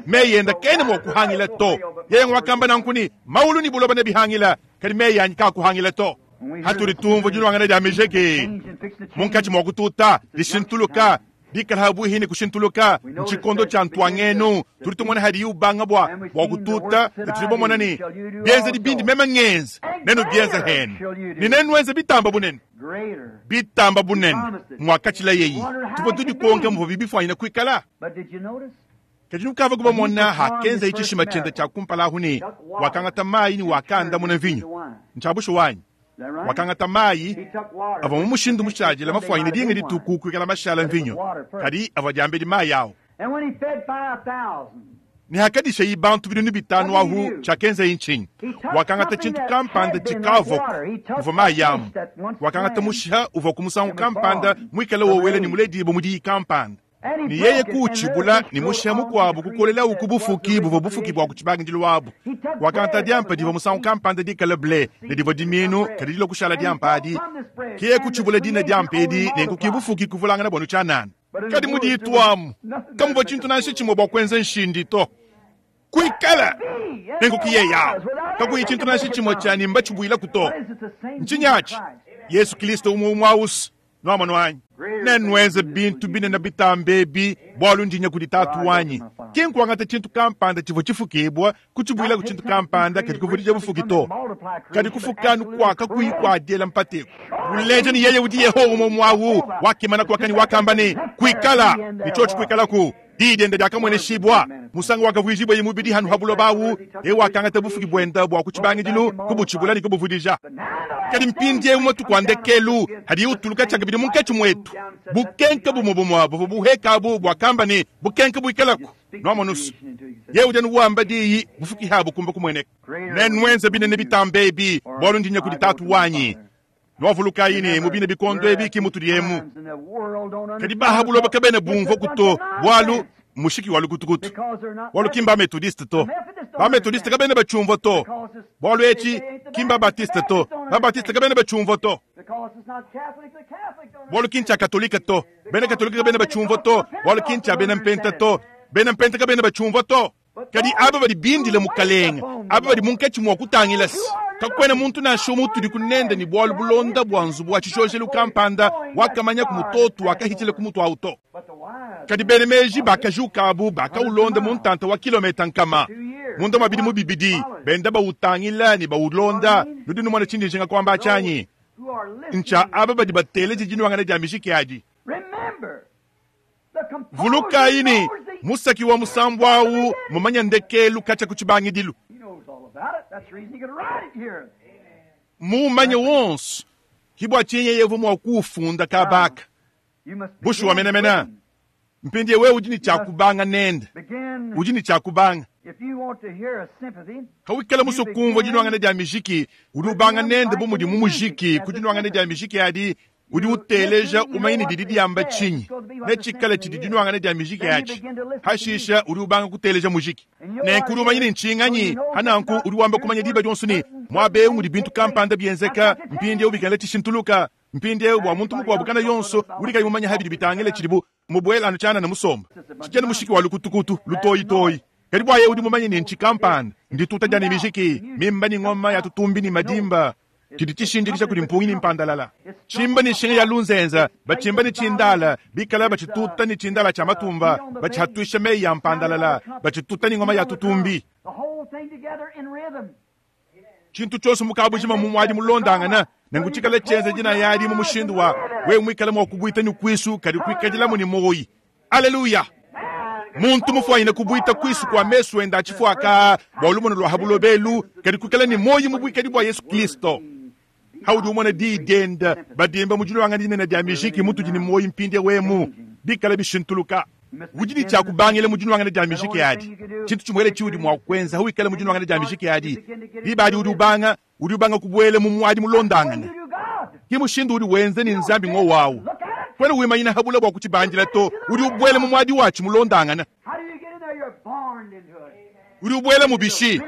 Meyi enda kena mua kuhangila to. Yeye wakamba nanku ne, Maulu ne buloba nebihangila, kadi meyi anyi kakuhangila to. Hatudi tumvua diluangana dia mijiki munkatshi mua kututa, dishintuluka, dikala habuihi ne kushintuluka, ntshikondo tshia ntuangenu. Tudi tumona hadiyi ubanga bua bua kututa, ne tudi bamona ne, bienzedi bindi meme ngenza, nenubienze henu, ne nenuenze bitamba bunene. Bitamba bunene muakatshila yeyi. Tuvua tudikonka muvua bibifuanyina kuikala. Kadi nukavua kubamona hakenzaye tshishima tshiende tshia kumpala ahu ne wakangata mayi ne wakaandamuna mvinyo. Ntshia bushuwa anyi? Wakangata mayi avua mu mushindu mushadile mafuanyine dinga dituku kuikala mashala mvinyo, kadi avua diambedi mayi awu. Ne hakadishayi bantu binunu bitanu ahu, tshiakenzaye ntshinyi? Wakangata tshintu kampanda tshikavuaku, muvua mayi amu. Wakangata mushiha uvua ku musangu kampanda muikale wowela ne muledibue mu diyi kampanda. Ne yeye kuutshibula ne mushiha mukuabu kukolelawu ku bufuki buvua bufuki bua ku tshibangidilu abu. Wakangata diampa divua musangu kampanda dikale ble ne divua dimiinu kadi dilua kushala diampa adi. Ke yeye kutshibula dina diampa edi, nenku ke bufuki kuvulangana bua tshianana. Kadi mu ditu amu kamuvua tshintu nansha tshimue bua kuenza nshindi to. Kuikala nenku ke yeye awu, kakuyi tshintu nansha tshimue tshia ne mbatshibuilaku to. Ntshinyi atshi? Yesu Kristo umue umue awusu. Nuamonu anyi? Nenuenze bintu binene bitambe ebi, bualu ndi nya kudi Tatu wanyi. Ki nkuangata tshintu kampanda tshivua tshifukibua, kutshibuila ku tshintu kampanda kadi kuvudija bufuki to. Kadi kufuka anu kua kakuyi kua diela mpata eku kuleja ne, yeye udi Yehowa umue umue au wakimana kuaka ne wakamba ne, Kuikala, ne tshiotshi kuikalaku. Diyi diende diakamueneshibua musangu wakavuijibueye mubidi hanu ha buloba awu, yeye wakangata bufuki buende bua ku tshibangidilu, kubutshibula ne kubuvudija. Kadi mpindieu matuku a ndekelu hadiye utuluka tshiakabidi munkatshi muetu, bukenke bumue bumue buvua buheka abu buakamba ne, Bukenke buikalaku. Nuamonusu, yeye udi anu wamba diyi, bufuki habu kumba kumueneka. Nenuenze binene bitambe ebi, bualu ndi nya kudi Tatu wanyi. Nuavulukayi ne, mu bine bikondo ebi ki mutudi emu. Kadi ba ha buloba kabena bumvua to, bualu mushiki wa lukutukutu, bualu ki mba-metodiste to. Ba-metodiste kabena batshiumvua to, bualu etshi ki mba-batiste to. Ba-batiste kabena batshiumvua to, bualu ki ntshia katolike to. Bena katolike kabena batshiumvua to, bualu ki ntshia bena mpenta to. Bena mpenta kabena batshiumvua to. Kadi aba badi bindile Mukalenge, aba badi munkatshi mua kutangila se, kakuena muntu nansha umue utudi nende ne bualu bulonda bua nzubu wa tshishojelu kampanda wakamanya ku mutoto wakahitshila ku mutu awu to. Kadi bena meji bakajuka abu bakaulonda mu ntanta wa kilometa nkama munda mua bidimu bibidi, benda bawutangila ne bawulonda. Nudi numona tshindi njinga kuamba atshi anyi? Ntshia aba badi bateleja dinuangana dia mijiki adi. Vulukayi ne, musaki wa musambu awu mmumanye ndekelu katshia ku tshibangidilu. Mmuumanye wonso, ke bua tshinyi yeye uvua mua kuwufunda kaba aka. Bushuwa menemene. Mpindieu wewe udi ne tshia kubanga nende. Udi ne tshia kubanga. Pawikala musue kumvua dinuangana dia mijiki, udi ubanga nende bu mudi mu mujiki. Ku dinuangana dia mijiki adi, udi uteleja umanye ne didi diamba tshinyi, netshikale tshidi dinuangana dia mijiki atshi. Pashishe udi ubanga kuteleja mujiki. Nenku udi umanya ne ntshinganyi. Pa nanku udi wamba kumanya diba dionso ne, muaba eu mudi bintu kampanda bienzeka, mpindieu bikengela tshishintuluka. Mpindieu bua muntu mukuabu kana yonso udi kayi mumanye ha bidi bitangila tshidibu mubuela anu tshianana musomba tshikena mushiki wa lukutukutu lutoyitoyi. Kadi bua yeye udi mumanye ne ntshi kampanda ndituta dia ne mijiki mimba ne ngoma ya tutumbi ne madimba tshidi tshishindikija kudi mpungi ne mpandalala tshimba ne nshinga ya lunzenza batshimba ne tshindala bikala batshituta ne tshindala tshia matumba batshihatuisha meyi ya mpandalala batshituta ne ngoma ya tutumbi. Tshintu tshionso mu kabujima mu muadi mulondangana nenku tshikala tshienza dinaya adi mu mushindu wa wewe muikale mua kubuita ne kuisu kadi kuikadilamu ne muoyi. Aleluya! Muntu mufuanyine kubuita kuisu kua mesu ende a tshifuaka bua lumonu lua ha buloba elu kadi kuikala ne muoyi mu buikadi bua Yesu Kristo. Haudi umona diyi diende badimba mu diluangana dinene dia mijiki mutudi ne muoyi mpindieu emu bikala bishintuluka. Udi ne tshia kubangila mu dinuangana dia mijiki adi. Tshintu tshimuele tshiudi mua kuenza hawikala mu dinuangana dia mijiki adi, diba adi udi ubanga, udi ubanga kubuela mu muadi mulondangane. Ke mushindu udi wenza ne Nzambi ngowu awu. Kuena wimanyina ha bule bua kutshibandila to, udi ubuela mu muadi watshi mulondangane. Udi ubuela mu bishi?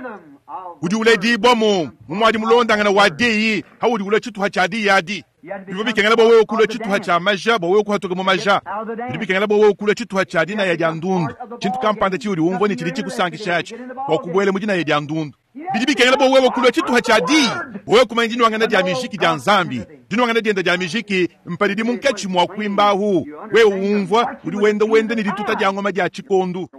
Udi uledibua mu mu muadi mulondangane wa diyi, haudi ulua tshituha tshia diyi adi. Bivua bikengela bua wewe kulua tshituha tshia maja bua wewe kuhatuka mu maja. Bidi bikengela bua wewe kulua tshituha tshia dinaya dia ndundu, tshintu kampanda tshiudi umvua ne tshidi tshikusankisha atshi, bua kubuela mu dinaya dia ndundu. Bidi bikengela bua wewe kulua tshituha tshia diyi, bua wewe kumanya dinuangana dia mijiki dia Nzambi. Dinuangana diende dia mijiki mpadidi munkatshi mua kuimbahu. Wewe umvua, udi wenda wenda ne dituta dia ngoma dia tshikondu.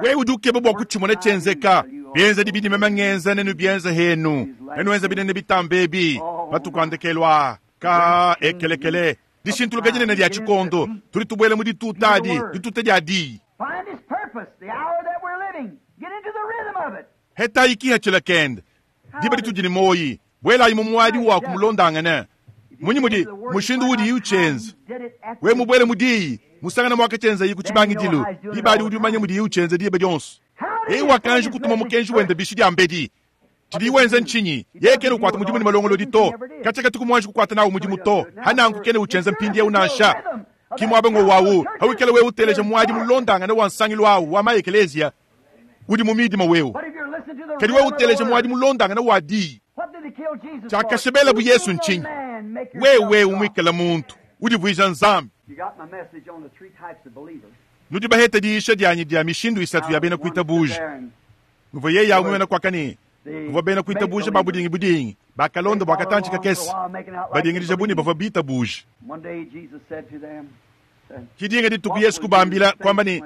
Wewe udi ukeba bua kutshimona tshienzeka. Bienzedi bidi meme ngenza nenubienze henu, nenuenze binene bitambe ebi matuku a ndekelu aa. Ka ekelekele, dishintuluka dinene dia tshikondo, tudi tubuela mu dituta adi, dituta dia diyi. Hetayi kihatshila kende, diba ditudi ne muoyi, buelayi mu muadi wa kumulondangana. Munyi mudi mushindu udiyi utshienza? Wewe mubuele mu diyi, musangana muakatshienzayi ku tshibangidilu, diba adi udi umanya mudiyi utshienza diba dionso. Yeye wakanji kutuma mukenji wende bishi diambedi. Tshidiyi wenza ntshinyi? Yeye kena ukuata mudimu ne malongolodi to. Katshia katuku muanji kukuata nawu mudimu to. Hananku kena utshienza mpindieu nansha. Ki muaba ngowu awu, hawikala wewe uteleja muadi mulondangane wa nsangilu awu wa ma-ekeleziya, udi mu midima wewe. Kadi wewe uteleja muadi mulondangane wa diyi. Tshiakashebelabu Yesu ntshinyi? Wewe umuikala muntu, udivuija Nzambi. Nudi bahete diyisha dianyi dia mishindu isatu ya bena kuitabuja. Nuvua yeye awu muena kuaka ne kuvua bena kuitabuja ba budingi budingi bakalonda bua katantshi kakese badingidija bu ne bavua bitabuja. Ki dinga dituku Yesu kubambila kuamba ne,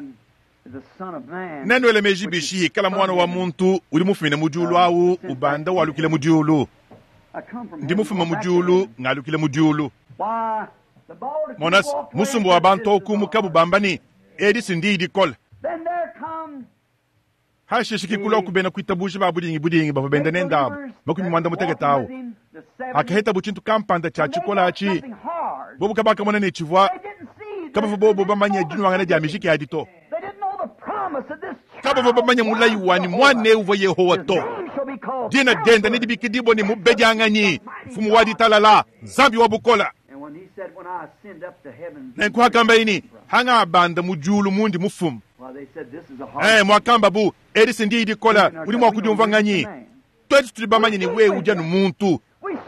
Nenuele meji bishi hikala Muana wa muntu udi mufumine mu diulu awu ubanda walukila mu diulu? Ndi mufume mu diulu, ngalukila mu diulu. Mona, musumba wa bantu au kumukabu bamba ne, Edi si ndiyi dikole. Hashishe kikulua ku bena kuitabuja ba budingi budingi bavua benda nende abu 60 awu. Hakahetabu tshintu kampanda tshia tshikola atshi, bobu kabakamona ne tshivua kabavua bobu bamanye dinuangana dia mijiki adi to. Kabavua bamanye mulayi wa ne muana eu uvua Yehowa to. Dina diende nedibikidibue ne Mubedianganyi, Mfumu wa Ditalala, Nzambi wa Bukole. Nenku hakambaye ne, Hangabanda mu diulu mundi mufume. Muakambabu, edi si ndiyi dikola, udi mua kudiumvua nganyi? Tuetu tudi bamanye ne wewe udi anu muntu.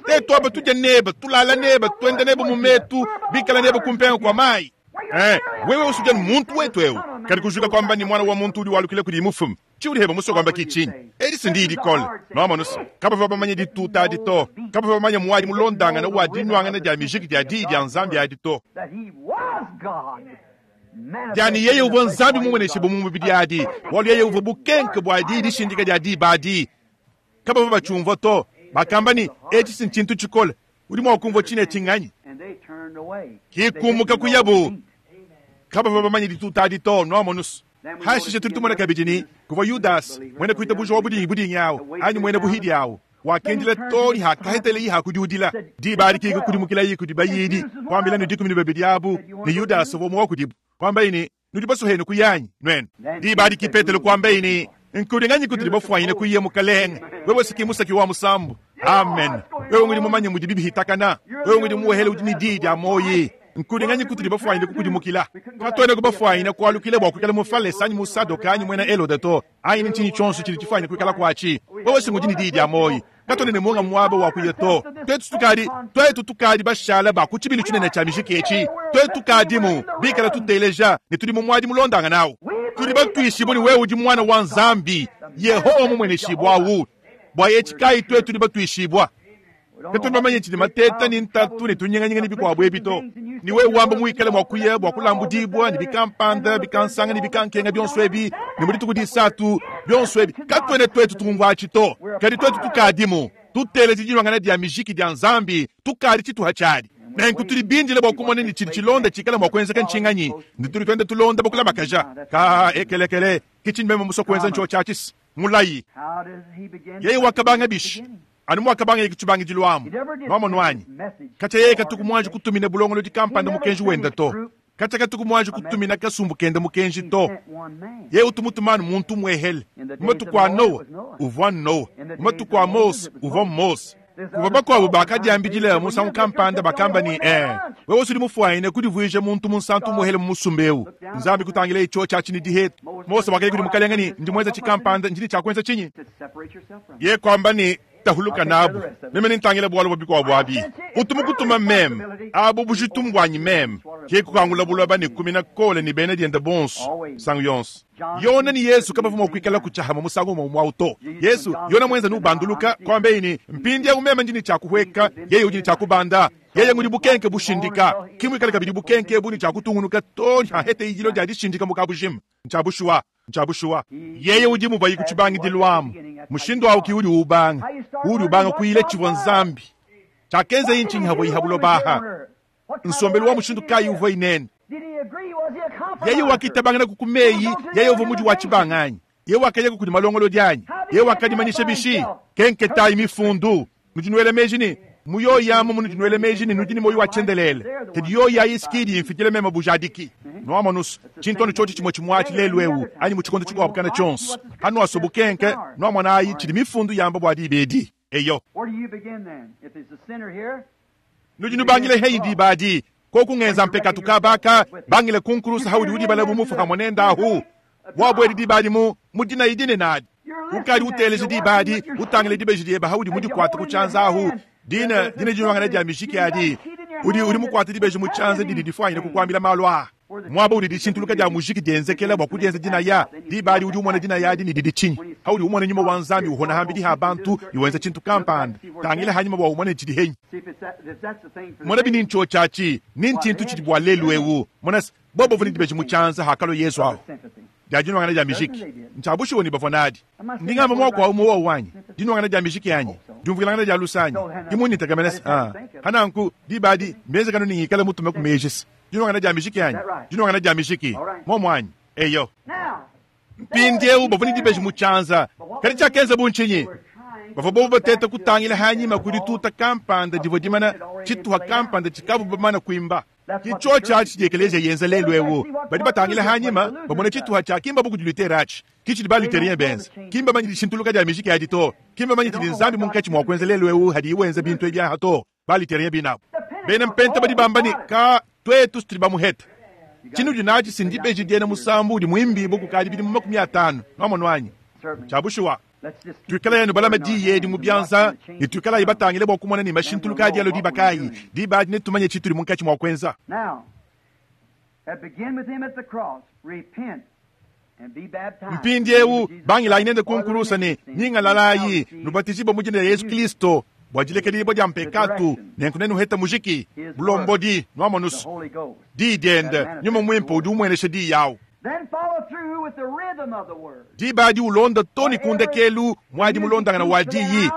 Tetu aba tudia nebe, tulala nebe, tuenda nebe mu metu, bikala nebe ku mpenga kua mayi. Wewe usudi anu muntu wetu eu. Kadi kujuka kuamba ne muana wa muntu udi walukila kudi mufume. Tshiudi heba musue kuamba ki tshinyi? Edi si ndiyi dikole. Nuamonu se, kabavua bamanye dituta adi to. Kabavua bamanye muadi mulondangane wa dinuangana dia mijiki dia Diyi dia Nzambi adi to. Dia ne yeye uvua Nzambi mumueneshibue mu mubidi adi, bualu yeye uvua bukenke bua diyi dishindika dia diba adi. Kabavua batshiumvua to. Bakamba ne, Etshi si ntshintu tshikole. Udi mua kumvua tshine etshi nnganyi? Ki kumuka kuyabu. Kabavua bamanye dituta adi to, nuamonus. Hashishe tudi tumona kabidi ne, kuvua Yudase, muena kuitabuja wa budingibudingi awu, anyi muena buhidi awu, wakendela too ne hakahetelaye hakudiudila. Diba adi ki kukudimukilaye kudi bayidi, kuambila ne 12 abu ne Yudase uvua umue wa kudibu, kuambaye ne, Nudi basue henu kuya anyi, nuenu? Diba adi ki Petelo kuambaye ne, Nkudi nganyi kutudi bafuanyine kuya, Mukalenge? Wewe si ki musaki wa musambu. Amen. Wewe ngudi mumanye mudibi bihitakana. Wewe ngudi muwehele udi ne diyi dia muoyi. Nkudi nganyi kutudi bafuanyine kukudimukila? Katuena kubafuanyine kualukila bua kuikala Mufalese anyi Musadoka anyi muena Helode to, anyi ne ntshinyi tshionso tshidi tshifuanyine kuikala kuatshi. Wewe si ngudi ne diyi dia muoyi. Katuena ne munga muaba wa kuya to. Tuetu tukadi, tuetu tukadi bashala ba ku tshibilu tshinene tshia mijiki etshi. Tuetu tukadimu bikala tuteleja ne tudi mu muadi mulondangana awu. Tudi batuishibue ne wewe udi Muana wa Nzambi, Yehowa mumueneshibua awu. Bua etshi kayi tuetu tudi batuishibua? Katuena bamanye tshidi mateta ne ntatu ne tunyinganyinga ne bikuabu ebi to. Ne wewe wamba muikale mua kuya bua kulambudibua ne bikampanda, bikansanga ne bikankenga bionso ebi, ne mu dituku disatu bionso ebi, katuena tuetu tumvua atshi to. Kadi tuetu tukadimu tuteleja diluangana dia mijiki dia Nzambi, tukadi tshituha tshiadi. Nenku tudi bindile bua kumona ne tshidi tshilonda tshikala mua kuenzeka ntshinganyi, ne tudi tuenda tulonda bakulamakaja. Ka ekelekele, ke tshindi meme musue kuenza ntshiotshi atshi. Mulayi. Yeye wakabanga bishi? Anu muakabangaye ku tshibangidilu amu. Nwamonu anyi? Katshia yeye katuku muanji kutumina bulongolodi kampanda mukenji wende to. Katshia katuku muanji kutumina kasumbu kende mukenji to. Yeye utu mutuma anu muntu umuehele. Mu matuku a Noa, uvua Noa. Mu matuku a Mose, uvua Mose. Kuvua bakuabu bakadiambidila musangu kampanda bakamba ne, Ee, wewe udi mufuanyine kudivuija muntu munsantu umuehele mu musumba eu. Nzambi kutangilaye tshiotshi atshi ne dihetu. Mose wakaya kudi mukalenge ne, Ndi muenza tshikampanda, ndi ne tshia kuenza tshinyi? Yeye kuamba ne, Tahuluka nabu, meme nentangile bualu bua bikuabu abi. Utu mukutuma meme, abu bujitu mbuanyi meme. Ke kukangula buloba ne kumina Kole ne bena diende bonso misangu yonso. Yona ne Yezu kabavua mua kuikala ku tshiahamue musangu umue umue au to. Yezu, Yona muenza ne ubanduluka, kuambeyi ne, Mpindieu meme ndi ne tshia kuhueka, yeye udi ne tshia kubanda. Yeye ngudi bukenke bushindika. Ki muikale kabidi bukenke ebu ne tshia kutungunuka too ne haheta idilo dia dishindika mu kabujima. Ntshia bushuwa. Ntshia bushuwa. Yeye udi mubayi ku tshibangidilu amu. Mushindu au ki udi ubanga. Udi ubanga kuyila tshivua Nzambi. Tshiakenzaye ntshinyi havuaye ha buloba aha? Nsombelu wa mushindu kayi uvuaye nende? Yeye wakitabangana ku meyi, yeye uvua mudi wa tshibanga anyi? Yeye wakayaka kudi malongolodi anyi? Yeye wakadimanyisha bishi? Kenketayi mifundu. Nudi nuela meji ne, mu yoyi amu munudi nuela meji ne nudi ne muoyo wa tshiendelele, kadi yoyi ayi si ki idi imfidila meme bujadiki. Nuamonus, tshintu anu tshiotshi tshimue tshimue atshi lelu ewu anyi mu tshikondo tshikuabu kana tshionso. Hanuasua bukenke, nuamonayi tshidi mifundu yamba bua diba edi. Eyo. Nudi nubangila heyi diba adi, koku ngenza mpekatu kaba aka, bangila ku nkulusa haudi udibala bu mufu hamue nende ahu. Wabuedi diba adi mu, mu dinayi dinene adi. Ukadi uteleja diba adi, utangila dibeji diebe haudi mudikuate ku tshianza ahu, dina, dina dinuangana dia mijiki adi. Udi, udi mukuate dibeji mu tshianza didi difuanyine kukuambila malu aa. Muaba udi dishintuluka dia mujiki dienzekela bua kudienza dinaya, diba adi udi umona dinaya adi ne didi tshinyi? Haudi umona nyuma wa Nzambi uhona hambidi ha bantu ne wenza tshintu kampanda, tangila hanyima bua umone tshidi henyi. Mona bi ni ntshiotshi atshi, ni ntshintu tshidi bua lelu eu. Mona se, bobo bavua ne dibeji mu tshianza hakalua Yezu ahu. Dia dinuangana dia mijiki, ntshia bushuwa ne bavua nadi. Ndi ngamba muaku au mu wowu anyi? Dinuangana dia mijiki anyi? Diumvuilangana dia luse anyi? Ki mundi ntekemena se, ah, pa nanku, diba adi, mbienzekanu ne ngikale mutume ku meji se, Dinuangana dia mijiki anyi? Dinuangana dia mijiki. Muomu anyi? Eyo. Mpindieu bavua ne dibeji mu tshianza. Kadi tshiakenzabu ntshinyi? Bavua bobu bateta kutangila hanyima ku dituta kampanda divua dimana tshituha kampanda tshikabu bamana kuimba. Ke tshiotshi atshi tshidi ekeleziya yenza lelu eu. Badi batangila hanyima, bamona tshituha tshiakimbabu kudi Luther atshi. Ke tshidi ba-Lutherien benza. Ki mbamanye dishintuluka dia mijiki adi to. Ki mbamanye tshidi Nzambi munkatshi mua kuenza lelu eu hadiye wenza bintu ebi aha to. Ba-Lutherien binabu. Bena Mpenta badi bamba ne, Ka, tuetu tudi bamuheta. Tshinudi natshi si ndibeji diena musambu udi muimbibue kukadi bidimu 50. Nuamonu anyi? Tshia bushuwa. Tuikalayi anu balame diyi edi mu bianza ne tuikalayi batangile bua kumona ne mashintuluka adi alua diba kayi. Diba adi netumanye tshitudi munkatshi mua kuenza. Mpindieu bangilayi nende ku nkulusa ne nyingalalayi, nubatijibue mu dina dia Yezu Kristo bua dilekedibua dia mpekatu, nenku nenuhete mujiki, bulombodi, nuamonus diyi diende, Nyuma Muimpe udi umuenesha diyi awu. Diba adi ulonda to ne ku ndekelu muadi mulondangana wa diyi,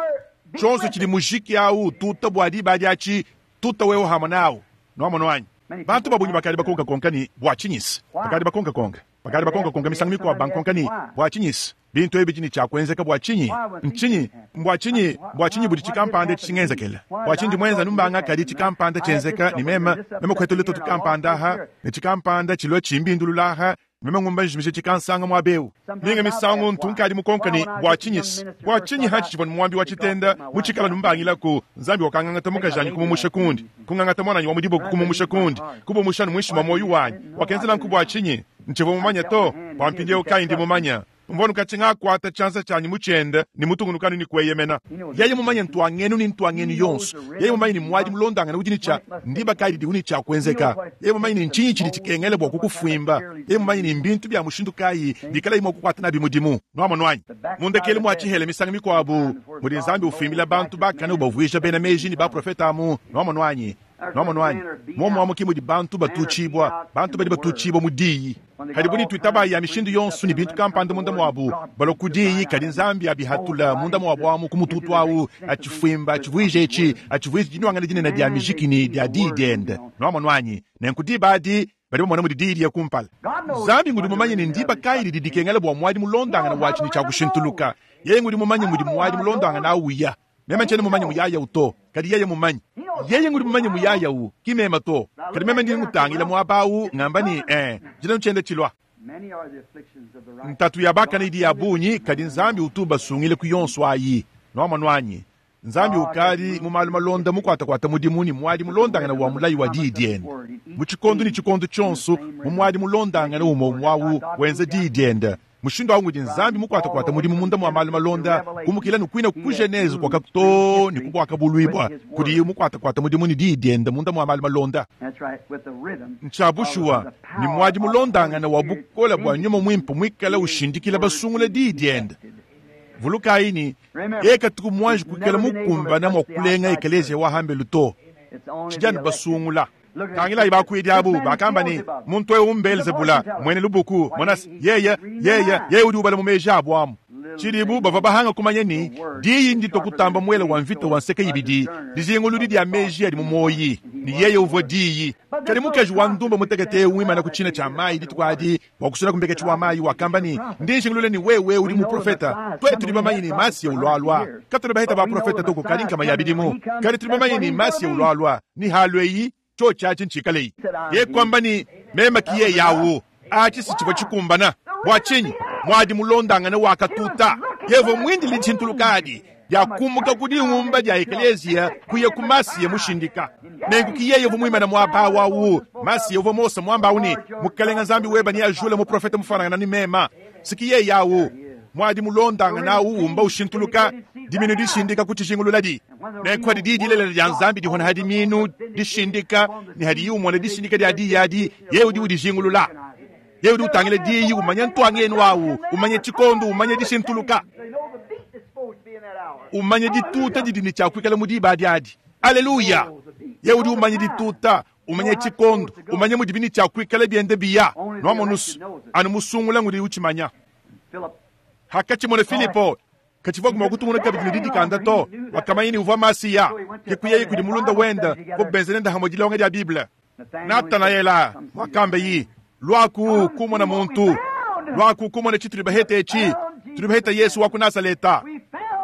tshionso tshidi mujiki awu ututa bua diba adi atshi, tuta wewe hamue nawu. Nuamonu anyi? Bantu ba bungi bakadi bakonkakonka ne, Bua tshinyi's? Bakadi bakonkakonka. Bakadi bakonkakonka misangu mikuabu bankonka ne, Bua tshinyi's? Bintu ebi bidi ne tshia kuenzeka bua tshinyi? Ntshinyi? Mbua tshinyi? Bua tshinyi budi tshikampanda etshi tshingenzekela? Bua tshinyi ndi muenza anu mbanga kadi tshikampanda tshienzeka ne meme, meme kuheta lutoto kampanda aha, ne tshikampanda tshilua tshimbindulula aha, meme ngumba njimija tshikansanga muaba eu? Minga misangu ntu nkadi mukonka ne, Bua tshinyi's? Bua tshinyi hantshi tshivua ne muambi wa tshitenda mutshikala numbangilaku? Nzambi wakangangata mukajanyi kumumusha kundi, kungangata muananyi wa mu diboko kumumusha kundi, kubumusha anu muinshi mua muoyo wanyi. Wakenza nanku bua tshinyi? Ntshivua mumanye to, bua mpindieu kayi ndi mumanye. Mvua nukatshi ngakuata tshianza tshianyi mu tshiende ne mutungunuka anu ne kueyemena. Yeye mumanye ntuangenu ne ntuangenu yonso. Yeye mumanye ne muadi mulondangane udi ne tshia ndiba kayi didiwu ne tshia kuenzeka. Yeye mumanye ne ntshinyi tshidi tshikengela bua kukufuimba. Yeye mumanye ne mbintu bia mushindu kayi bikalaye mua kukuata nabi mudimu. Nuamonu anyi? Mu ndekelu mua tshihela misangu mikuabu mudi Nzambi ufuimbila bantu bakane ubavuija bena meji ne baprofete amu. Nuamonu anyi? Nuamonu anyi? Muomu amu ke mudi bantu batuutshibua, bantu badi batuutshibua mu Diyi. Kadi bu nituitaba ya mishindu yonso ne bintu kampanda munda muabu, balua ku Diyi, kadi Nzambi abihatula munda muabu amu ku mututu awu, atshifuimba, atshivuija etshi, atshivuija dinuangana dinene dia mijiki ne dia Diyi diende. Nuamonu anyi? Nenku diba adi, badi bamona mudi Diyi diya kumpala. Nzambi ngudi mumanye ne ndiba kayi didi dikengela bua muadi mulondangane watshi ne tshiakushintuluka. Yeye ngudi mumanye mudi muadi mulondangane awu uya. Meme ntshiena mumanye muyaya awu to, kadi yeye mumanye. Yeye ngudi mumanye muyaya awu, ki meme to. Kadi meme ndi ngutangila muaba awu, ngamba ne, Ee, tshilelu tshienda tshilua. Ntatu ya bakane idi ya bungi, kadi Nzambi utu ubasungila ku yonso ayi. Nuamonu anyi? Nzambi ukadi mu malu malonda mukuatakuata mudimu ne muadi mulondangane wa mulayi wa Diyi diende. Mu tshikondo ne tshikondo tshionso, mu muadi mulondangane umue umue awu, wenza Diyi diende. Mushindu au ngudi Nzambi mukuatakuata mudimu munda mua malu malonda, kumukila ne kuina ku Genese kuaka too ne ku Buakabuluibua, kudiye mukuatakuata mudimu ne Diyi diende munda mua malu malonda. Ntshia bushuwa ne muadi mulondangane wa bukole bua Nyuma Muimpe muikale ushindikila basungula Diyi diende. Vulukayi ne, yeye katuku muanji kuikala mukumbana mua kulenga ekeleziya wa hambelu to. Tshidi anu basungula. Tangilayi bakuidi abu, bakamba ne, Muntu eu m'Beelzebula, muena lubuku. Monase, yeye, yeye, yeye udi ubala mu meji abu amu. Tshidibu bavua bahanga kumanya ne, diyi nditue kutamba muele wa mvita wa nseke ibidi, dijinguludi dia meji adi mu muoyi, ne yeye uvua diyi. Kadi mukaji wa ndumba mutekete eu muimane ku tshina tshia mayi dituku adi bua kusuna ku mbeketshi wa mayi, wakamba ne, Ndi njingulula ne wewe udi muprofete. Tuetu tudi bamanye ne Masiya ulualua. Katuena baheta baprofete to kukadi nkama ya bidimu, kadi tudi bamanye ne Masiya ulualua, ne halueyi, tshiotshi atshi ntshikaleyi. Yeye kuamba ne, Meme ki yeye awu. Atshi si tshivua tshikumbana. Bua tshinyi? Muadi mulondangane wakatuta. Yeye uvua muindile dishintuluka adi dia kumuka ku dingumba dia ekeleziya kuya ku Masiya mushindika. Nenku ki yeye uvua muimane muaba awu awu, Masiya uvua Mose muamba awu ne, Mukalenga Nzambi weba neajule muprofete mufuanangana ne mema. Si ki yeye awu. Muadi mulondangane awu umba ushintuluka, diminu dishindika ku tshijingululadi. Nenku hadi diyi dilelela dia Nzambi dihona ha diminu dishindika, ne hadiyi umona dishindika dia diyi adi, yeye udi udijingulula. Yeye udi utangila diyi, umanya ntuangenu awu, umanya tshikondo, umanya dishintuluka, umanya dituta didi ne tshia kuikala mu diba adi adi. Aleluya! Yeye udi umanya dituta, umanya tshikondo, umanya mudibi ne tshia kuikala biende biya. Nuamonusu, anu musungula ngudi utshimanya. Hakatshimona Filipo, katshivuaku mua kutungunuka kabidi ne didikanda to. Wakamanya ne uvua Masiya. Ke kuyaye kudi mulunda wende, bobu benze nende hamue dilonga dia Bible. Natanaela wakamba yi, Luaku kumona muntu, luaku kumona tshitudi bahete etshi. Tudi baheta Yesu wa ku Nazaleta.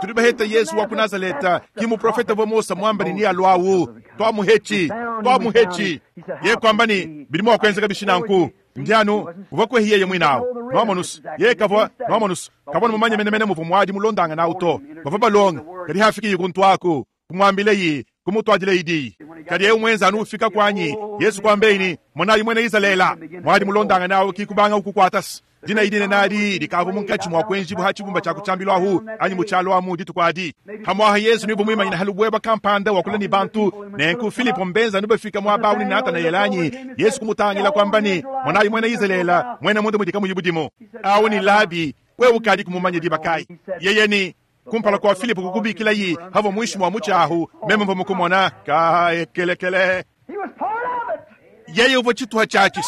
Tudi baheta Yesu wa ku Nazaleta, ki muprofete uvua Mose muamba ne nealuawu. Tuamuhetshi, tuamuhetshi. Yeye kuamba ne, Bidi mua kuenzeka bishi nanku? Ndi anu uvua kuehi yeye muine awu. Nuamonus, yeye kavua, nuamonus, kavua mumanye menemene muvua muadi mulondangane awu to. Bavua balonga, kadi hafikiyi kuntu aku, kumuambileyi, kumutuadileyi diyi. Kadi eu muenza anu ufika kuanyi, Yesu kuambeyi ne, Monayi muena Izalele, muadi mulondangane awu ki kubanga ukukuatasa. Dinayi dinene adi dikavua munkatshi mua kuenjibua ha tshibumba tshia ku tshiambilu ahu anyi mu tshialu amu dituku adi. Pamuaha Yezu ne uvua muimanyine ha lubuebua kampanda wakula ne bantu. Nenku Filipo mbenza anu bafika muaba awu ne Natanaele anyi? Yesu kumutangila kuamba ne, Monayi muena Izalele, muena munda mudi kamuyi budimu. Awu ne Labi, wewe ukadiku mumanye diba kayi? Yeye ne, Kumpala kua Filipo kukubikilayi, havua muinshi mua mutshi ahu, meme mvua mukumona. Kaekelekele. Yeye uvua tshituha tshiatshi.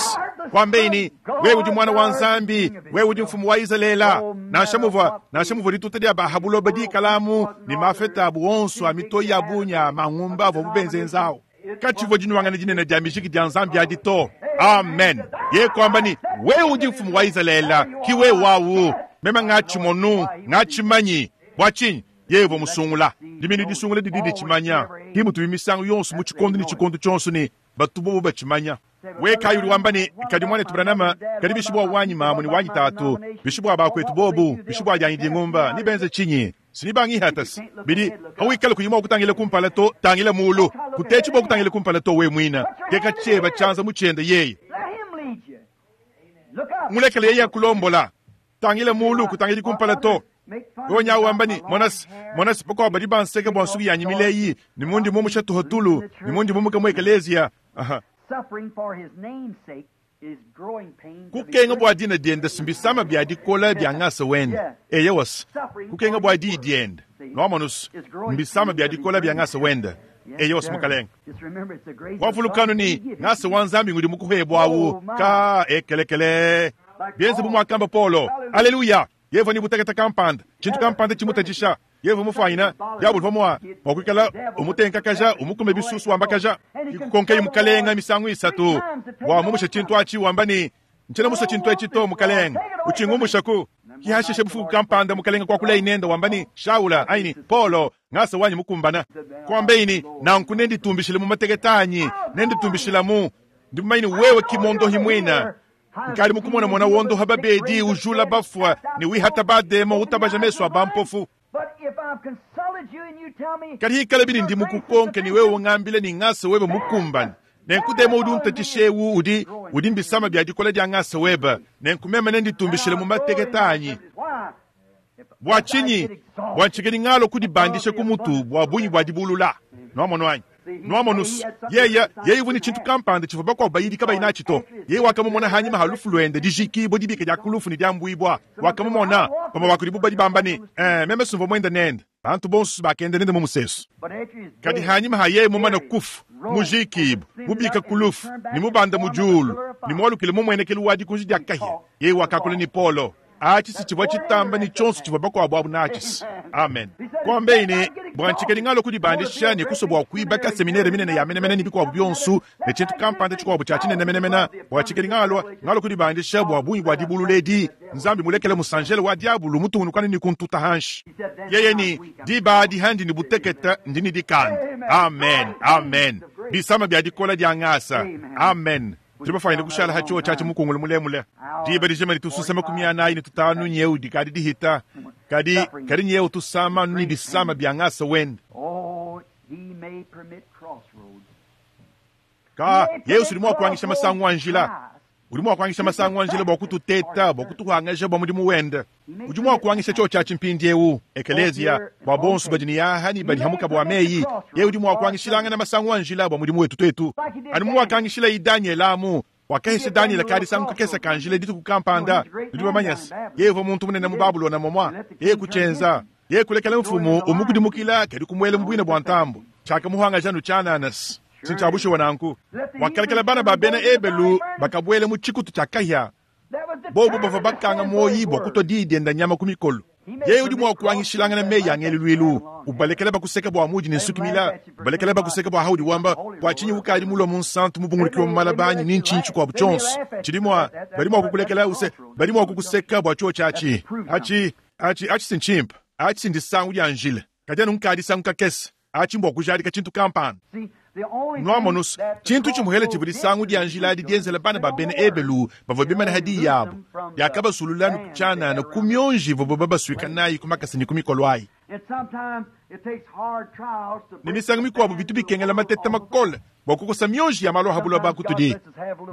Kuambeyi ne, Wewe udi muana wa Nzambi, wewe udi mfumu wa Izalele. Nansha muvua, nansha muvua dituta dia ba ha buloba dikalamu ne mafeta abu onso a mitoyi ya bungi a mangumba avuabu benzenza awu. Katshivua dinuangana dinene dia mijiki dia Nzambi adi to. Amen. Yeye kuamba ne, Wewe udi mfumu wa Izalele, ki wewe awu. Meme ngatshimonu, ngatshimanyi. Bua tshinyi? Yeye uvua musungula. Diminu disungula didi ditshimanya. Ki mutubi misangu yonso mu tshikondo ne tshikondo tshionso ne batu bobo batshimanya. We kayi udi wamba ne, Kadi muanetu Branham, kadi bishi bua wanyi mamu ne wanyi tatu, bishi bua bakuetu bobu, bishi bua dianyi dingumba, nebenze tshinyi? Sinibangihatasi bidi hawikala kuyi mua kutangila kumpala to, tangila mulu. Kutetshi bua kutangila kumpala to we muina. Teka tshieba tshianza mu tshiende yeye. Mulekele yeye akulombola. Tangila mulu, kutangidi kumpala to. Wewe nyawu wamba ne, Monasi, monasi, bakuabu badi banseka bua nsuki yanyi mileyi, ne mundi mumusha tuhotulu, ne mundi mumuka mu ekeleziya. Aha. Kukenga bua dina diende mbisama bia dikola bia ngasa wende. Eyowa, kukenga bua diyi diende, nuamonus, mbisama bia dikola bia ngasa wende. Eyowa, mukalenge. Wavulukanu ne, ngasa wa Nzambi ngudi mukuhebua awu ka ekelekele. Bienze bu muakamba Paulo. Aleluya! Yevua ne butekete kampanda, tshintu kampanda tshimutatshisha. Yevua mufuanyina diabolo uvua mua mua kuikala umutenkakaja, umukume bisusu wambakaja. Kikukonkeyi mukalenga misangu isatu bua mumusha tshintu atshi, wamba ne, Ntshiena musue tshintu etshi to, mukalenga, utshingumushaku. Ki hashishe bufuku kampanda mukalenga kuakulayi nende wamba ne, Shaula, anyi ne, Paulo, ngasa wanyi mukumbana. Kuambeyi ne, Nanku nenditumbishile mu mateketa anyi, nenditumbishilamu. Ndi mumanye ne wewe ki mondohi muina. Nkadi mukumonamona wondoha babedi, ujula bafua, ne wihata bademo, utabaja mesu a bampofu. Kadi hikalabi ne ndi mukukonke ne wewe ungambile ne ngasa webe mukumbane, nenku demo udi untatshisha eu udi udi mbisama bia dikola dia ngasa webe, nenku meme nenditumbishile mu mateketa anyi. Bua tshinyi? Bua ntshikadi ngalua kudibandisha ku mutu bua bungi bua dibulula. Nuamonu anyi? Nuamonus, yeye, yeye uvua ne tshintu kampanda tshivua bakuabu bayidi kabayi natshi to. Yeye wakamumona hanyima ha lufu luende, dijikibua, dibika dia ku lufu ne diambuibua. Wakamumona. Bamue ba kudibu badi bamba ne, Eh, meme sumvua muende nende. Bantu bonso bakenda nende mu musesu. Kadi hanyima ha yeye mumane kufu, mujikibue, mubika ku lufu, ne mubanda mu diulu, ne mualukile mu muenekelu wa dikunji dia kahia, yeye wakakula ne Paulo. Atshi si tshivua tshitamba ne tshionso tshivua bakuabu abu natshi. Amen. Kuambeyi ne, bua ntshikadi ngalua kudibandisha ne kusua bua kuibaka seminere minene ya menemene ne bikuabu bionso ne tshintu kampanda tshikuabu tshia tshinene menemene, bua tshikadi ngalua ngalua kudibandisha bua bungi bua dibulula edi, Nzambi mulekele musanjele wa diabulu mutungunukane ne kuntuta hanshi. Yeye ne, diba adi handi ne butekete, ndi ne dikanda. Amen. Amen. Bisama bia dikola dia ngasa. Amen. Tudi bafuanyine kushala ha tshiowa tshiatshi mukungulu mulemule diba dijima ditususa makumi anayi ne tutanu nyeu dikadi dihita, kadi kadi nyeu tusama anu ne bisama bia ngasa wende. Ka Yesu udi mua kuangisha masangu a njila, udi mua kuangisha masangu a njila bua kututeta, bua kutuhangaja bua mudimu wende. Udi mua kuangisha tshiowa tshiatshi mpindieu, ekeleziya, bua bonso badi ne yaha ne badi hamuka bua meyi. Yeye udi mua kuangishilangana masangu a njila bua mudimu wetu tuetu, anu muakangishila Danyele amu. Wakahesha Danyele kadisangu kakese ka njila dituku kampanda. Nudi bamanye se, yeye uvua muntu munene mu Babulona momua. Yeye kutshienza. Yeye kulekela mfumu umukudimukila, kadi kumuela mu buina bua ntambu. Tshiakamuhangaja anu tshianana. Si ntshia bushuwa nanku. Wakalekela bana ba bena Ebelu bakabuela mu tshikutu tshia kahia. Bobu bavua bakanga muoyi bua kutua diyi dienda nyama ku mikolo. Yeye udi mua kuangishilangana meyi a ngeluluilu, ubalekela bakuseka bua muudi ne nsuki mila, ubalekela bakuseka bua haudi wamba bua tshinyi ukadi mulua munsantu mubungulukiwa mu malaba anyi ni ntshinyi tshikuabu tshionso tshidi mua badi mua kukulekela use badi mua kukuseka bua tshio tshiatshi atshi atshi atshi si ntshimpe atshi si ndisangu dia njila kadi anu nkadisangu kakese atshi mbua kujadika tshintu kampanda. Nuamonus, tshintu tshimuhele tshivua disangu dia njila adi dienzela bana ba bena Ebelu bavua bimane ha diyi yabu, diakabasulula anu tshianana ku mionji ivuabu babasuika nayi ku makasa ne ku mikolo ayi. Ne misangu mikuabu bitu bikengela mateta makole bua kukosa mionji ya malu a ha buloba kutudi.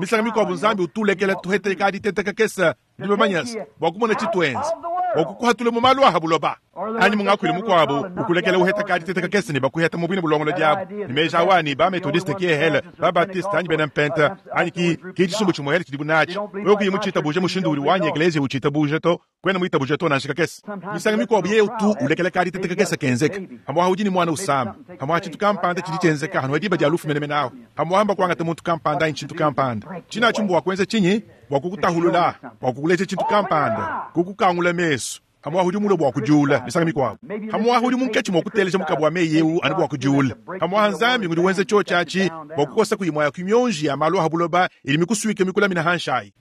Misangu mikuabu Nzambi utu ulekela tuhete ka diteta kakese Nudi bamanye se, bua kumona tshituenza bua kukuhatula mu malu a ha buloba, anyi mu ngakuilu mukuabu, ukulekela uheta ka diteta kakese ne bakuheta mu buine bulongolodi abu ne meji awa ne ba Methodiste ki ehele, ba Baptiste anyi bena Mpenta, anyi ki, ki tshisumbu tshimuehele tshidibu natshi. Wewe kuyi mutshitabuje mushindu udi wanyi ekeleziya utshitabuje to, kuena muitabuje to nansha kakese. Misangu mikuabu yeye utu ulekela ka diteta kakese kenzeka. Pamuapa udi ne muana usama, pamuapa tshintu kampanda tshidi tshienzeka anu diba dia lufu menemene ahu, pamuapa mbakuangata muntu kampanda anyi tshintu kampanda. Tshina atshi mbua kuenza tshinyi? Bua kukutahulula, bua kukuleja tshintu kampanda, kukukangula mesu. Pamuapa udi mulue bua kudiula misangu mikuabu. Pamuapa udi munkatshi mua kuteleja mukabu wa meyi eu anu bua kudiula. Pamuapa Nzambi ngudi wenza tshiotshi atshi bua kukosa ku imue ya ku mionji ya malu a buloba idi mikusuike mikulamine hanshi ayi.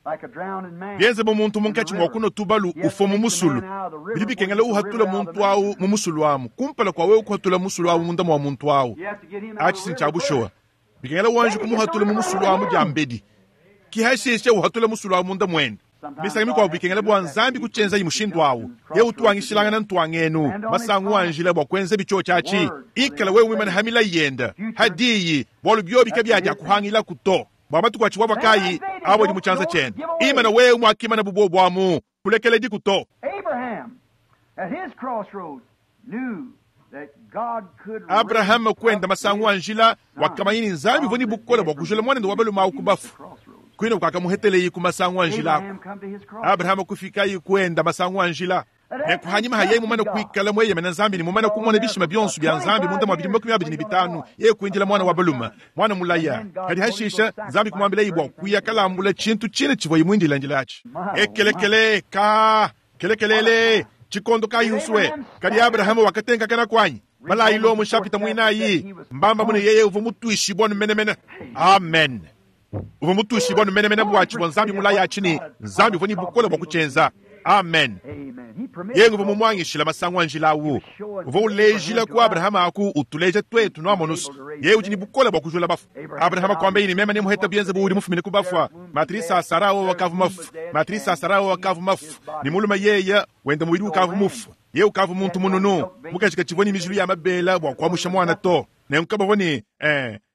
Bienze bu muntu munkatshi mua kunua tubalu ufua mu musulu, bidi bikengela uhatula muntu au mu musulu amu kumpala kua wewe kuhatula musulu au munda mua muntu au. Atshi si ntshia bushuwa. Bikengela wanji kumuhatula mu musulu amu diambedi, ki hashishe uhatula musulu au munda muende. Misangu mikuabu bikengela bua Nzambi kutshienzayi mushindu au. Yeye utu wangishilangana ntuangenu masangu a njila bua kuenza bitshiotshi atshi. Ikala wewe muimane ha milayi yende, ha diyi, bualu biobi kabiadiakuhangilaku to. Bua matuku atshivuavua kayi abo adi mu tshianza tshiende. Imana wewe muakimana bu buobu amu, kulekelediku to. Abrahama kuenda masangu a njila, wakamanya ne Nzambi uvua ne bukole bua kujula muanende wa balume au ku bafu. Kuine kuakamuheteleyi ku masangu a njila aku. Abrahama kufikayi kuenda masangu a njila. Nenku hanyima ha yeye mumane kuikala mueyemena Nzambi ne mumane kumona bishima bionso bia Nzambi munda mua bidimu 25, yeye kuindila muana wa balume, muana mulaya. Kadi hashisha Nzambi kumuambilaye bua kuya kalambula tshintu tshine tshivuaye muindila atshi. Ekelekele ka kelekelele tshikondo kayi usue. Kadi Abrahama wakatenkakana kuanyi? Balayi Lomo nshapita muinayi, mbamba mune yeye uvua mutuishibua nu menemene. Amen. Uvua mutuishibua nu menemene bua tshivua Nzambi mulaya atshi ne Nzambi uvua ne bukole bua kutshienza. Amen. Yeye uvua mumuangishila masangu a njila awu. Uvua ulejila ku Abrahama aku utuleja twetu nuamonusu. Yeye udi ne bukole bua kujula bafu. Abrahama kuambaye ne meme nemuheta bienze bu udi mufumine ku bafua. Matrisa a Sara wakavu mafu. Matrisa a Sara wakavu mafu. Ne mulume yeye wenda mubidi ukavu mufu. Yeye ukavu muntu mununu. Mukaji katshivua ne mijilu ya mabela bua kuamusha muana to. Nenku kabavua ne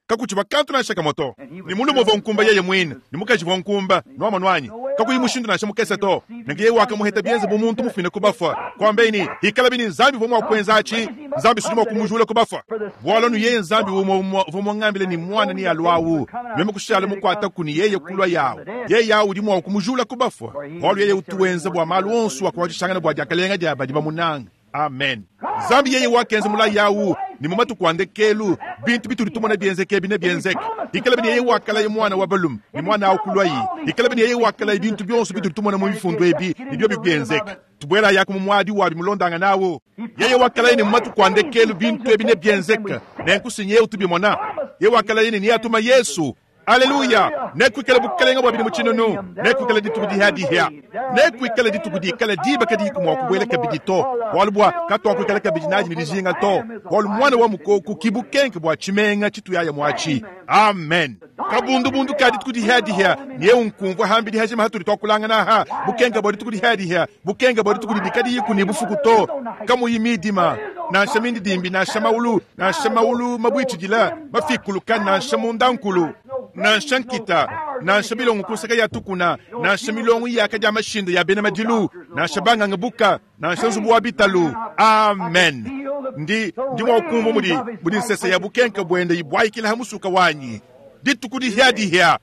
kakutshivua kantu nansha kamue to. Ne mulume uvua nkumba yeye muine, ne mukaji uvua nkumba, nuamonu anyi? Kakuyi mushindu nansha mukese to. Nenku yeye wakamuheta bienze bu muntu mufumine ku bafua. Kuambaye ne, hikalabi ne Nzambi uvua mua kuenza atshi, Nzambi sudi mua kumujula ku bafua. Bualu anu yeye Nzambi umue umue uvua muangambile ne muana nealue awu, meme kushala mukuataku ne yeye kulua yawu. Yeye awu udi mua kumujula ku bafua, bualu yeye utu wenza bua malu onso akuatshishangana bua diakalenga dia badi bamunanga. Amen. Nzambi yeye wakenza mulayi awu ne mu matuku a ndekelu bintu bitudi tumona bienzeke ebi nebienzeke. Hikalabi ne yeye wakalaye muana wa balume ne muana awu kuluayi. Hikalabi ne yeye wakalaye bintu bionso bitudi tumona mu mifundu ebi ne biobi bienzeke. Tubuelayaku mu muadi wabi mulondangana awu. Yeye wakalaye ne mu matuku a ndekelu bintu ebi nebienzeke. Nenku si nyeye utubimona. Yeye wakalaye ne neatuma Yesu. Aleluya! Nekuikale bukalenga bua bidimu tshinunu, nekuikale dituku dihadihia, nekuikale dituku dikale diba kadiyiku mua kubuela kabidi to, bualu bua katuakuikala kabidi nadi ne dijinga to, bualu muana wa mukoku ki bukenke bua tshimenga tshituyaya muatshi. Amen. Kabundubundu ka dituku dihadihia nyeu nkumvua hambidi hajima hatudi tuakulangana aha, bukenke bua dituku dihadihia, bukenke bua dituku didi kadiyiku ne bufuku to, kamuyi midima, nansha mindidimbi, nansha maulu, nansha maulu mabuitshidila, mafikuluka, nansha mundankulu, nansha nkita, nansha bilongo ku nseke ya tukuna, nansha milongo iyaka dia mashinda ya bena madilu, nansha banganga buka, nansha nzubu wa bitalu. Amen. Ndi ndi mua kumvua mudi mudi nsese ya bukenke buende ibuayikila ha musuka wanyi. Dituku dihia-dihia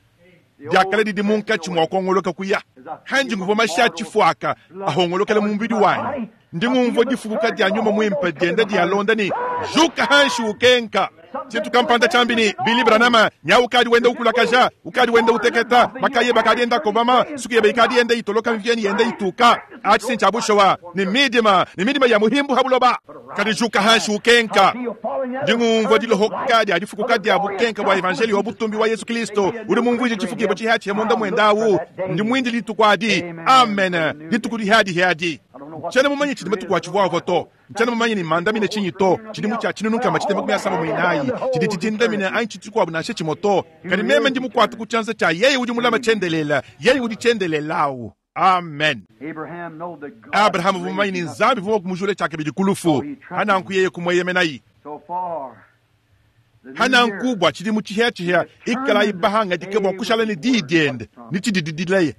diakale didi munkatshi mua kuongoloka kuya. Hanji nguvua mashi a tshifuaka ahongolokela mu mubidi wanyi. Ndi ngumvua difukuka dia nyuma muimpe dienda dialonda ne juka hanshi ukenka. Tshintu kampanda tshiambi ne Billy Branham nya ukadi wenda ukulakaja, ukadi wenda uteketa, makaye bakadi enda kobama, suku yebe ikadi yenda itoloka mvieni yenda ituka. Atshi si ntshia bushuwa, ne midima, ne midima ya muhimbu ha buloba. Kadi juka hanshi ukenka. Ndi ngumvua dilohoka dia difukuka dia bukenka bua evanjeli wa butumbi wa Yesu Kristo udi mumvuije tshifukibua tshihatshia munda muenda awu. Ndi muindile dituku adi. Amen. Dituku dihadihiadi. Ntshiena mumanye tshidi matuku atshivuavua to. Ntshiena mumanye ne mandamine tshinyi to. Tshidimu tshia tshinunu nkama tshitema makumi asambombo ne inayi tshidi tshidindamine anyi tshintu tshikuabu nansha tshimue to. Kadi meme ndi mukuate ku tshianza tshia yeye udi mulama tshiendelela, yeye udi tshiendelela awu. Amen. Abrahama uvua mumanye ne Nzambi uvua mua kumujula tshiakabidi ku lufu, hananku yeye kumueyemenayi. Hananku bua tshidimu tshihiatshihia ikalayi bahangadike bua kushala ne diyi diende ne tshididi dilaya,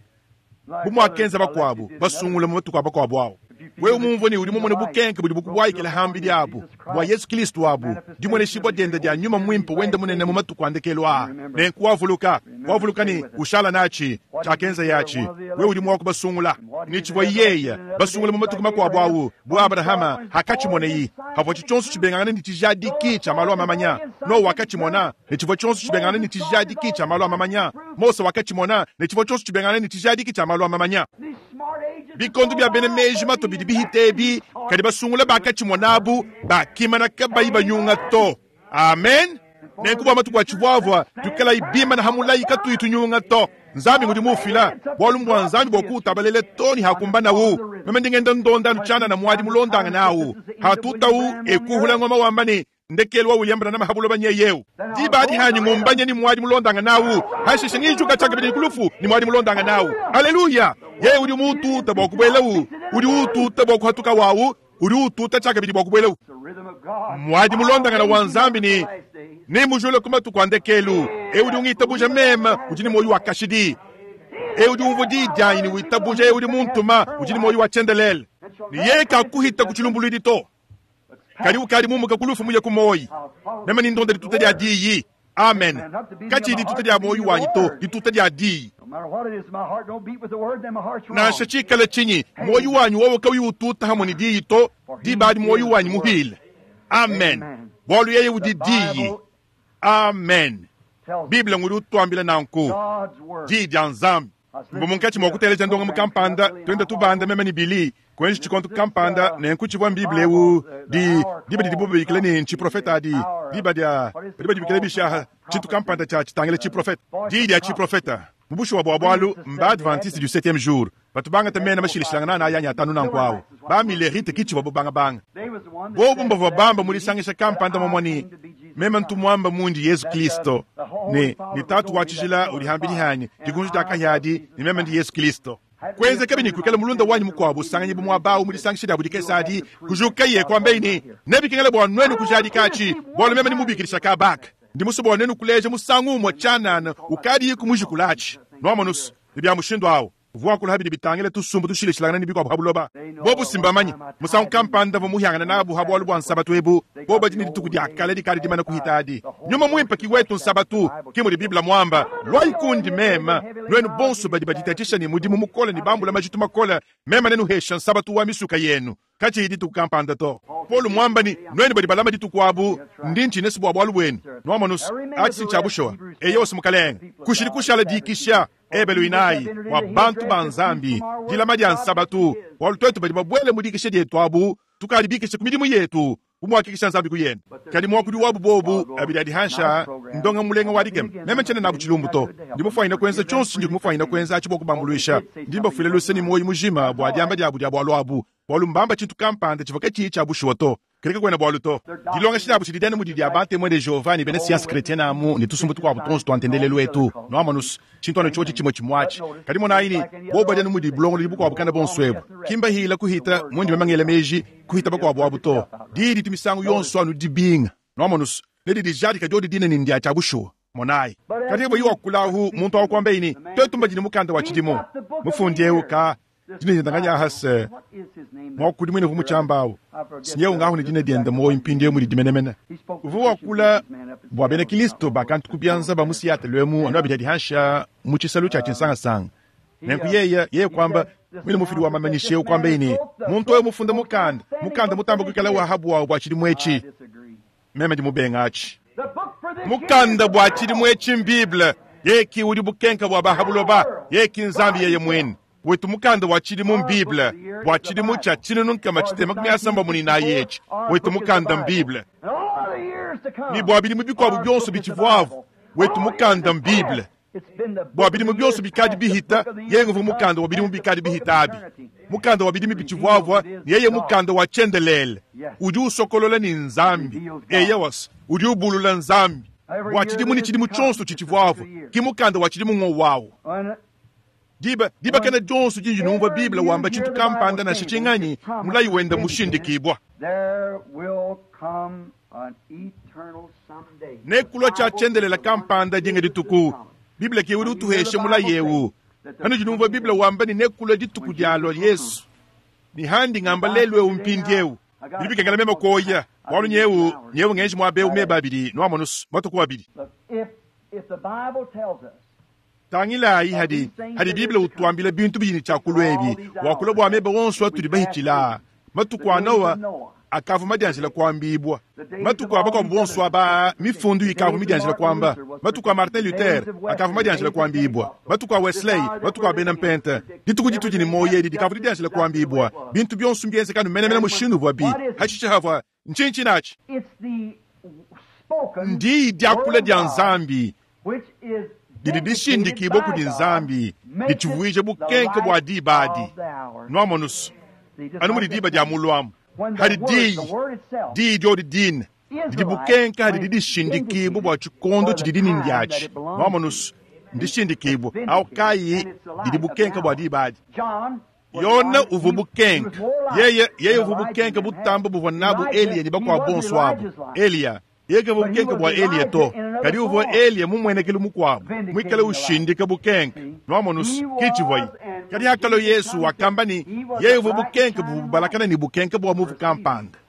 bu muakenza bakuabu basungula mu matuku a bakuabu awu. Wewe mumvue ne udi mumone bukenke budi bukubuayikila hambidi abu bua Yesu Kristo abu, dimueneshibua diende dia nyuma muimpe wende munene mu matuku a ndekelu aa. Nenku wavuluka, wavuluka ne ushala natshi tshiakenza yatshi. Wewe udi mua kubasungula ne tshivua yeye basungula mu matuku makuabu awu, bu Abrahama hakatshimoneye, havua tshionso tshibengangana ne tshijadiki tshia malu a mamanya. Noa wakatshimona ne tshivua tshionso tshibengangana ne tshijadiki tshia malu a mamanya. Mose wakatshimona ne tshivua tshionso tshibengangana ne tshijadiki tshia malu a mamanya. Bikondo bia bena meji mato bidi bihita ebi, kadi basungula bakatshimona abu bakimana kabayi banyunga to. Amen. Nenku bua matuku atshivuavua tuikalayi bimana hamulayi katuyi tunyunga to. Nzambi ngudi mufila bualu mbua Nzambi bua kuutabalela to ni hakumbanawu. Meme ndi ngenda ndonda anu tshianana muadi mulondangana awu. Hatutawu ekuhula ngoma wamba ne ndekelu wa William Branham habuloba nyeyeu. Diba adi hanyi ngumbanye ni muadi mulondangana awu. Hashishe ngijuka tshiakabidi kulufu ni muadi mulondangana awu. Haleluya! Yeye udi muututa bua kubuelawu, udi ututa bua kuhatuka wawu, udi ututa tshiakabidi bua kubuelawu. Muadi mulondangana wa Nzambi ni ne mujule ku matuku a ndekelu. Eu udi ungitabuja meme udi ne muoyo wa kashidi. Eu udi umvua diyi dianyi ne witabuja eu udi muntuma udi ne muoyo wa tshiendelele. Ne yeye kakuhita ku tshilumbuluidi to. Kadi ukadi mumuka ku lufu muye ku muoyo. Meme ni ndonda dituta dia diyi. Amen. Katshiyi dituta dia muoyo wanyi to, dituta dia diyi. Nansha tshikale tshinyi, muoyo wanyi wowo kauyi ututa hamwe ne diyi to, diba adi muoyo wanyi muhile. Amen. Bualu yeye udi diyi. Amen. Bible ngudi utuambila nanku. Diyi dia Nzambi. Mbu munkatshi mua kuteleja ndongamu kampanda, tuenda tubanda meme ne Billy, kuenji tshikondo kampanda, nenku tshivua Bible eu di diba didibo babikila ne ntshiprofeta adi, diba dia badi badibikila bishaha, tshintu kampanda tshia tshitangila tshiprofeta, diyi dia tshiprofeta. Mu bushuwa bua bualu, mba Adventiste du septième jour batu bangata mena mashilashilangana anayi anyi atanu nanku awu. Ba Millerite ki tshivua bangabanga. Bobu mbavua bamba mu disangisha kampanda momua ne meme ntu muamba mundi Yezu Kristo ne ne Tatu wa tshijila udi hambidi hanyi dikunji dia kahia adi ne meme ndi Yezu Kristo. Kuenzekabi ne kuikala mulunda wanyi mukuabu usanganyibu muaba awu mu disangisha diabu dikese adi, kujukaye kuambaye ne, nebikengele bua nuenu kujadika atshi, bualu meme ndi mubikidisha kabaka. Ndi musue bua nuenu kuleja musangu umue tshianana ukadiyiku mujikula atshi. Nuamonus, ne bia mushindu awu. Uvua wakula habidi bitangila tusumbu tushilashilangana ne bikuabu ha buloba. Bobu simbamanye musangu kampanda mvua muhiangana nabu ha bualu bua nsabatu ebu. Bobu badi ne dituku dia kale dikadi dimana kuhita adi. Nyuma muimpe ki wetu nsabatu, ki mudi Bible muamba. Luayi kundi meme, nuenu bonso badi baditatshisha ne mudimu mukole ne bambula majitu makole, meme nenuhesha nsabatu wa misuka yenu. Katshiyi dituku kampanda to. Paulo muamba ne, nuenu badi balama dituku abu, ndi ntshina bua bualu buenu. Nuamonus, atshi si ntshia bushuwa. Eyo si mukalenge. Kushidi kushala dikisha. Ebelu inayi bua bantu ba Nzambi, dilama dia nsabatu, bualu tuetu badi babuele mu dikisha dietu abu, tukadi bikisha ku midimu yetu, bu muakikisha Nzambi ku yende. Kadi muakudi wabu bobu abidi adi hansha ndonga mulenga wa dikema. Meme tshiena nabu tshilumbu to. Ndi mufuanyine kuenza tshionso tshindi mufuanyine kuenza atshi bua kubambuluisha. Ndi mbafuila luse ne muoyo mujima bua diamba diabu dia bualu abu, bualu mbamba tshintu kampanda tshivua katshiyi tshia bushuwa to. Kadi kakuena bualu to. Dilongesha diabu tshidi dianu mudi dia Ba-Temoin de Jehovah ne bena sianse kretiene amu ne tusumbu tukuabu tuonso tua ntendelelu etu. Nuamonus, tshintu anu tshiotshi tshimue tshimue atshi. Kadi monayi ne, bobu badi anu mudi bulongolodi bukuabu kana bonso ebu. Ki mbahila kuhita mundi meme ngela meji kuhita bakuabu abu to. Diyi ditu misangu yonso anu dibinga. Nuamonus, ne didi dijadika diodi dine ne ndia tshia bushuwa. Monayi. Kadi boyi wakulahu muntu awu kuambaye ne, tuetu mbadi ne mukanda wa tshidimu. Mufundi eu ka dina diende nganyi ahase mwakudimuine uvua mutshiamba awu sinyeu ngahu ne dina diende muoyo mpindieu mudidi menemene. Uvua wakula bua bena Kristo bakantu ku bianza ba mu Seattle emu anu abidi adi hansha mu tshisalu tshia tshinsangasanga. Nenku yeye yeye kuamba mwine mufidi wa mamanyisha eu kuambaye ne, muntu eu mufunda mukanda mukanda mutamba kuikala wa habuawu bua tshidimu etshi. Meme ndi mubenga atshi. Mukanda bua tshidimu etshi m'Bible. Yeye ki udi bukenka bua ba ha buloba. Yeye ki Nzambi yeye muine. Wetu mukanda wa tshidimu m'Bible bua tshidimu tshia tshinunu nkama tshitema makumi asambombo ne inayi etshi. Wetu mukanda m'Bible. Ne bua bidimu bikuabu bionso bitshivuavu, wetu mukanda m'Bible. Bua bidimu bionso bikadi bihita, yeye nguvua mukanda wa bidimu bikadi bihita abi. Mukanda wa bidimu bitshivuavua, ne yeye mukanda wa tshiendelele. Udi usokolola ne Nzambi. Eyowas, udi ubulula Nzambi. Bua tshidimu ne tshidimu tshionso tshitshivuavua, ki mukanda wa tshidimu ngowawu. Diba, diba kena dionso dindi numvua Bible wamba tshintu kampanda nansha tshinganyi, mulayi wende mmushindikibua. Nekulua tshia tshiendelela kampanda dinga dituku. Bible ke udi utuhesha mulayi eu. Panudi numvua Bible wamba ne nekulua dituku dialua Yesu, ne handi ngamba lelu eu mpindieu, bidi bikengela meme kuoya, bualu nyeu, nyeu ngenji muaba eu meba abidi, nuamonus, matuku abidi. Tangilayi hadi, hadi Bible utuambila bintu bidi ne tshiakulu ebi, wakula bua meba onso atudi bahitshila, matuku a Noa, akavua madianjila kuambibua. Matuku a bakuabu bonso aba mifundu ikavua midianjila kuamba. Matuku a Martin Luther akavua madianjila kuambibua. Matuku a Wesley, matuku a bena Mpente, dituku ditudi ne muoyo edi dikavua didianjila kuambibua. Bintu bionso mbienzekanu menemene mushindu uvuabi. Hashishe havua ntshinyi natshi? Ndiyi diakula dia Nzambi didi dishindikibua kudi Nzambi, ditshivuija bukenke bua diba adi. Nuamonusu anu mudi diba dia muluamu hadi diyi diyi diodi dine didi bukenke hadi didishindikibua bua tshikondo tshidi dini ndiatshi. Nuamonusu ndishindikibua au kayi didi bukenke bua diba adi. Yona uvua bukenke, yeye yeye uvua bukenke butamba buvua nabu Eliya ne bakuabu bonso abu. Eliya yeye kavua bukenke bua Eliya to, kadi uvua Eliya mumuenekelu mukuabu muikale ushindika bukenke. Nuamonusu ki tshivuaye. Kadi hakalo Yesu wakamba ne yeye uvua bukenke buvua bubalakana ne bukenke bua muvu kampanda.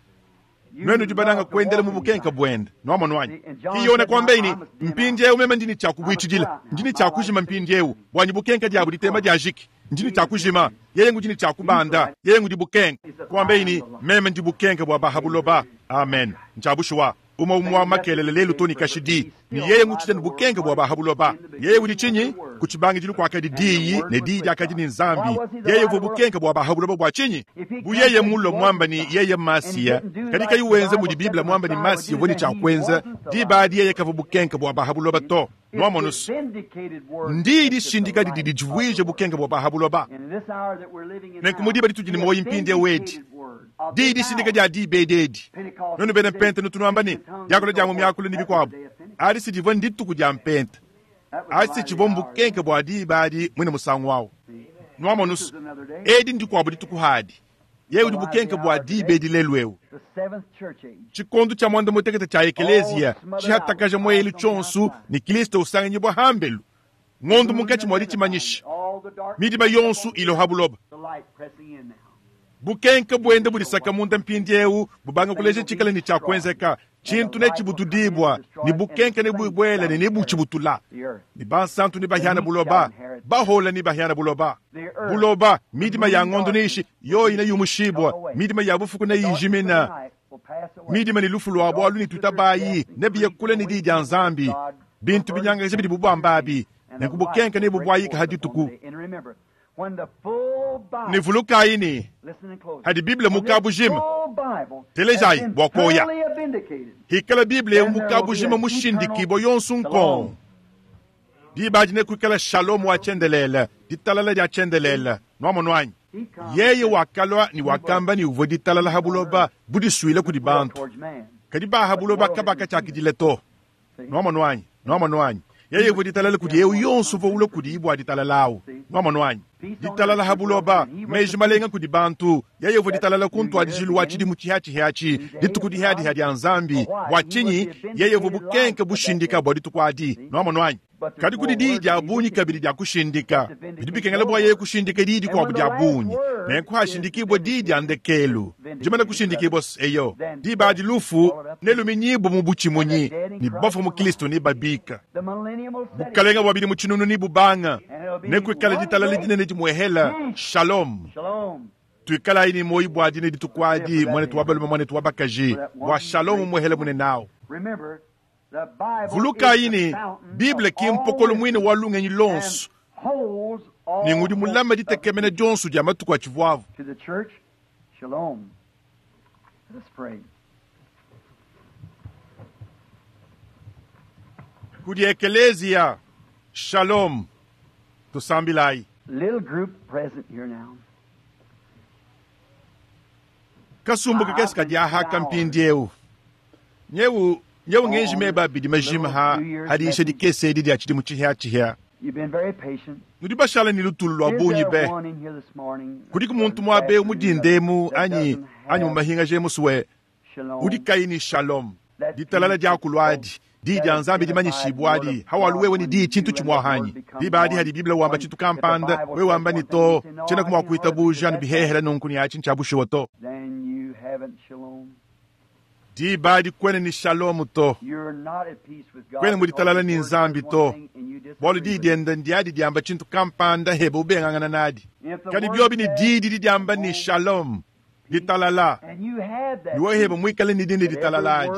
Nuenu dibananga kuendela mu bukenke buende. Nuamonu anyi? Ki Yona kuambaye ne mpindieu meme ndi ne tshia kubuitshidila, ndi ne tshia kujima mpindieu buanyi bukenke diabu ditema dia jiki. Ndi ne tshia kujima, yeye ngudi ne tshia kubanda, yeye ngudi bukenke. Kuambaye ne meme ndi bukenke bua bahabuloba. Amen. Ntshiabushuwa umwe umwe wa makelele lelu to ni kashidi ni yeye ngutshita ne bukenke bua bahabuloba. Yeye udi tshinyi? Ku tshibangidilu kuakadi diyi ne diyi diakadi ne Nzambi. Yeye uvua bukenke bua bahabuloba bua tshinyi? Bu yeye mulo muamba ni yeye Masiya, kadi kayi wenza mudi Biblia muamba ni Masiya uvua ne tshia kuenza, diba adi yeye kavua bukenke bua bahabuloba to. Nuamonusu ndiyi dishindika didi didivuije bukenke bua bahabuloba. Nenku mu diba ditudi ne muoyo mpindieu edi, diyi dishindika dia diba edi edi, nuenu bena mpente nutunuamba ne diakula dia mu miakulu ne bikuabu, adi si divua ndituku dia mpente, adi si tshivua mbukenke bua diba adi mwine musangu wawu. Nuamonusu edi ndikuabu dituku hadi yeye udi bukenke bua diba edi lelu eu. Tshikondo tshia mwanda mutekete tshia ekeleziya tshihatakaja muelu tshionso ne Kristo usanganyibua hambelu ngondo munkatshi mua ditshimanyisha midima yonso iloha buloba. Bukenke buende budisaka munda mpindieu bubanga kuleja tshikale ne tshia kuenzeka tshintu ne tshibutudibua ne bukenke ne buibwele ne nebutshibutula ne bansantu ne bahiana buloba bahola ne bahiana buloba buloba midima ya ngondo neishi yoyi neyumushibua midima ya bufuku neyijimina midima ne lufu lua bualu ne tutabayi nebiyekule ne diyi dia Nzambi bintu binyangaja bidi bubambabi nenku bukenke ne bubuayika hadituku. Ne vulukayi ne hadi Biblia mukabujima telejayi bua koya hikala Biblia eu mukabujima mushindikibua yonso nkongo diba adi nekuikala shalom wa tshiendelele ditalala dia tshiendelele. Nuamonu anyi? Yeye wakalua ne wakamba ne uvua ditalala ha buloba budisuile kudi bantu, kadi baha buloba kabakatshiakidile to. Nuamonu anyi? Nuamonu anyi? Yeye uvua ditalala kudi eu yonso uvua ulua kudi bua ditalala awu. Nuamonu anyi? Ditalala ha buloba, meji malenga kudi bantu. Yeye uvua ditalala ku ntuadijilu wa tshidimu tshihatshihia dituku dihadiha dia Nzambi. Bua tshinyi? Yeye uvua bukenke bushindika bua dituku adi. Nuamonu anyi? Kadi kudi diyi dia bungi kabidi dia kushindika. Bidi bikengela bua yeye kushindika diyi dikuabu dia bungi. Nenku hashindikibua diyi dia ndekelu dimana kushindikibua eyo diba adi lufu neluminyibue mu butshimunyi ne bafua mu Kristo ne babika. Bukalenga bua bidimu tshinunu ne bubanga nekuikala ditalala dinene dimuehela. Shalom. Tuikalayi ne muoyo bua dine dituku adi, mwanetu wa balume, mwanetu wa bakaji, bua shalom muehele mune nawu. Vulukayi ne Bible ki mpokolo muine wa lungenyi lonso ne ngudi mulama ditekemena dionso dia matuku atshivuavu. Kudi ekeleziya, shalom. Tusambilayi. Kasumbu kakese kadi ahaka mpindieu. Nyeu nyeu ngenji meba bidi majima ha hadisha dikese edi dia tshidimu tshihiatshihia. Nudi bashala ne lutulu lua bungi be. Kudiku muntu muabe mudindemu anyi anyi mumahingaje musuwe udi kayi ni shalom ditalala dia kuluadi diyi dia Nzambi dimanyishibua adi hawalu wewe ni diyi tshintu tshimwahanyi diba adi hadi Biblia wamba tshintu kampanda wewe wamba ni to tshiena kumwa kuitabuja ne bihehela nunku ni atshi ntshiabushuwa to. Diba adi kwene ni shalom to, kwene muditalala ni Nzambi to, bualu diyi diende ndiadi diamba tshintu kampanda hebe ubengangana nadi. Kadi biobi ni diyi didi diamba ni shalom. Ditalala. Ne wewe muikale ne dine ditalala adi,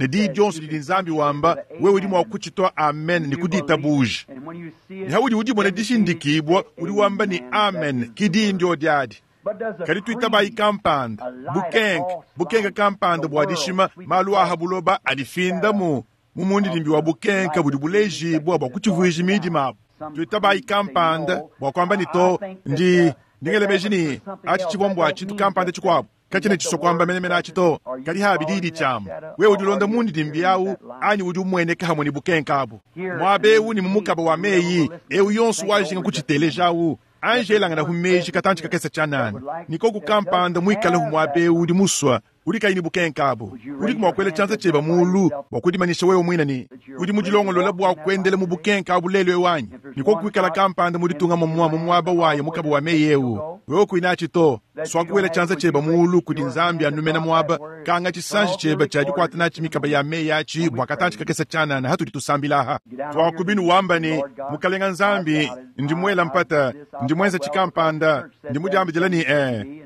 ne diyi dionso didi Nzambi wamba, wewe udi mua kutshitua amen ne kuditabuja. Ne haudi udimona dishindikibua, udi wamba ne amen, ki diyi ndio diadi. Kadi tuitabayi kampanda, bukenke, bukenke kampanda bua dishima, malu aha buloba adifinda mu mu mundidimbi wa bukenke budi bulejibua bua kutshivuija midima abu. Tuitabayi kampanda bua kuamba ne to, ndi ndingela meji ne atshi tshivua mbua tshintu kampanda tshikuabu, katshiena tshisua kuamba menemene atshi to, kadi habi diyi tshiamba. Wewe udi ulonda mundidimbi awu anyi udi umueneka hamwe ne bukenke abu. Muaba ewu ne mu mukaba wa meyi, ewu yonso wajinga kutshiteleja awu. Angelangana hu meji katantshi kakese tshianana. Nikoku kampanda muikale hu muaba ewu udi musua, udi kayi ne bukenke abu. Udi mua kuela tshianza tshiebe mulu bua kudimanyisha wewe muine ne udi mudilongolola bua kuendela mu bukenke abu lelu ewu anyi? Nikoku kuikala kampanda muditunga mumua mu muaba waye mukaba wa meyi ewu. Wewe kuinatshi to, sua kuela tshianza tshiebe mulu kudi Nzambi anumena muaba, kanga tshisanji tshiebe tshia dikuata natshi mikaba ya meyi atshi bua katantshi kakese tshianana hatudi tusambila aha. Tuakubinu wamba ne, Mukalenga Nzambi, ndi muela mpata, ndi muenza tshikampanda, ndi mudiambidila ne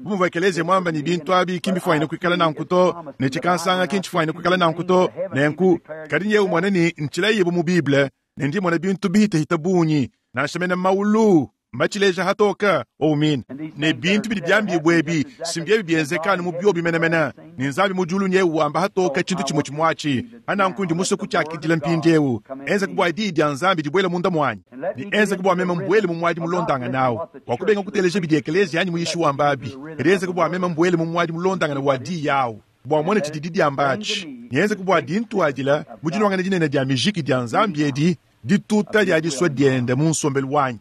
bu muvua ekelezia muamba ne bintu abi ki mbifuanyine kuikala nanku to, ne tshikansanga ki ntshifuanyine kuikala nanku to, nenku kadi nyewe umone ne ntshilayibu mu Bible, ne ndi mona bintu bihitahita bungi, nansha mene maulu mbatshileja hatoka oumina. Ne bintu bidi biambibua ebi si mbiebi bienzeka anu mu biobi menemene, ne Nzambi mu diulu nyewe wamba hatoka tshintu tshimue tshimuatshi. Ananku ndi musue kutshiakidila mpindiewu, enzeka bua diyi dia Nzambi dibuele munda muanyi, ne enzeka bua meme mbuele mu muadi mulondangana awu, bua kubenga kuteleja bidi ekelezia anyi muyishi wamba abi, kadi enzeka bua meme mbuele mu muadi mulondangana wa diyi awu, bua mone tshidi diamba atshi, ne enzeka bua dintuadila mu dinuangana dinene dia mijiki dia Nzambi edi, dituta dia disua diende mu nsombelu wanyi.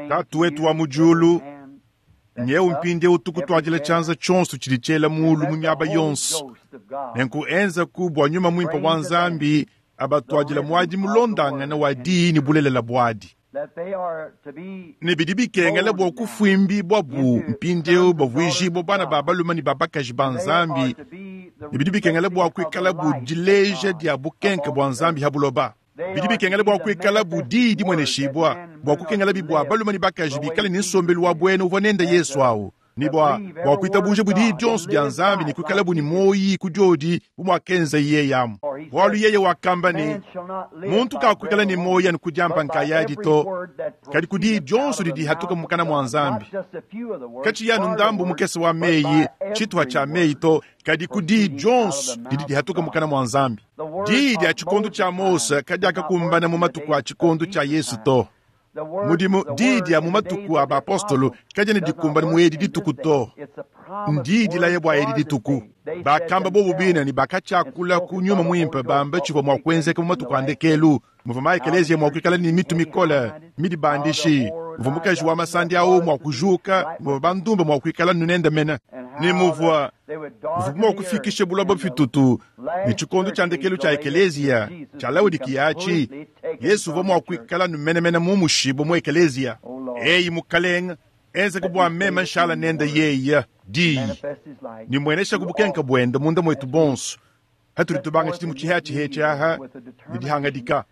Tatu wetu wa mu diulu, nyewu mpindiewu tukutuadila tshianza tshionso tshidi tshiela mulu mu miaba yonso. Nenku enzaku bua nyuma muimpe wa Nzambi abatuadila muadi mulondangana wa diyi ne bulelela buadi. Ne bidi bikengela bua kufuimbibua bu mpindiewu bavuijibua bana ba balume ne ba bakaji ba Nzambi, ne bidi bikengela bua kuikala bu dileja dia bukenke bua Nzambi ha buloba. Bidi bikengela bua kuikala bu diyi dimueneshibua, bua kukengela bibua balume ne bakaji bikale ne nsombelu wa buena uvua nende Yesu awu, ne bua bua kuitabuja bu diyi dionso dia Nzambi ne kuikala bu ne muoyi ku diodi bu muakenza yeye amu. Bualu yeye wakamba ne, muntu kakuikala ne muoyi anu ku diamba nkayadi to, kadi ku diyi dionso didi hatuka mukana mua Nzambi. Katshiyi anu ndambu mukese wa meyi, tshituha tshia meyi to, kadi ku diyi dionso didi dihatuka mukana mua Nzambi. Diyi dia tshikondo tshia Mose kadiakakumbana mu matuku a tshikondo tshia Yesu to. Mudimu diyi dia mu matuku a bapostolo kadiena dikumbana mu edi dituku to. Ndiyi dilaya bua edi dituku. Bakamba bobu bine ne bakatshiakula ku nyuma muimpe bamba tshivua mua kuenzeka mu matuku a ndekelu, muvua maekelezia mua kuikala ne mitu mikole midibandishi, muvua mukaji wa masandi awu mua kujuka, muvua bandumba mua kuikala nunende mene, ne muvua mua kufikisha buloba fitutu. Ne tshikondo tshia ndekelu tshia ekelezia tshia Laodikiya atshi, Yesu uvua mua kuikala numenemene mu mushibo mu ekelezia. Eyi Mukalenga, enzeka bua meme nshala nende yeye diyi, ne muenesha ku bukenke buende munda mwetu bonso. Hatudi tubanga tshidimu tshihatshi aha ne dihangadika.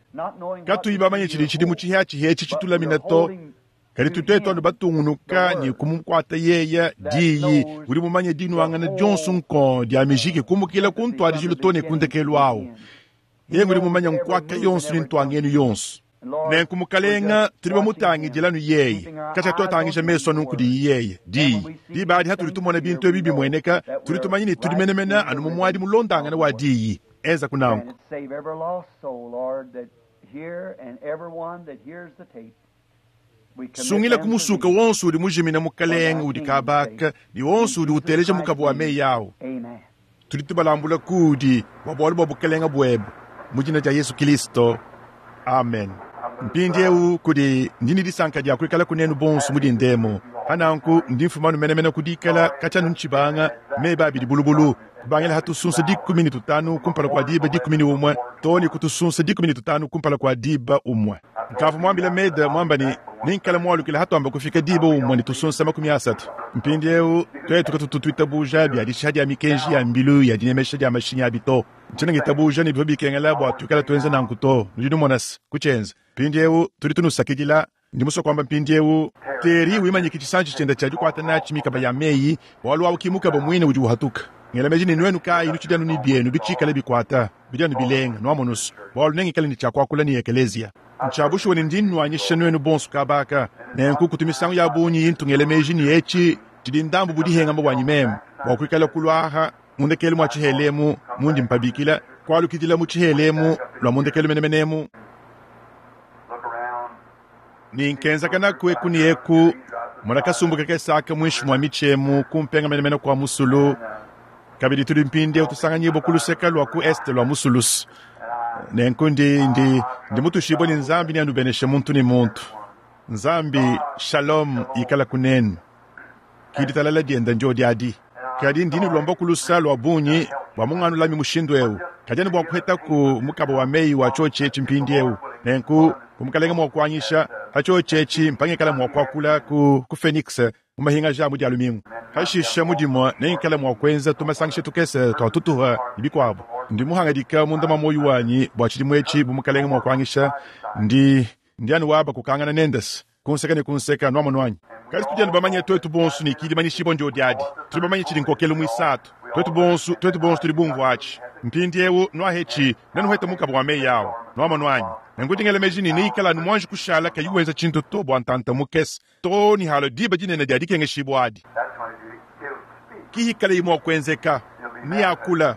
Katuyi bamanye tshidi tshidimu tshihatshi tshitulamina to, kadi tutetu anu batungunuka ne kumukuata yeye diyi. Udi mumanye dinuangana dionso nko dia mijiki kumukila ku ntuadijilu to ne ku ndekelu awu. Yeye udi mumanye nkuaka yonso ne ntuangenu yonso. Nenku Mukalenga tudi bamutangidila anu yeye, katshia tuatangisha mesu anu kudi yeye diyi. Diba adi hatudi tumona bintu ebi bimueneka, tudi tumanye ne tudi menemene anu mu muadi mulondangana wa diyi. Enza kunanku. Sungila kumusuka wonso udi mujimina Mukalenga udi kabaka, ne wonso udi uteleja mukaba wa meyi awu. Tudi tubalambula kudi bua bualu bua bukalenga buebe, mu dina dia Yesu Kristo, amen. Mpindiewu kudi ndi ne disanka dia kuikala kunenu bonso mu dindemo. Hananku ndi mfumanu menemene kudikala katshia ntshibanga meba abidi bulubulu, kubangila hatusunsa 15 kumpala kua diba 11 to ne kutusunsa 15 kumpala kua diba 1. Nkavu muambila meda muamba ne ninkala mualukila hatuamba kufika diba 1 ne tusunsa 30. Mpindiewu twetu katutu tuitabuja bia dishiha dia mikenji ya mbilu ya dinemesha dia mashinyi abi to. Ntshiena ngitabuja ne bivua bikengela bua tuikala tuenza nanku to. Nudi numona se kutshienza. Mpindiewu tudi tunusakidila. Ndi musue kuamba mpindiewu, Terry wimanyike tshisanji tshiende tshia dikuata natshi mikaba ya meyi, bualu awu ki mukaba muine udi uhatuka. Ngela meji ne nuenu kayi nutshidi anu ne bienu bitshikale bikuata, bidi anu bilenga, nwamonu's, bualu nengikale ne tshia kuakula ne ekeleziya. Ntshia bushuwa ne ndi nnuanyisha nuenu bonso kaba aka. Nenku kutu misangu ya bungi intu ngela meji ne etshi tshidi ndambu bu dihengama buanyi meme, bua kuikala kulu aha mu ndekelu mua tshihela emu mundi mpabikila, kualukidila mu tshihela emu lua mu ndekelu menemene emu. Ne nkenzakanaku eku ne eku, mona kasumbu kakese aka muinshi mua mitshi emu ku mpenga menemene kua musulu. Kabidi tudi mpindieu tusanganyibua ku luseke lua ku est lua musulu. Nenku ndi, ndi, ndi mutuishibue ne Nzambi neanubeneshe muntu ne muntu. Nzambi, shalom ikalaku nenu. Ki ditalala dienda ndiodi adi. Kadi ndi nulomba ku lusa lua bungi bua munganulami mushindu eu. Kadi anu bua kuhetaku mukaba wa meyi wa tshiotshi etshi mpindieu. Nenku, bu Mukalenge mua kuanyisha, pa tshiotshi etshi mpangikala mua kuakula ku, ku Phoenix mu mahingaja a mu Dia lumingu. Pashishe mu Dimue nengikale mua kuenza tumasangisha tukese tua tutuha ne bikuabu. Ndi muhangadika munda mua muoyo wanyi bua tshidimu etshi bu Mukalenge mua kuanyisha, ndi, ndi anu waba kukangana nendes ku nseke ne ku nseke, nuamonu anyi? Kadi tudi anu bamanye tuetu bonsu ne ki dimanyishibua ndiodi adi. Tudi bamanye tshidi nkokelu muisatu. Tuetu bonsu, tuetu bonsu tudi bumvua atshi. Mpindiewu, nuahetshi, nenuhete mukaba wa meyi awu. Nuamonu anyi? Nenku ndi ngela meji ne neikale anu muanji kushala kayi wenza tshintu to bua ntanta mukese, too ne halua diba dinene dia dikengeshibua adi. Ki hikalayi mua kuenzeka, neakula,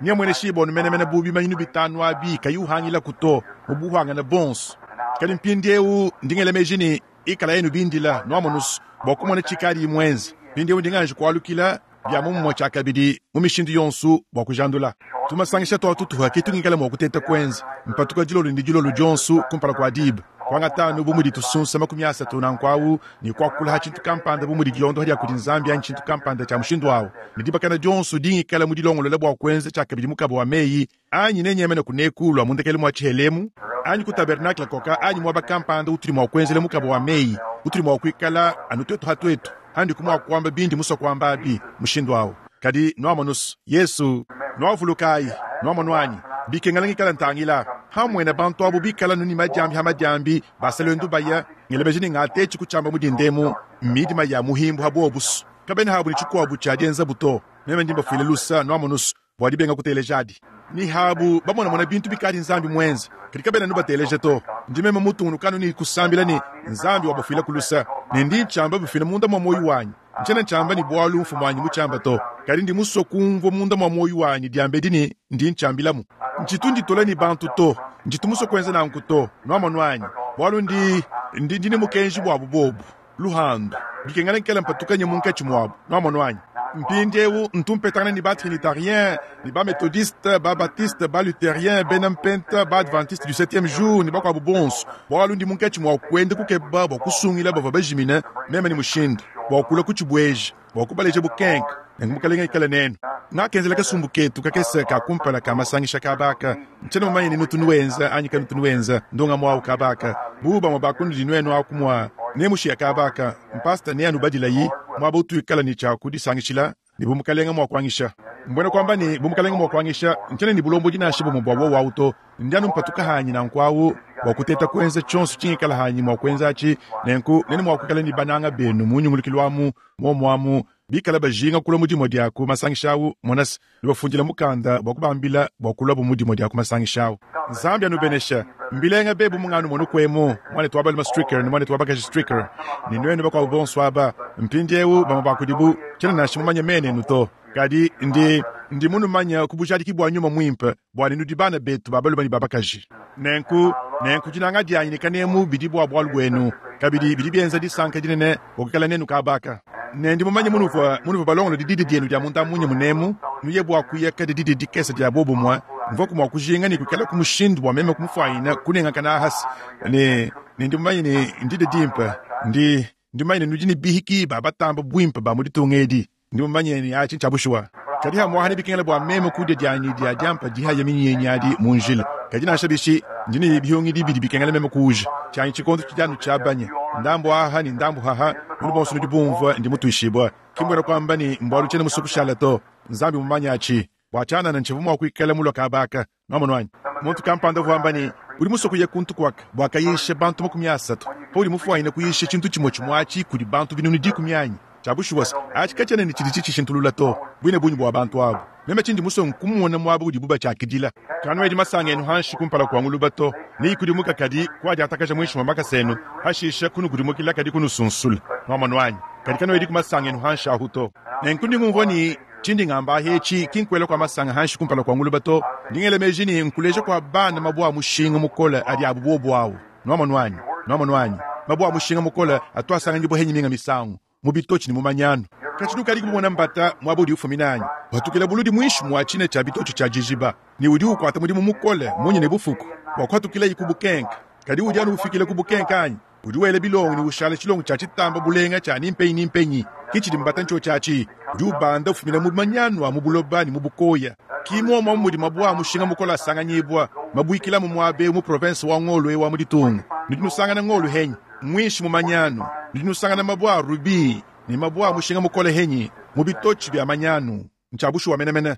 neamueneshibua anu menemene bu bimanyinu bitanu abi, kayi uhangilaku to, mu buhuangane buonso. Kadi mpindiewu ndi ngela meji ne, ikalayi nubindila, nuamonu's, bua kumona tshikadiyi muenze. Mpindiewu ndi nganji kualukila bia momumue tshiakabidi mu mishindu yonso bua kujandula tumasangisha tua tutuha ke tungikala mua kuteta kuenza mpatuka dilolo ne dilolo dionso kumpala kua diba kuangata anu bu mudi tusunsa 30 nanku awu ne kuakula ha tshintu kampanda bu mudi dilondoha dia kudi Nzambi anyi tshintu kampanda tshia mushindu awu ne dibakana dionso dingikala mudilongolola bua kuenza tshiakabidi mukaba wa meyi anyi nenyemene kuneku lua mundekelu mua tshihelemu anyi ku tabernakle koka anyi muaba kampanda utudi mua kuenzela mukaba wa meyi utudi mua kuikala anu tuetu ha tuetu handiku mua kuamba bindi musua kuamba abi mushindu awu. Kadi nuamonus Yesu, nuavulukayi, nuamonu anyi bikengela ngikala ntangila hamuena bantu abu bikala nu ne madiambi ha madiambi basa luendu baya ngela meji ne ngatetshi kutshiamba mu dindemu midima ya muhimbu ha buobusu kabena habu ne tshikuabu tshia dienzabu to meme ndi mbafuile lusa nuamonus bua dibenga kuteleja adi. Ni habu bamonamona bintu bikadi Nzambi muenze, kadi kabena nubateleja to. Ndi meme mutungunuka anu ne kusambila ne Nzambi wabafuila ku lusa, ne ndi ntshiamba bifila munda mua muoyo wanyi. Ntshiena ntshiamba ne bualu mfumuanyi mutshiamba to, kadi ndi musue kumvua munda mua muoyo wanyi diambedi ne ndi ntshiambilamu. Ntshitu nditola ne bantu to, ntshitu musue kuenza nanku to, nuamonu anyi, bualu ndi, ndi, ndi ne mukenji buabu bobu. Luhandu, bikengela nkela mpatukanye munkatshi muabu. Nwamonu anyi? Mpindiewu ntu mpetangana ne ba-Trinitarien, ne ba-Methodiste, ba-Baptiste, ba-Lutherien, bena Mpenta, ba-Adventiste du Septieme Jour, ne bakuabu bonso, bualu ndi munkatshi mua kuenda kukeba bua kusungila bavua bajimine, meme ne mushindu, bua kulua kutshibueja, bua kubaleja bukenke. Nenku Mukalenge ikale nenu. Ngakenzela kasumbu ketu kakese ka kumpala ka masangisha kaba aka. Ntshiena mumanye ni nutu nuenza anyi kanutu nuenza ndongamu au kaba aka. Bu bamue ba kunudi nuenu aku mua nemushiya kaba aka, mpasta neanubadilayi muaba utuikala ne tshia kudisangishila, ne bu Mukalenge mua kuangisha. Mbuena kuamba ne, bu Mukalenge mua kuangisha, ntshiena ne bulombodi nansha bumue bua wowu au to. Ndi anu mpatuka hanyi nanku au bua kuteta kuenza tshionso tshingikala hanyi mua kuenza atshi, nenku nenu mua kuikala ne bananga benu mu nyungulukilu amu muomu amu bikala bajinga kulua mu dimue dia ku masangisha au, mona se, nubafundila mukanda bua kubambila bua kuluabu mu dimue dia ku masangisha au. Nzambi anubenesha. Mbilenga be bu munganu monukuemu, muanetu wa balume Stricker ne muanetu wa bakaji Stricker, ne nuenu bakuabu bonso aba. Mpindieu, bamue ba kudibu, tshiena nansha mumanye mena enu to, kadi ndi, ndi munumanye ku bujadiki bua Nyuma Muimpe bua ne nudi bana betu ba balume ne ba bakaji. Nenku, nenku dinanga dianyi ne kanemu bidi bua bualu buenu, kabidi bidi bienza disanka dinene bua kuikala nenu kaba aka. Ne ndi mumanye munuvua, munuvua balongolode didi dienu dia munda munya munemu, nuye bua kuya kadi didi dikese dia bobumue, mvuaku mua kujinga ne kuikalaku mushindu bua meme kumufuanyina kunengakana ahase. Ne, ne ndi mumanye ne ndidi dimpe, ndi, ndi mumanye ne nudi ne bihiki ba batamba buimpe ba mu ditunga edi. Ndi mumanye ne atshi ntshia bushuwa. Kadi hamuaha nebikengele bua meme kudia dianyi dia diampa dihaya minyinyi adi mu njila. Kadi nansha bishi, ndi ne bihungidi bidi bikengela meme kuuja. Tshianyi tshikondo tshidi anu tshiabanya ndambu aha ne ndambu haha. Nudi bonso nudi bumvua ndi mutuishibua. Ki mbuena kuamba ne mbualu tshiena musue kushala to. Nzambi mumanye atshi. Bua tshianana ntshivua mua kuikala mulue kaba aka. Nwamonu anyi? Muntu kampanda uvua wamba ne, Udi musue kuya kuntu kuaka bua kayisha bantu 30, paudi mufuanyine kuyisha tshintu tshimue tshimue atshi kudi bantu 10000 anyi? Tshia bushuwa se, atshi katshiena ne tshidi tshitshishintulula to, buine bungi bua bantu abu. Meme tshindi musue nkumona muaba udibu batshiakidila. Kanuedi masanga enu hanshi kumpala kua nguluba to, neyikudimuke kadi kuadiatakaja muinshi mua makasa enu, hashisha kunukudimukila kadi kunusunsula. Nwamonu anyi? Kadi kanuediku masanga enu hanshi ahu to. Nenku ndi ngumvua ne, tshindi ngamba ahi etshi ki nkuela kua masanga hanshi kumpala kua nguluba to. Ndi ngela meji ne, nkuleja kua bana mabue a mushinga mukole adi abu buobu au. Nwamonu anyi? Nwamonu anyi? Mabue a mushinga mukole atu asanganyibua henyi minga misangu, mu bitotshi ne mu manyanu. Katshidi ukadi kumona mbata muaba udi ufumina anyi? Patukila buludi muinshi mua tshina tshia bitotshi tshia dijiba, ne udi ukuata mudimu mukole munya ne bufuku bua kuhatukilayi ku bukenke. Kadi udi anu ufikila ku bukenke anyi? Udi wela bilongo ne ushala tshilongo tshia tshitamba bulenga tshia ni mpenyi ni mpenyi. Ke tshidi mbata ntshiotshi atshi. Udi ubanda ufumina mu manyanu a mu buloba ne mu bukoya. Ki muomu amu mudi mabue a mushinga mukole asanganyibua, mabuikila mu muaba eu mu provense wa ngolo eu wa mu ditunga. Nudi nusangana ngolo henyi? Muinshi mu manyanu. Nudi nusangana mabue a rubi ne mabue a mushinga mukole henyi? Mu bitotshi bia manyanu. Ntshia bushuwa menemene.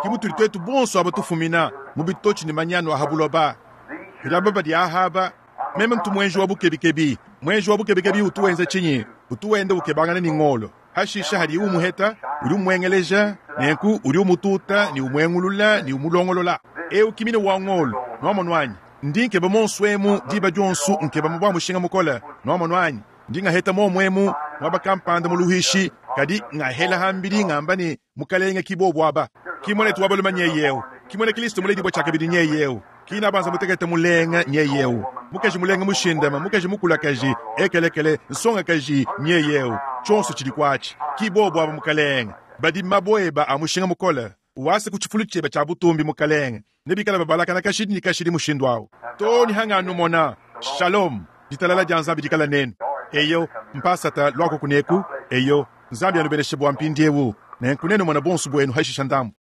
Ke mutudi tuetu bonso aba tufumina, mu bitotshi ne manyanu a ha buloba. Kadi aba badi aha aba, meme ntu muenji wa bukebikebi. Muenji wa bukebikebi utu wenza tshinyi? Utu wenda ukebangana ne ngolo. Hashisha hadiye umuheta, udi umuengeleja, nenku udi umututa ne umuengulula ne umulongolola. Eu ki mine wa ngolo. Nuamonu anyi? Ndi nkeba monsu emu diba dionso, nkeba mabue a mushinga mukole. Nuamonu anyi? Ndi ngaheta muomu emu muaba kampanda mu luhuishi, kadi ngahela ham'bidi ngamba ne, Mukelenge, ki bobo aba. Ki muanetu wa balume nyeye eu, ki muena Kilisto muledibue tshiakabidi nyeye eu, ki nabanza mutekete mulenga nyeye eu, mukaji mulenga mushindame, mukaji mukulakaji, ekelekele, nsongakaji nyeye eu. Tshionso tshidi kuatshi, ki bobo aba, Mukelenge, badi mabue eba a mushinga mukole. Wase ku tshifulu tshiebe tshia butumbi, Mukelenge, ne bikale babalakana kashidi ne kashidi mushindu au, too ne hanganumona. Shalom, ditalala dia Nzambi dikale nenu. Eyo, mpasata, luaku kuneku. Eyo, Nzambi anubeneshe bua mpindieu. Nenku nenumone bonso buenu hashisha ndambu.